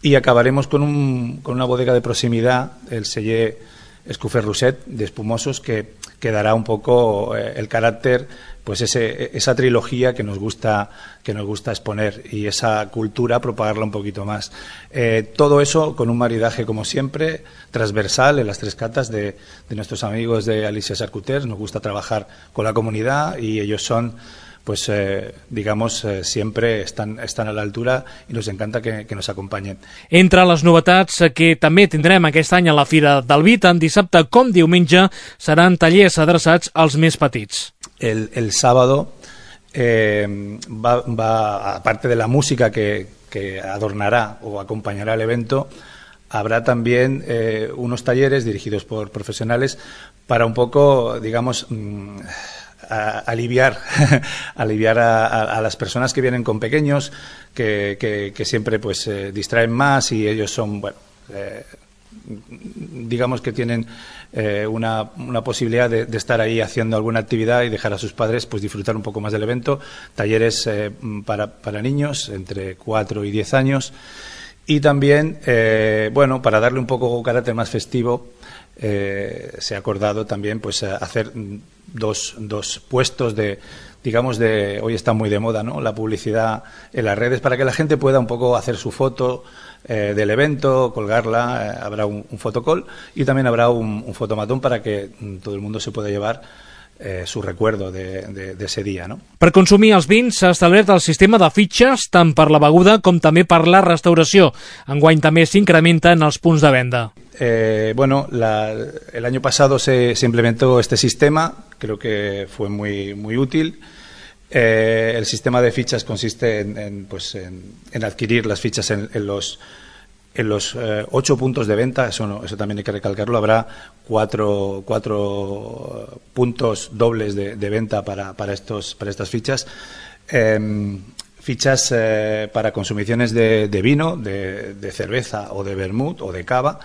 y acabaremos con una bodega de proximidad, el Celler Escoffer Roset, de espumosos, que dará un poco el carácter, pues esa trilogía que nos gusta exponer, y esa cultura propagarla un poquito más. Todo eso con un maridaje, como siempre, transversal en las tres catas de nuestros amigos de Alicia Charcuters. Nos gusta trabajar con la comunidad y ellos son, pues digamos, siempre están a la altura i nos encanta que nos acompanyen. Entre les novetats que també tindrem aquest any a la Fira del Vi, tant dissabte com diumenge, seran tallers adreçats als més petits. El sábado va, aparte de la música que adornará o acompañará el evento, habrá también unos talleres dirigidos por profesionales para un poco, digamos, aliviar a las personas que vienen con pequeños, que siempre pues distraen más, y ellos son, bueno, digamos que tienen una posibilidad de estar ahí haciendo alguna actividad y dejar a sus padres pues disfrutar un poco más del evento. Talleres para niños entre 4 y 10 años, y también bueno, para darle un poco carácter más festivo, se ha acordado también pues hacer dos puestos de, digamos, hoy está muy de moda, ¿no?, la publicidad en las redes, para que la gente pueda un poco hacer su foto del evento, colgarla. Habrá un fotocall y también habrá un fotomatón para que todo el mundo se pueda llevar su recuerdo de ese día, no? Per consumir els vins s'ha establert el sistema de fitxes tant per la beguda com també per la restauració. Enguany també s'incrementen els punts de venda. Bueno, el año pasado se implementó este sistema, creo que fue muy útil. El sistema de fichas consiste en adquirir las fichas en los 8 puntos de venta. Eso también hay que recalcarlo. Habrá cuatro puntos dobles de venta para estas fichas. Fichas para consumiciones de vino, de cerveza o de vermut o de cava.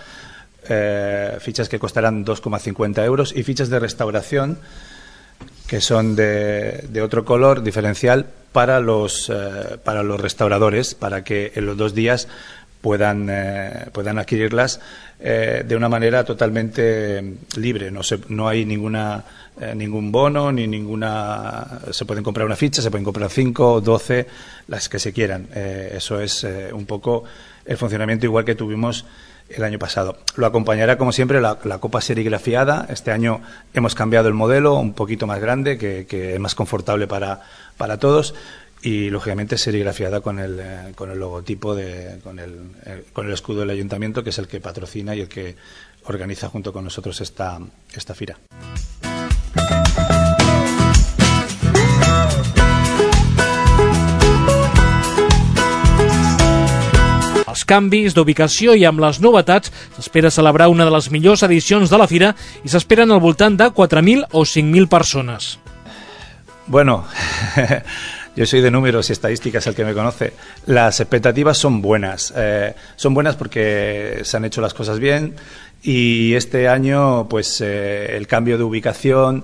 Fichas que costarán 2,50 euros, y fichas de restauración que son de otro color diferencial para los restauradores, para que en los 2 días puedan adquirirlas de una manera totalmente libre. No hay ningún bono ni ninguna. Se pueden comprar una ficha, se pueden comprar 5 o 12, las que se quieran. Eso es un poco el funcionamiento igual que tuvimos el año pasado. Lo acompañará, como siempre, la copa serigrafiada. Este año hemos cambiado el modelo, un poquito más grande, que es más confortable para todos, y lógicamente serigrafiada con el logotipo, con el escudo del ayuntamiento, que es el que patrocina y el que organiza junto con nosotros esta fira. Els canvis d'ubicació i amb les novetats s'espera celebrar una de les millors edicions de la fira, i s'esperen al voltant de 4.000 o 5.000 persones. Bueno, yo soy de números y estadísticas, el que me conoce. Las expectativas son buenas. Son buenas porque se han hecho las cosas bien, y este año pues el cambio de ubicación,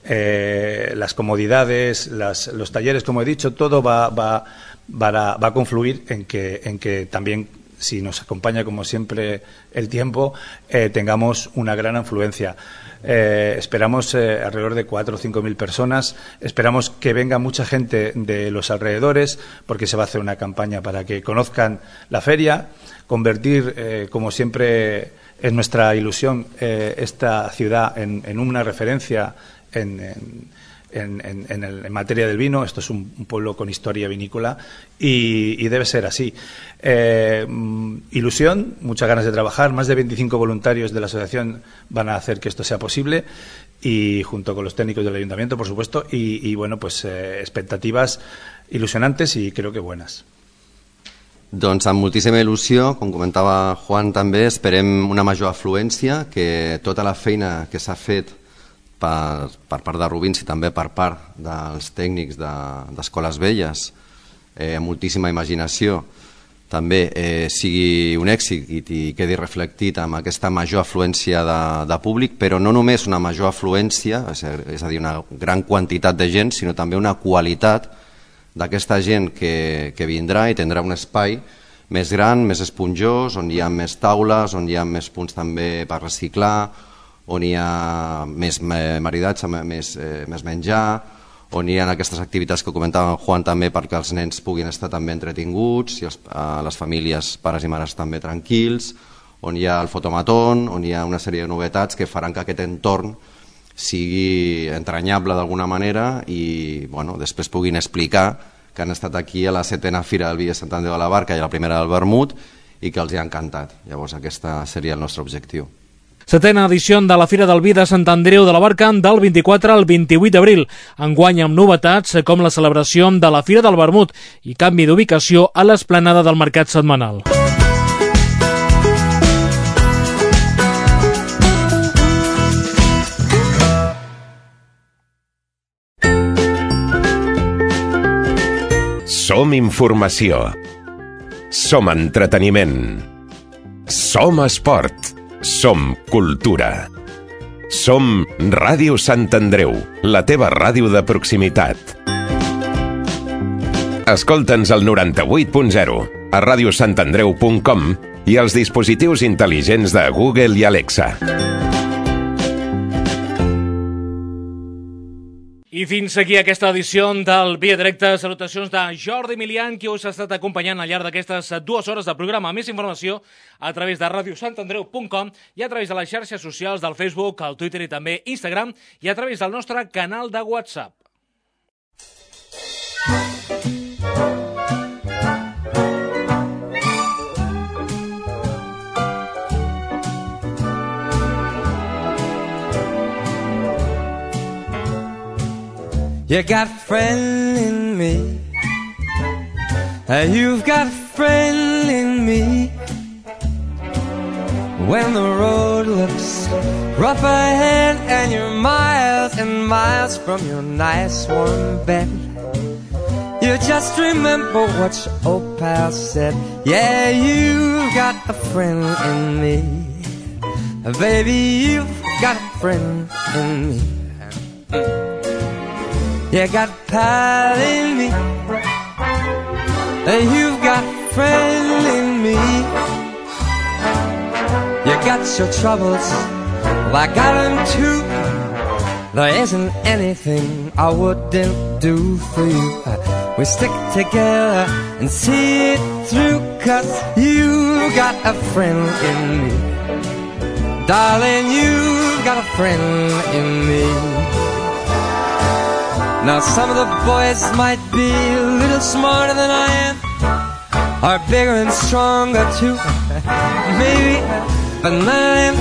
las comodidades, los talleres, como he dicho, todo va a confluir en que también, si nos acompaña como siempre el tiempo, tengamos una gran afluencia. Esperamos alrededor de 4 o 5.000 personas. Esperamos que venga mucha gente de los alrededores, porque se va a hacer una campaña para que conozcan la feria, convertir, como siempre es nuestra ilusión, esta ciudad en una referencia en materia del vino. Esto es un pueblo con historia vinícola y debe ser así. Ilusión, muchas ganas de trabajar. Más de 25 voluntarios de la asociación van a hacer que esto sea posible, y junto con los técnicos del ayuntamiento, por supuesto, y bueno, pues expectativas ilusionantes y creo que buenas. Doncs amb moltíssima il·lusió, com comentava Juan també, esperem una major afluència, que tota la feina que s'ha fet per part de Rubins i també per part dels tècnics d'Escoles Velles, amb moltíssima imaginació, també sigui un èxit i quedi reflectit amb aquesta major afluència de públic, però no només una major afluència, és a dir, una gran quantitat de gent, sinó també una qualitat d'aquesta gent que vindrà i tindrà un espai més gran, més esponjós, on hi ha més taules, on hi ha més punts també per reciclar, on hi ha més maridatge, més menjar, on hi ha aquestes activitats que comentava en Juan també perquè els nens puguin estar també entretinguts i les famílies, pares i mares també tranquils, on hi ha el fotomatón, on hi ha una sèrie de novetats que faran que aquest entorn sigui entranyable d'alguna manera i després puguin explicar que han estat aquí a la 7ª Fira del Vi de Sant Andreu de la Barca i a la primera del Vermut i que els hi ha encantat. Llavors aquest seria el nostre objectiu. 7ª edició de la Fira del Vi de Sant Andreu de la Barca del 24 al 28 d'abril. Enguany amb novetats com la celebració de la Fira del Vermut i canvi d'ubicació a l'esplanada del Mercat Setmanal. Som informació. Som entreteniment. Som esport. Som cultura. Som Ràdio Sant Andreu, la teva ràdio de proximitat. Escolta'ns al 98.0, a radiosantandreu.com i als dispositius intel·ligents de Google i Alexa. I fins aquí aquesta edició del Via Directe. Salutacions de Jordi Milian, qui us ha estat acompanyant al llarg d'aquestes 2 hores de programa. Més informació a través de radiosantandreu.com i a través de les xarxes socials del Facebook, el Twitter i també Instagram i a través del nostre canal de WhatsApp. You got a friend in me. You've got a friend in me. When the road looks rough ahead and you're miles and miles from your nice warm bed, you just remember what your old pal said. Yeah, you've got a friend in me. Baby, you've got a friend in me. You got a pal in me. You've got a friend in me. You got your troubles, well, I got them too. There isn't anything I wouldn't do for you. We stick together and see it through, 'cause you got a friend in me. Darling, you've got a friend in me. Now some of the boys might be a little smarter than I am, or bigger and stronger too, maybe, but none of them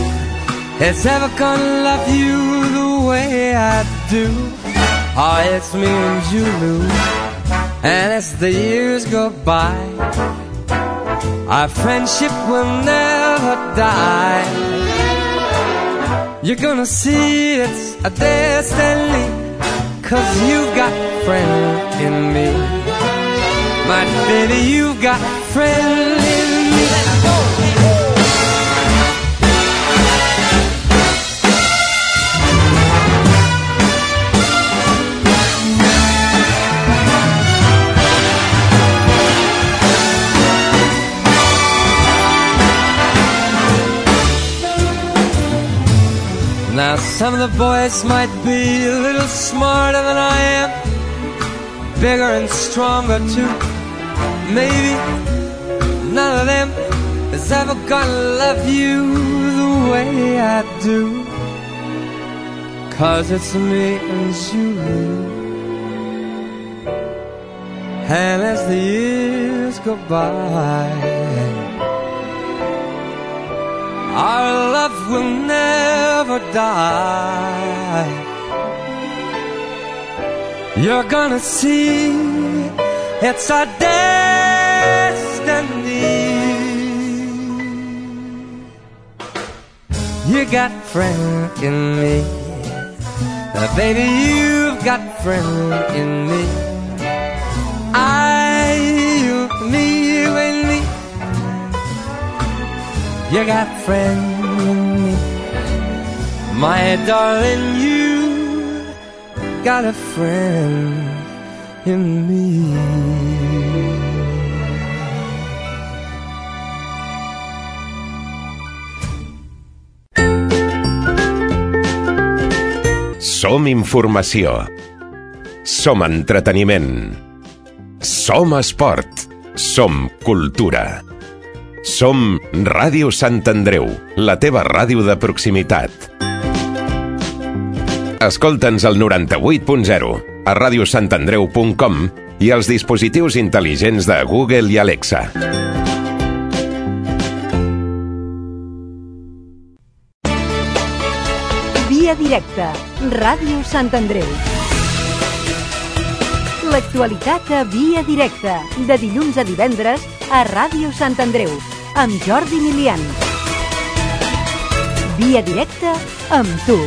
is ever gonna love you the way I do. Oh, it's me and you, Lou, and as the years go by, our friendship will never die. You're gonna see it's a destiny, 'cause you've got a friend in me. My baby, you've got a friend in me. Now some of the boys might be a little smarter than I am, bigger and stronger too, maybe. None of them is ever gonna love you the way I do, 'cause it's me and you. And as the years go by, our love will never die. You're gonna see it's our destiny. You got a friend in me. Baby, you've got a friend in me. You, me, you and me. You got a friend in me. My darling, you got a friend in me. Som informació. Som entreteniment. Som esport. Som cultura. Som Ràdio Sant Andreu, la teva ràdio de proximitat. Escolta'ns al 98.0, a radiosantandreu.com i als dispositius intel·ligents de Google i Alexa. Via directa, Ràdio Sant Andreu. L'actualitat a Via directa, de dilluns a divendres a Ràdio Sant Andreu, amb Jordi Milian. Via directa amb tu.